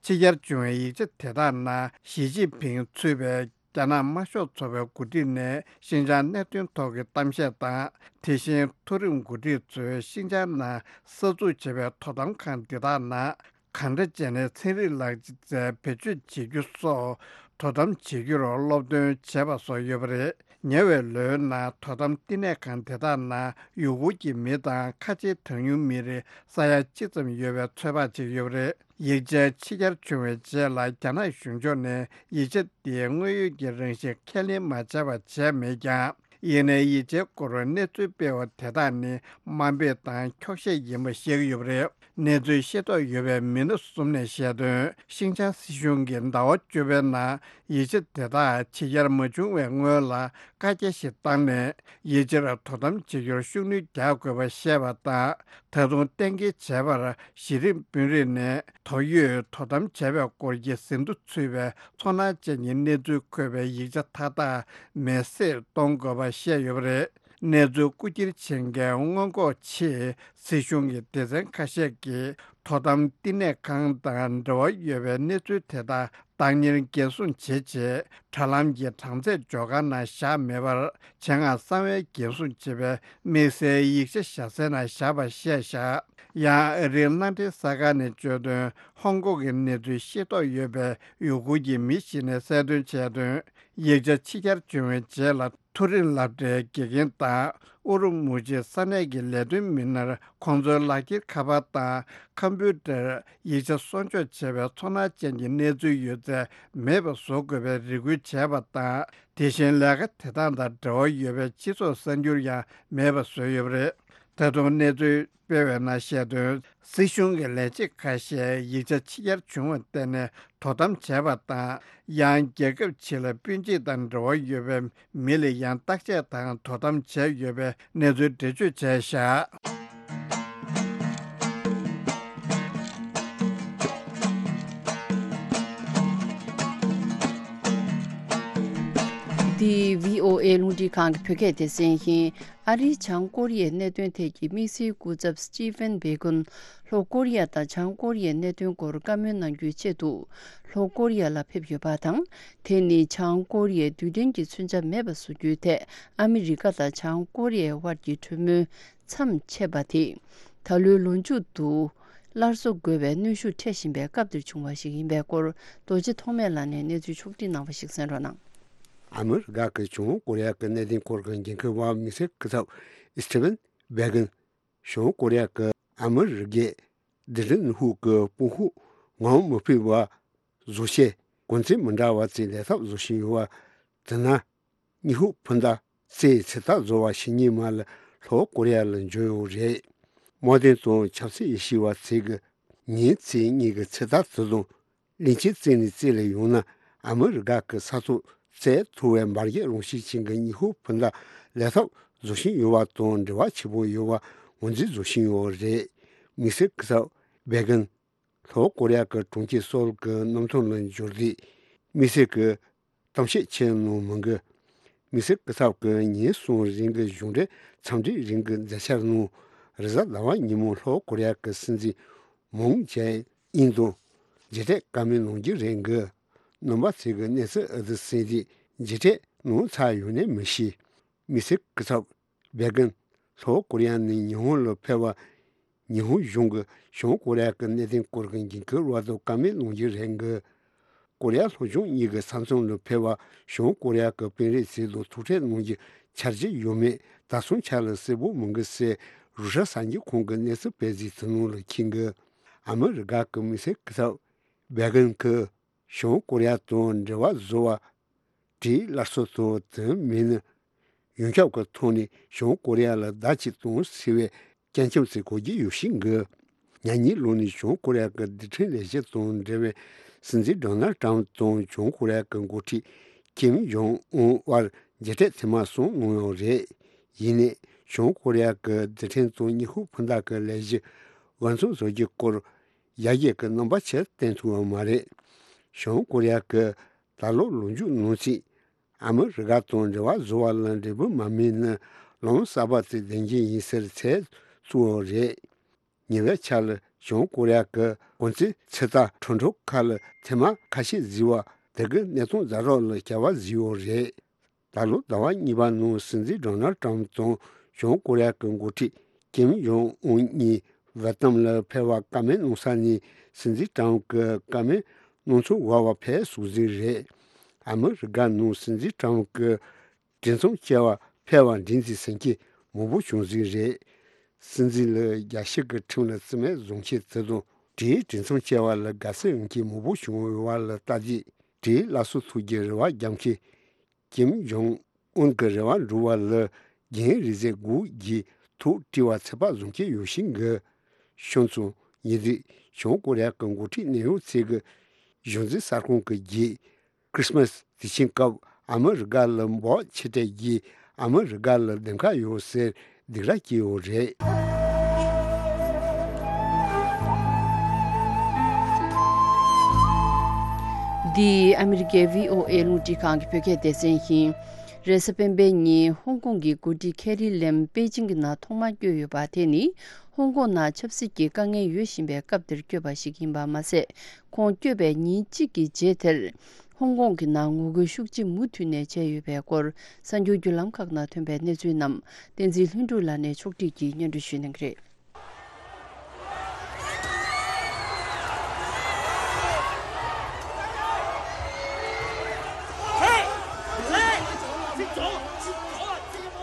ཕྱི་གྱར་བྱུང་བའི་ཡིག་ཆ་དེ་དག་ནང་ཞི་ཅིན་ཕིང་གཙོས་པའི་རྒྱ་ནག་དམར་ཤོག་ཚོགས་པའི་འགོ་ཁྲིད་ནས་ཤིན་ཅང་གནད་དོན་ཐོག་གི་གཏམ་བཤད་དང་། དེ་བཞིན་མཐོ་རིམ་འགོ་ཁྲིད་ཚོས་ཤིན་ཅང་ནང་གསར་འཛུགས་བྱས་པའི་དོ་དམ་ཁང་འདི་དག་ནང་གང་འདྲ་བྱས་ནས་ཚན་རིག་ལག་རྩལ་བེད་སྤྱོད་བྱེད་རྒྱུ་སོགས་དོ་དམ་བྱེད་རྒྱུར་སློབ་སྟོན་བྱས་པ་སོགས་ཡོད་པ་རེད། ཉེ་བའི་ལོའི་ནང་དོ་དམ་བསྟི་གནས་ཁང་དེ་དག་ནང་ཡུ་གུར་གྱི་མི་དང་ཁ་ཆེའི་གྲངས་ཉུང་མི་རིགས་ས་ཡ་གཅིག་ཙམ་ཡོད་པའི་ཚོད་དཔག་བྱས་ཡོད་པ་རེད། ཡིག་ཆ་ཕྱི་གྱར་བྱུང་བའི་རྗེས་ལ་རྒྱ་ནག་གཞུང་ཕྱོགས་ནས་ཡིག་ཆ་དེའི་དངོས་ཡོད་ཀྱི་རང་བཞིན་ཁས་ལེན་མ་བྱས་པ་བྱས་མེད་ཀྱང་། ཡིན་ནའི་ཡིག་ཆའི་སྐོར་གནས་ཚུལ་སྤེལ་བ་དེ་དག་ནི་དམའ་འབེབས་དང་འཁྱོག་བཤད་ཡིན་པ་བཤད་ཀྱི་ཡོད་པ་རེད། གནས་ཚུལ་ཤེས་རྟོགས་ཡོད་པའི་མི་སྣ་གསུམ་ནས་བཤད་དོན། ཤིན་ཅང་སྲིད་གཞུང་གིས་ཟླ་བ་བཅུ་པའི་ནང་ཡིག་ཆ་དེ་དག་ཕྱི་གྱར་མ་བྱུང་བའི་སྔོན་ལ་བཀའ་རྒྱ་ཞིག་བཏང་ནས་ཡིག་ཆར་དོ་དམ་བྱེད་རྒྱུར་ཤུགས་སྣོན་རྒྱག་དགོས་པ་བཤད་པ་དང་། ད་དུང་གཏན་འཁེལ་བྱས་པར་གཞི་རིམ་དཔོན་རིགས་ནས་དོགས་ཡོད་དོ་དམ་བྱས་པའི་སྐོར་གྱི་ཟིན་ཐོ་ཚུད་པའི་ཚོར་སྣང་ཅན་གྱི་གནས་ཚུལ་འཁོད་པའི་ཡིག་ཆ་མཐའ་དག་མེད་བསྲེགས་གཏོང་དགོས་པ་བཤད་ཡོད་པ་རེད། གནས་ཚུལ་རྐུ་འཁྱེར་བྱེད་མཁན་སྔོན་འགོག་ཆེད་སྲིད་གཞུང་གི་སྡེ་ཚན་ཁ་ཤས་ཀྱིས་དོ་དམ་བསྟི་གནས་ཁང་དང་འབྲེལ་བ་ཡོད་པའི་གནས་ཚུལ་དེ་དག་བདག་གཉེར་འགན་སྲུང་བྱེད་ཆེད་དྲ་ལམ་གྱི་གྲངས་ཚད་འཇོག་ཁང་ནང་བཞག་མེད་པར། ཆེད་མངགས་གསང་བའི་འགན་སྲུང་བྱེད་པའི་དམིགས་བསལ་ཡིག་ཆ་བཞག་སའི་ནང་བཞག་པ་བཤད་བཞག། ཡང་ཨ་རིའི་མནའ་འབྲེལ་གསར་ཁང་ནས་བརྗོད་དོན། ཧོང་ཀོང་གི་གནས་ཚུལ་ཤེས་རྟོགས་ཡོད་པའི་ཡུ་གུར་གྱི་མི་ཞིག་ནས་གསལ་སྟོན་བྱས་དོན། ཡིག་ཆ་ཕྱི་གྱར་བྱུང་བའི་རྗེས་ལ། མཐོ་རིམ་སློབ་གྲྭའི་དགེ་རྒན་དང་ཨུ་རུ་མུ་ཇི་ས་གནས་ཀྱི་ལས་དོན་མི་སྣར་ཁོང་ཚོའི་ལག་འཁྱེར་ཁ་པར་དང་ཁམ་བུ་ཊར། ཡིག་ཆ་སྲུང་སྐྱོབ་བྱས་པའི་ཚོར་སྣང་ཅན་གྱི་གནས་ཚུལ་ཡོད་ཚད་མེད་པ་བཟོ་དགོས་པའི་རེ་སྐུལ་བྱས་པ་དང་། དེ་བཞིན་ལས་ཀ་དེ་དག་དང་འབྲེལ་བ་ཡོད་པའི་སྤྱི་ཚོགས་གསར་འགྱུར་ཡང་མེད་པ་བཟོས་ཡོད་པ་རེད། ད་དུང་གནས་ཚུལ་སྤེལ་བའི་ནང་བཤད་དོན། སྲིད་གཞུང་གི་ལས་བྱེད་ཁ་ཤས་ཡིག་ཆ་ཕྱི་གྱར་བྱུང་བར་བརྟེན་ནས་དོ་དམ་བྱས་པ་དང་། ཡང་རྒྱལ་ཁབ་ཕྱི་ལ་སྤུན་མཆེད་དང་འབྲེལ་བ་ཡོད་པའི་མི་ལ་ཡང་བརྟག་དཔྱད་དང་དོ་དམ་བྱས་ཡོད་པའི་གནས་ཚུལ་འགྲེལ་བརྗོད་བྱས་བཞག། འདི་བྷི་ཨོ་ཨེ་རླུང་འཕྲིན་ཁང་གི་བོད་སྐད་སྡེ་ཚན་ཡིན། ཨ་རིའི་བྱང་ཀོ་རི་ཡའི་གནད་དོན་ཐད་ཀྱི་དམིགས་བསལ་སྐུ་ཚབ་སི་ཊི་ཕན་བྷེ་གོན། ལྷོ་ཀོ་རི་ཡ་དང་བྱང་ཀོ་རི་ཡའི་གནད་དོན་སྐོར་བཀའ་མོལ་གནང་རྒྱུའི་ཆེད་དུ་ལྷོ་ཀོ་རི་ཡ་ལ་ཕེབས་ཡོད་པ་དང་། དེ་ནི་བྱང་ཀོ་རི་ཡས་རྡུལ་ཕྲན་གྱི་མཚོན་ཆ་མེད་པ་བཟོ་རྒྱུའི་ཐད་ཨ་མི་རི་ཀ་དང་བྱང་ཀོ་རི་ཡའི་དབར་གྱི་གྲོས་མོལ་མཚམས་ཆད་པ་དེ་ད་ལོའི་ལོ་མཇུག་ཏུ་སླར་གསོ་དགོས་པའི་གནོན་ཤུགས་འཕྲད་བཞིན་པའི་སྐབས་འདིར་བྱུང་བ་ཞིག་ཡིན་པའི་སྐོར། རྡོ་རྗེ་ཐོགས་མེད་ལགས་ནས་གནས་ཚུལ་ཕྱོགས་སྒྲིག་གནང་བ་ཞིག་གསན་རོགས་གནང་། ཨ་མི་རི་ཀ་གི་བྱང་ཀོ་རི་ཡ་གི་གནད་དོན་སྐོར་གྱི་འགན་འཁུར་བ་དམིགས་བསལ་སྐུ་ཚབ་ཨི་སི་ཊི་ཕན་བྷེ་གན། བྱང་ཀོ་རི་ཡ་གི་ཨ་མི་རི་ཀའི་རྡུལ་ཕྲན་ཧུའུ་གི་དཔུང་ཤུགས་ངོམ་མི་ཕོད་པ་བཟོ་ཆེད་གོ་མཚོན་མི་འདྲ་བ་བཙལ་ལས་ཐབས་བཟོ་བཞིན་ཡོད་པ། དེ་ན་ཉི་ཧོང་འཕུར་མདའ་རྩེད་ཚོད་ལྟ་བཟོ་བ་ཞིག་ཉིན་མ་ལ་ལྷོ་ཀོ་རི་ཡ་ལ་འབྱོར་ཡོད་རེད། དམག་དོན་དང་ཆབ་སྲིད་ཡེ་ཤུ་བ་ཚོས་ཀྱི་ཉིན་རྩེ་གཉིས་ཀྱི་ཚོད་ལྟ་དེ་དང་། གླིང་ཆེན་རྩེ་ནས་རྩེ་ལ་ཡོང་ན་ཨ་མི་རི་ཀ་གི་ས་ཐོག་བཙལ་ཐུབ་པའི་འབར་གས་རང་བཞིན་ཅན་གྱི་ཉི་ཧོང་འཕུར་མདའ་ལས་ཐབས་བཟོ་བཞིན་ཡོད་པ་དང་འབྲེལ་བ་ཆེན་པོ་ཡོད་པ་ངོས་འཛིན་བཟོ་བཞིན་ཡོད་རེད། དམིགས་བསལ་སྐུ་ཚབ་བྷེ་གན་ལྷོ་ཀོ་རི་ཡ་གི་གྲོང་ཁྱེར་སོལ་གྱི་གནམ་ཐང་ལ་འབྱོར་དུས་དམིགས་བསལ་གྱི་གཏམ་བཤད་བྱས་གནང་མི་འགི། དམིགས་བསལ་སྐུ་ཚབ་ཀྱིས་ཉིན་གསུམ་རིང་གི་གཞུང་འབྲེལ་འཚམས་འདྲིའི་རིང་གི་མཛད་འཆར་ནང་། རེས་གཟའ་ཟླ་བ་ཉིན་མོ་ལྷོ་ཀོ་རི་ཡ་གི་སྲིད་འཛིན་མུན་ཇེ་ཨིན་དང་མཇལ་འཕྲད་བཀའ་མོལ་གནང་རྒྱུ་རེད་འདུག་རྣམ་པ་ཚོས་ཀྱི་གནས་ཚུལ་ཨ་ཙི་གསན་རྗེས་མཇལ་འཕྲད་གནང་ཚར་ཡོད་ནི་མི་ཤེས། དམིགས་བསལ་སྐུ་ཚབ་བྷེ་གིན་ལྷོ་ཀོ་རི་ཡ་ནས་ཉི་ཧོང་ལ་ཕེབས་པ། ཉི་ཧོང་གཞུང་གིས་བྱང་ཀོ་རི་ཡ་གི་གནད་དོན་སྐོར་གྱི་འགན་འཁུར་བ་དང་བཀའ་མོལ་གནང་རྒྱུ་རེད་འདུག་ཀོ་རི་ཡ་ལྷོ་བྱང་གཉིས་ཀྱི་ས་མཚམས་ལ་ཕེབས་པ། བྱང་ཀོ་རི་ཡ་གི་དཔོན་རིགས་ཚོ་དང་ཐུག་འཕྲད་གནང་རྒྱུའི་འཆར་གཞི་ཡོད་མེད་ད་སང་ཆ་ལ་གསལ་པོ་མི་འདུག་ཟེར་རུ་ཤ་གསར་འགྱུར་ཁང་གི་གནས་ཚུལ་སྤེལ་གཟིགས་ཚུལ་ནང་ལ་འཁོད་འདུག་ཨ་མི་རི་ཀ་གི་དམིགས་བསལ་སྐུ་ཚབ་བྷེ་གིན་གྱིས་བྱང་ཀོ་རི་ཡ་དང་འབྲེལ་བ་བཟོ་བར་བྲེལ་སླར་གསོ་དང་དོན་མེད་ན། ཡོངས་ཁྱབ་ཀྱི་ཐོག་ནས་བྱང་ཀོ་རི་ཡ་ལ་བརྡ་གཅིག་གཏོང་ཟེར་བའི་སྐྱོན་བརྗོད་ཚིག་གོ་རྒྱུ་ཡོད་ཤིང་གི། ཉེ་གནས་ལོ་ནས་བྱང་ཀོ་རི་ཡ་གི་རྡུལ་ཕྲན་ལས་གཞི་དང་འབྲེལ་བའི་སྲིད་འཛིན་ཌོ་ནལ་ཊམ་དང་བྱང་ཀོ་རི་ཡ་གི་འགོ་ཁྲིད་ཀིམ་ཇོང་ཨུན་དབར་མཇལ་འཕྲད་ཐེངས་མ་གསུམ་གནང་ཡོད་རེད། ཡིན་ནའི་བྱང་ཀོ་རི་ཡ་གི་རྡུལ་ཕྲན་དང་ཉི་ཧོང་འཕུར་མདའ་གི་ལས་གཞི་འགོ་འཛུགས་བཟོ་རྒྱུའི་སྐོར་ཡར་རྒྱས་ཀྱི་རྣམ་པ་ཆེར་བསྟན་ཐུབ་ཡོད་མ་རེད། བྱང་ཀོ་རི་ཡ་གི་ད་ལོ་ལོ་མཇུག་ནང་ཚུད། ཨ་མི་རི་ཀ་དང་འབྲེལ་བ་བཟོ་བ་ལ་འབྲས་བུ་མ་སྨིན་ན་ལམ་གསར་པ་དེ་བདེན་རྒྱུ་ཡིན་ཟེར་ཚད་བཙུགས་ཡོད་རེད། ཉེ་བའི་ཆར་ལ་བྱང་ཀོ་རི་ཡ་གི་གོང་ཚད་ཚོད་ལྟ་ཁྲོམ་ཁྲོམ་ཁག་ལ་ཐེངས་མ་ཁ་ཤས་གཟིགས་པ་དེ་གི་གནས་སྟངས་ཛ་དྲག་ལ་བསྐྱར་བ་བཟོས་ཡོད་རེད། ད་ལོ་ཟླ་བ་གཉིས་པ་ནང་སྲིད་འཛིན་ཌོ་ནལ་ཊམ་དང་བྱང་ཀོ་རི་ཡ་གི་འགོ་ཁྲིད་ཀིམ་ཇོང་ཨུན་གཉིས་ཝེ་ཏམ་ལ་ཕེབས་པར་བཀའ་མོལ་གནང་ས་ནས་སྲིད་འཛིན་ཊམ་གྱིས་བཀའ་མོལ་གནང་ཚུལ་འགོད་པར་ཕེབས་སོང་ཟིག་རེད། ཨ་མི་རི་ཀ་ནང་སྲིད་འཛིན་ཊམ་གྱི་གྲོས་འཆམ་བཅར་བར་ཕེབས་པར་འགྲན་རྩོད་བྱེད་མཁན་མང་པོ་བྱུང་ཟིག་རེད། སྲིད་འཛིན་ལ་རྒྱལ་སྤྱི་གི་ཁྲིམས་ལ་བརྩི་མེད་བཟོ་མཁན་དེ་དང་། དེའི་གྲོས་འཆམ་བཅར་བ་ལ་དགའ་བསུ་ཡོང་མཁན་མང་པོ་བྱུང་ཡོད་པ་ལ་བལྟས་རྗེས། དེའི་སླར་གསོ་ཐུབ་རྒྱུའི་རེ་བ་རྒྱག་མཁན་ཀིམ་ཇོང་ཨུན་གྱི་རེ་བ་འགྲུབ་པ་ལ་རྒན་རེས་གཟའ་སྒོར་གྱི་ཐུགས་དྲི་བ་ཚད་པ་བཟུང་གི་ཡོད་ཤིང་གི། ཤོང་ཙང་ཉེ་དུས་བྱང་ཀོ་རི་ཡ་གི་འགོ་ཁྲིད་གནས་ཡུལ་ཚོས་ཀྱི་གཞུང་འཛིན་གསར་ཁང་གི་རྗེས། ཁྲི་སི་མ་སི་དུས་ཆེན་སྐབས་ཨ་མི་རི་ཀ་ལ་འབོག་ཆེ་གྲས་ཀྱིས་ཨ་མི་རི་ཀ་ལ་གདེང་ཁ་ཡོད་ཟེར་སྡིགས་ར་སྐྱེས་ཡོད་རེད། འདི་ཨ་མི་རི་ཀའི་བྷི་ཨོ་ཨེ་རླུང་འཕྲིན་ཁང་གི་བོད་སྐད་སྡེ་ཚན་ཡིན། རེས་གཟའ་སྤེན་པའི་ཉིན་ཧོང་ཀོང་གི་འགོ་ཁྲིད་ཁེ་རི་ལེམ་པེ་ཅིང་གི་ནང་ཐོག་མར་བསྐྱོད་ཡོད་པ་དེ་ནི། ཧོང་ཀོང་ནང་ཆབ་སྲིད་ཀྱི་དཀའ་ངལ་ཡོད་བཞིན་པའི་སྐབས་འདིར་བསྐྱོད་པ་ཞིག་ཡིན་པ་མ་ཟད། ཁོང་བསྐྱོད་པའི་ཉིན་གཅིག་གི་རྗེས་དེར། ཧོང་ཀོང་གི་ནང་ངོ་རྒོལ་ཤུགས་ཆེ་མུ་མཐུད་ནས་བྱས་ཡོད་པའི་སྐོར། གསར་འགྱུར་བརྒྱུད་ལམ་ཁག་ནང་ཐོན་པའི་གནས་ཚུལ་རྣམས། བསྟན་འཛིན་ལྷུན་གྲུབ་ལགས་ནས་ཕྱོགས་སྒྲིག་གིས་སྙན་སྒྲོན་ཞུ་གནང་གི་རེད།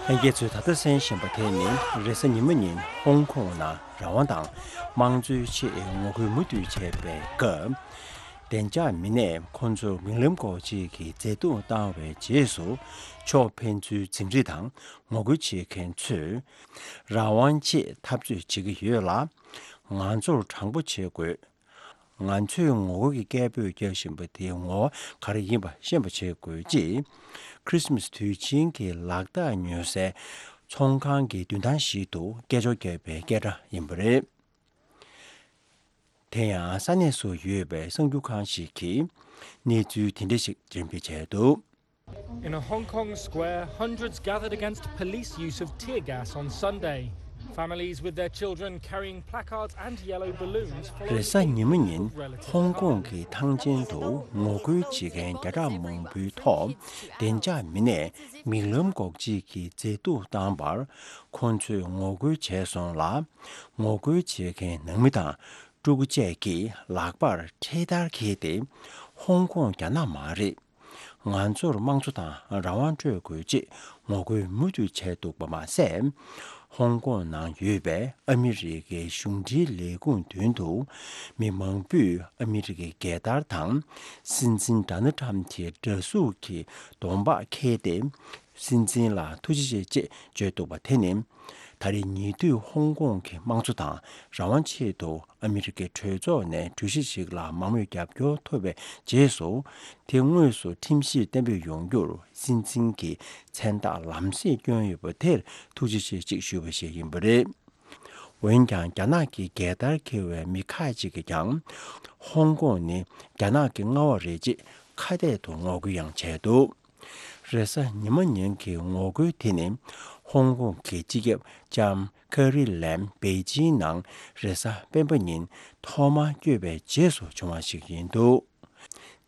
ལྷན་རྒྱས་ཚོས་ད་ལྟ་གསན་བཞིན་པ་དེ་ནི་རེས་གཟའ་ཉི་མ་ཉིན་ཧོང་ཀོང་ནང་རང་དབང་དང་དམངས་གཙོའི་ཆེད་ངོ་རྒོལ་མུ་མཐུད་བྱས་པའི་སྐབས། བདེ་འཇགས་མི་སྣས་ཁོང་ཚོར་མིག་ལམ་འགོག་བྱེད་ཀྱི་མཛེས་སྡུག་བཏང་བའི་རྗེས་སུ། ཕྱོགས་ཕན་ཚུན་འཛིང་རེས་དང་ངོ་རྒོལ་བྱེད་མཁན་ཚོས་རང་དབང་ཆེད་འཐབ་རྩོད་བྱེད་ཀྱི་ཡོད་ལ། ང་ཚོར་དྲང་པོ་བྱེད་དགོས། ང་ཚོས་ངོ་རྒོལ་གྱི་སྐད་འབོད་རྒྱག་བཞིན་པ་དེའི་ངོ་བོ་ག་རེ་ཡིན་པ་ཤེས་པ་བྱེད་དགོས་ཅེས། ཁྲི་སི་མ་སི་དུས་ཆེན་གྱི་ལག་རྟགས་ཉོ་སའི་ཚོང་ཁང་གི་མདུན་ཐང་ཞིག་ཏུ་སྐད་ཅོར་བརྒྱབ་པའི་སྐད་སྒྲ་ཡིན་པ་རེད། དེ་ཡང་ས་གནས་སུ་ཡོད་པའི་གསར་འགྱུར་ཁང་ཞིག་གིས་གནས་ཚུལ་དེ་འདྲ་ཞིག་འགྲེམས་སྤེལ་བྱས་འདུག། In a Hong Kong square, hundreds gathered against police use of tear gas on Sunday. Families with their children carrying placards and yellow balloons followed རེས་གཟའ་ཉི་མ་ཉིན་ཧོང་ཀོང་གི་ཐང་ཆེན་དུ་ངོ་རྒོལ་བྱེད་མཁན་བརྒྱ་ཕྲག་མང་པོའི་ཐོག་བདེ་འཇགས་མི་སྣས་མིག་ལམ་འགོག་བྱེད་ཀྱི་མཛེས་སྡུག་བཏང་བར་ཁོང་ཚོས་ངོ་རྒོལ་བྱས་སོང་ལ། ངོ་རྒོལ་བྱེད་མཁན་ནང་མི་དང་ཕྲུ་གུ་བཅས་ཀྱིས་ལག་པར་འཕྲེད་དར་འཁྱེར་ཏེ། ཧོང་ཀོང་རྒྱ་ནག་མ་རེད། ང་ཚོར་དམངས་གཙོ་དང་རང་དབང་སྤྲོད་དགོས་ཅེས་ངོ་རྒོལ་མུ་མཐུད་བྱས་འདུག་པ་མ་ཟད། ཧོང་ཀོང་ནང་ཡོད་པའི་ཨ་མི་རི་ཀའི་གཞུང་འབྲེལ་ལས་ཁུངས་མདུན་དུ་མི་མང་པོས་ཨ་མི་རི་ཀའི་རྒྱལ་དར་དང་སྲིད་འཛིན་ཌོ་ནལ་ཊམ་གྱི་འདྲ་གཟུགས་ཀྱི་གདོང་པགས་འཁྱེར་ཏེ། སྲིད་འཛིན་ལ་ཐུགས་རྗེ་ཆེ་ཅེས་བརྗོད་འདུག་པ་དེ་ནི། ད་རེས་ཉེ་དུས་ཧོང་ཀོང་གི་དམངས་གཙོ་དང་རང་དབང་ཆེད་དུ་ཨ་མི་རི་ཀའི་གྲོས་ཚོགས་ནས་གྲོས་གཞི་ཞིག་ལ་མང་མོས་རྒྱབ་སྐྱོར་ཐོབ་པའི་རྗེས་སུ། དེ་དངོས་སུ་ཁྲིམས་གཞིར་གཏན་འབེབས་ཡོང་རྒྱུར་སྲིད་འཛིན་གྱི་མཚན་རྟགས་ལམ་སེང་བསྐྱོན་ཡོད་པ་དེར་ཐུགས་རྗེ་ཆེ་ཅིག་ཞུ་བ་ཞིག་ཡིན་པ་རེད། འོན་ཀྱང་རྒྱ་ནག་གི་རྒྱལ་དར་འཁྱེར་བའི་མི་ཁག་ཅིག་གིས་ཀྱང་། ཧོང་ཀོང་ནི་རྒྱ་ནག་གི་མངའ་འོག་རེད་ཅེས་ཁ་གཏད་དུ་ངོ་རྒོལ་ཡང་བྱས་འདུག། རེས་གཟའ་ཉི་མ་ཉིན་གྱི་ངོ་རྒོལ་དེ་ནི་ཧོང་ཀོང་གི་སྤྱི་ཁྱབ་ལྕམ་ཁེ་རི་ལེམ་པེ་ཅིང་ནང་རེས་གཟའ་སྤེན་པ་ཉིན་ཐོག་མར་བསྐྱོད་པའི་རྗེས་སུ་བྱུང་བ་ཞིག་ཡིན་འདུག་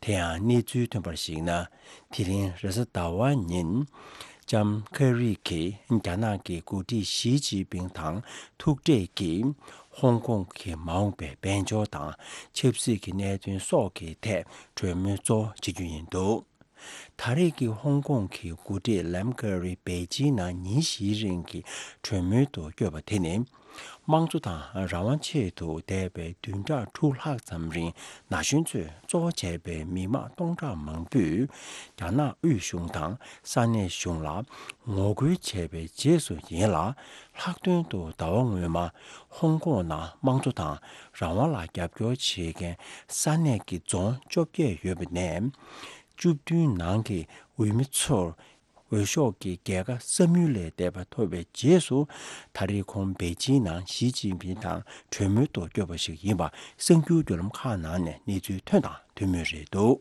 དེ་ཡང་གནས་ཚུལ་ཐོན་པར་གཞིགས་ན། དེ་རིང་རེས་གཟའ་ཟླ་བ་ཉིན་ལྕམ་ཁེ་རི་གིས་རྒྱ་ནག་གི་འགོ་ཁྲིད་ཞི་ཅིན་ཕིང་དང་ཐུག་འཕྲད་ཀྱིས་ཧོང་ཀོང་གི་མ་འོངས་པའི་དཔལ་འབྱོར་དང་ཆབ་སྲིད་ཀྱི་གནད་དོན་སོགས་ཀྱི་ཐད་གྲོས་མོལ་གཙོ་བོ་བྱེད་རྒྱུ་ཡིན་འདུག་ད་རེས་ཀྱི་ཧོང་ཀོང་གི་འགོ་ཁྲིད་ལམ་ཀེ་རི་པེ་ཅིང་ནང་ཉིན་བཞིའི་རིང་གི་གྲོས་མོལ་དུ་བསྐྱོད་པ་དེ་ནི། དམངས་གཙོ་དང་རང་དབང་ཆེད་དུ་འདས་པའི་བདུན་ཕྲག་དྲུག་ལྷག་ཙམ་རིང་ན་གཞོན་ཚོས་གཙོ་བོ་བྱས་པའི་མི་མང་སྟོང་ཕྲག་མང་པོས་རྒྱ་ནག་དབུས་གཞུང་དང་ས་གནས་གཞུང་ལ་ངོ་རྒོལ་བྱས་པའི་རྗེས་སུ་ཡིན་ལ། ལྷག་དོན་དུ་ཟླ་བ་སྔོན་མ་ཧོང་ཀོང་ནང་དམངས་གཙོ་དང་རང་དབང་ལ་རྒྱབ་སྐྱོར་བྱེད་མཁན་ས་གནས་ཀྱི་རྫོང་བཅོ་བརྒྱད་ཡོད་པ་ནས། བཅུ་བདུན་ནང་གི་འོས་མི་ཚོར་འོས་ཤོག་གི་རྒྱལ་ཁ་བསམ་ཡུལ་ལས་འདས་པ་ཐོབ་པའི་རྗེས་སུ། ད་རེས་ཁོང་པེ་ཅིང་ནང་ཞི་ཅིན་ཕིང་དང་གྲོས་མོལ་དུ་བསྐྱོད་པ་ཞིག་ཡིན་པ་གསར་འགྱུར་བརྒྱུད་ལམ་ཁག་ནང་ནས་གནས་ཚུལ་ཐོན་དང་ཐོན་མུས་རེད་འདུག་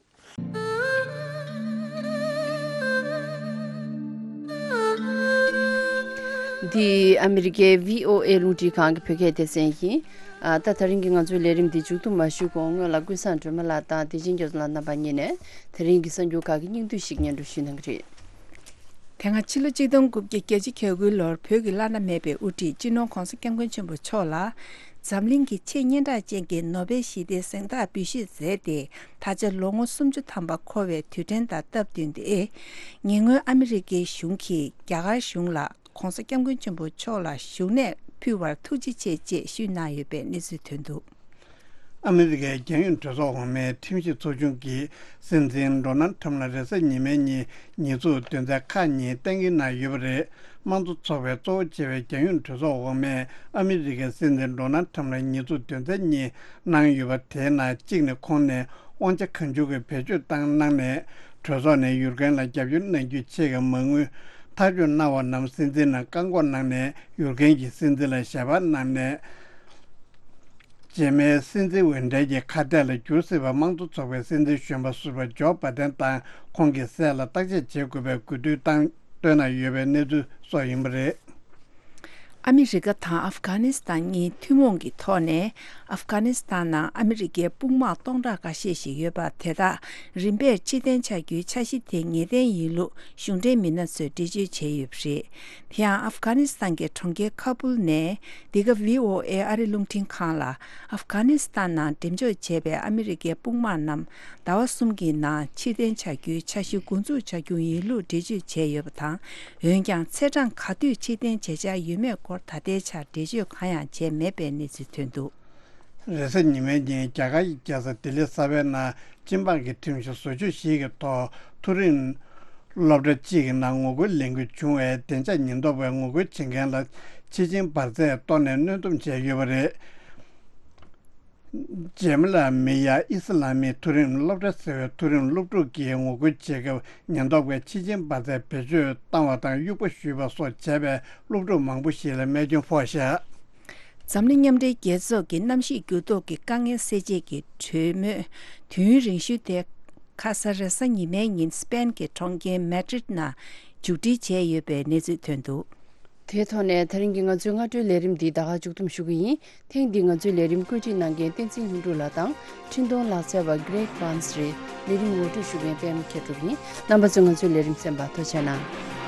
འདི་ཨ་མི་རི་ཀའི་བྷི་ཨོ་ཨེ་རླུང་འཕྲིན་ཁང་གི་བོད་སྐད་སྡེ་ཚན་ཡིན། ཨ། ད་ད་རིང་གི་ང་ཚོའི་ལས་རིམ་འདི་མཇུག་བསྡོམས་མ་ཞུས་གོང་སྔོན་ལ་ཀུན་བཟང་སྒྲོལ་མ་ལགས་དང་བདེ་ཆེན་རྒྱ་མཚོ་ལགས་རྣམ་པ་གཉིས་ནས་དེ་རིང་གི་གསར་འགྱུར་ཁག་གི་སྙིང་བསྡུས་ཤིག་སྙན་སྒྲོན་ཞུས་གནང་གི་རེད། དེ་སྔ་ཕྱི་ལོ་ཆིག་སྟོང་དགུ་བརྒྱ་གྱ་གཅིག་གྱ་དགུའི་ལོར་བོད་ཀྱི་བླ་ན་མེད་པའི་དབུ་ཁྲིད་སྤྱི་ནོར་༧གོང་ས་༧སྐྱབས་མགོན་ཆེན་པོ་མཆོག་ལ་འཛམ་གླིང་གི་ཆེས་སྙན་གྲགས་ཅན་གྱི་ནོ་བེལ་ཞི་བདེའི་གཟེངས་རྟགས་འབུལ་བཞེས་མཛད་དེ། ད་ཆ་ལོ་ངོ་སུམ་ཅུ་ཐམ་པ་འཁོར་བའི་དུས་དྲན་དང་སྟབས་བསྟུན་ཏེ། ཉེ་སྔོན་ཨ་མི་རི་ཀའི་གཞུང་གིས་རྒྱ་གར་གཞུང་ལ་༧གོང་ས་༧སྐྱབས་མགོན་ཆེན་པོ་མཆོག་ལ་བཞུགས་གནས་ཕུལ་བར་ཐུགས་རྗེ་ཆེ་ཅེས་ཞུས་གནང་ཡོད་པའི་གནས་ཚུལ་ཐོན་འདུག་ཨ་མི་རི་ཀའི་རྒྱལ་ཡོངས་གྲོས་ཚོགས་འོག་མའི་ཁྲིམས་ཞིབ་ཚོགས་ཆུང་གིས་སྲིད་འཛིན་ཌོ་ནལ་ཁྲམ་ལ་རེས་གཟའ་ཉི་མའི་ཉིན་ཉེས་འཛུགས་དོན་ཚན་ཁག་གཉིས་གཏན་འཁེལ་གནང་ཡོད་པ་རེད། དམངས་གཙོ་ཚོགས་པའི་གཙོ་བོ་བྱས་པའི་རྒྱལ་ཡོངས་གྲོས་ཚོགས་འོག་མས་ཨ་མི་རི་ཀའི་སྲིད་འཛིན་ཌོ་ནལ་ཁྲམ་ལ་ཉེས་འཛུགས་དོན་ཚན་གཉིས་གནང་ཡོད་པ། དེའི་ནང་གཅིག་ནི་ཁོང་ནས་དབང་ཆ་གང་བྱུང་གི་བེད་སྤྱོད་བཏང་གནང་ནས། གྲོས་ཚོགས་ནས་ཡུལ་མཁན་ལ་རྒྱབ་སྐྱོར་གནང་རྒྱུའི་ཆེད་ཀྱི་མ་དངུལ་ཐག་གཅོད་གནང་བ་རྣམས་སྲིད་འཛིན་ལ་བཀག་འགོག་གནང་ནས། ཡུལ་མཁན་གྱིས་སྲིད་འཛིན་ལ་ཞལ་པར་གནང་ནས། རྗེས་མའི་སྲིད་འཛིན་འོས་འཕྲིན་གྱི་ཁ་གཏད་ལ་འགྱུར་སྲིད་པ་དམངས་གཙོ་ཚོགས་པའི་སྲིད་འཛིན་གཞོན་པ་ཟུར་པ་ཇོ་བྷ་དན་དང་ཁོང་གི་སྲས་ལ་བརྟག་དཔྱད་བྱེད་དགོས་པའི་དགོས་འདུན་བཏང་བཏོན་གནང་ཡོད་པའི་གནས་ཚུལ་སོགས་ཡིན་པ་རེད། ཨ་མི་རི་ཀ་དང་ཨབ་གྷ་ནི་སི་ཐན་གཉིས་ཐུན་མོང་གི་ཐོག་ནས་ཨབ་གྷ་ནི་སི་ཐན་ནང་ཨ་མི་རི་ཀའི་དཔུང་དམག་སྟོང་ཕྲག་འགའ་ཤས་ཤིག་ཡོད་པ་དེ་དག་རིམ་པས་ཕྱིར་འཐེན་བྱ་རྒྱུའི་འཆར་གཞི་དེ་ངེས་གཏན་ཡིན་ལུགས་གཞུང་འབྲེལ་མི་སྣ་ཚོས་འགྲེལ་བརྗོད་བྱས་ཡོད་པ་རེད། དེ་ཡང་ཨབ་གྷ་ནི་སི་ཐན་གྱི་གྲོང་ཁྱེར་ཁ་བུལ་ནས་འདི་ག་བྷི་ཨོ་ཨེ་ཨ་རི་རླུང་འཕྲིན་ཁང་ལ་ཨབ་གྷ་ནི་སི་ཐན་ནང་འགྲེམས་འཇོག་བྱས་པའི་ཨ་མི་རི་ཀའི་དཔུང་དམག་རྣམས་ཟླ་བ་གསུམ་གྱི་ནང་ཕྱིར་འཐེན་བྱ་རྒྱུའི་འཆར་གཞི་འགོ་འཛུགས་བྱ་རྒྱུ་ཡིན་ལུགས་འགྲེལ་བརྗོད་བྱས་ཡོད་པ་དང་། འོན་ཀྱང་ཚེས་གྲངས་ག་དུས་ཕྱིར་འཐེན་བྱེད་འཆར་ཡོད་མེད་སྐོར་ད་ལྟའི་ཆར་འགྲེལ་བརྗོད་གང་ཡང་བྱས་མེད་པའི་གནས་ཚུལ་ཐོན་འདུག་རེས་གཟའ་ཉི་མའི་ཉིན་རྒྱ་གར་གྱི་རྒྱལ་ས་ལྡི་ལི་གསར་པའི་ནང་སྤྱི་འབངས་ཀྱི་ཁྲིམས་གཞི་བཟོ་བཅོས་ཤིག་གི་ཐོག་མཐོ་རིམ་སློབ་གྲྭ་གཅིག་གི་ནང་ངོ་རྒོལ་ལས་འགུལ་བྱུང་བའི་བདེ་འཇགས་ཉེན་རྟོག་པས་ངོ་རྒོལ་བྱེད་མཁན་ལ་ཕྱི་ཆིངས་འབར་རྫས་གཏོར་ནས་གནོན་སྡོམ་བྱས་ཡོད་པ་རེད། ཇེ་མ་ལ་མི་ཡ་ཨི་སི་ལ་མིའི་མཐོ་རིམ་སློབ་གྲྭ་ཟེར་བའི་མཐོ་རིམ་སློབ་ཕྲུག་གིས་ངོ་རྒོལ་བྱེད་སྐབས་ཉེན་རྟོག་པས་ཕྱི་ཆིངས་འབར་རྫས་བེད་སྤྱོད་བཏང་བ་དང་དབྱུག་པ་གཞུས་པ་སོགས་བྱས་པས་སློབ་ཕྲུག་མང་པོ་ཞིག་ལ་རྨས་སྐྱོན་ཕོག་བཞག་འཛམ་གླིང་མཉམ་འབྲེལ་རྒྱལ་ཚོགས་ཀྱི་གནམ་གཤིས་འགྱུར་ལྡོག་གི་དཀའ་ངལ་སེལ་ཆེད་ཀྱི་གྲོས་མོལ་དུས་ཡུན་རིང་ཤོས་དེ་ཁ་ས་རེས་གཟའ་ཉི་མའི་ཉིན་སི་པེན་གྱི་གྲོང་ཁྱེར་མེ་ཌྲིད་ནང་མཇུག་སྒྲིལ་བྱས་ཡོད་པའི་གནས་ཚུལ་ཐོན་འདུག་དེའི་ཐོག་ནས་ད་རིང་གི་ང་ཚོའི་སྔ་དྲོའི་ལས་རིམ་འདི་ད་ག་མཇུག་བསྡོམས་ཞུ་གི་ཡིན། ཐེངས་འདིའི་ང་ཚོའི་ལས་རིམ་བཀོད་སྒྲིག་གནང་མཁན་བསྟན་འཛིན་ལྷུན་གྲུབ་ལགས་དང་འཕྲིན་གཏོང་ལག་རྩལ་བ་Greg Barnes རེད། ལས་རིམ་ངོ་སྤྲོད་ཞུ་མཁན་པད་མ་མཁས་གྲུབ་ཡིན། རྣམ་པ་ཚོས་ང་ཚོའི་ལས་རིམ་གསན་པར་ཐུགས་རྗེ་གནང་།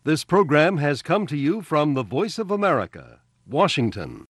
This program has come to you from the Voice of America, Washington.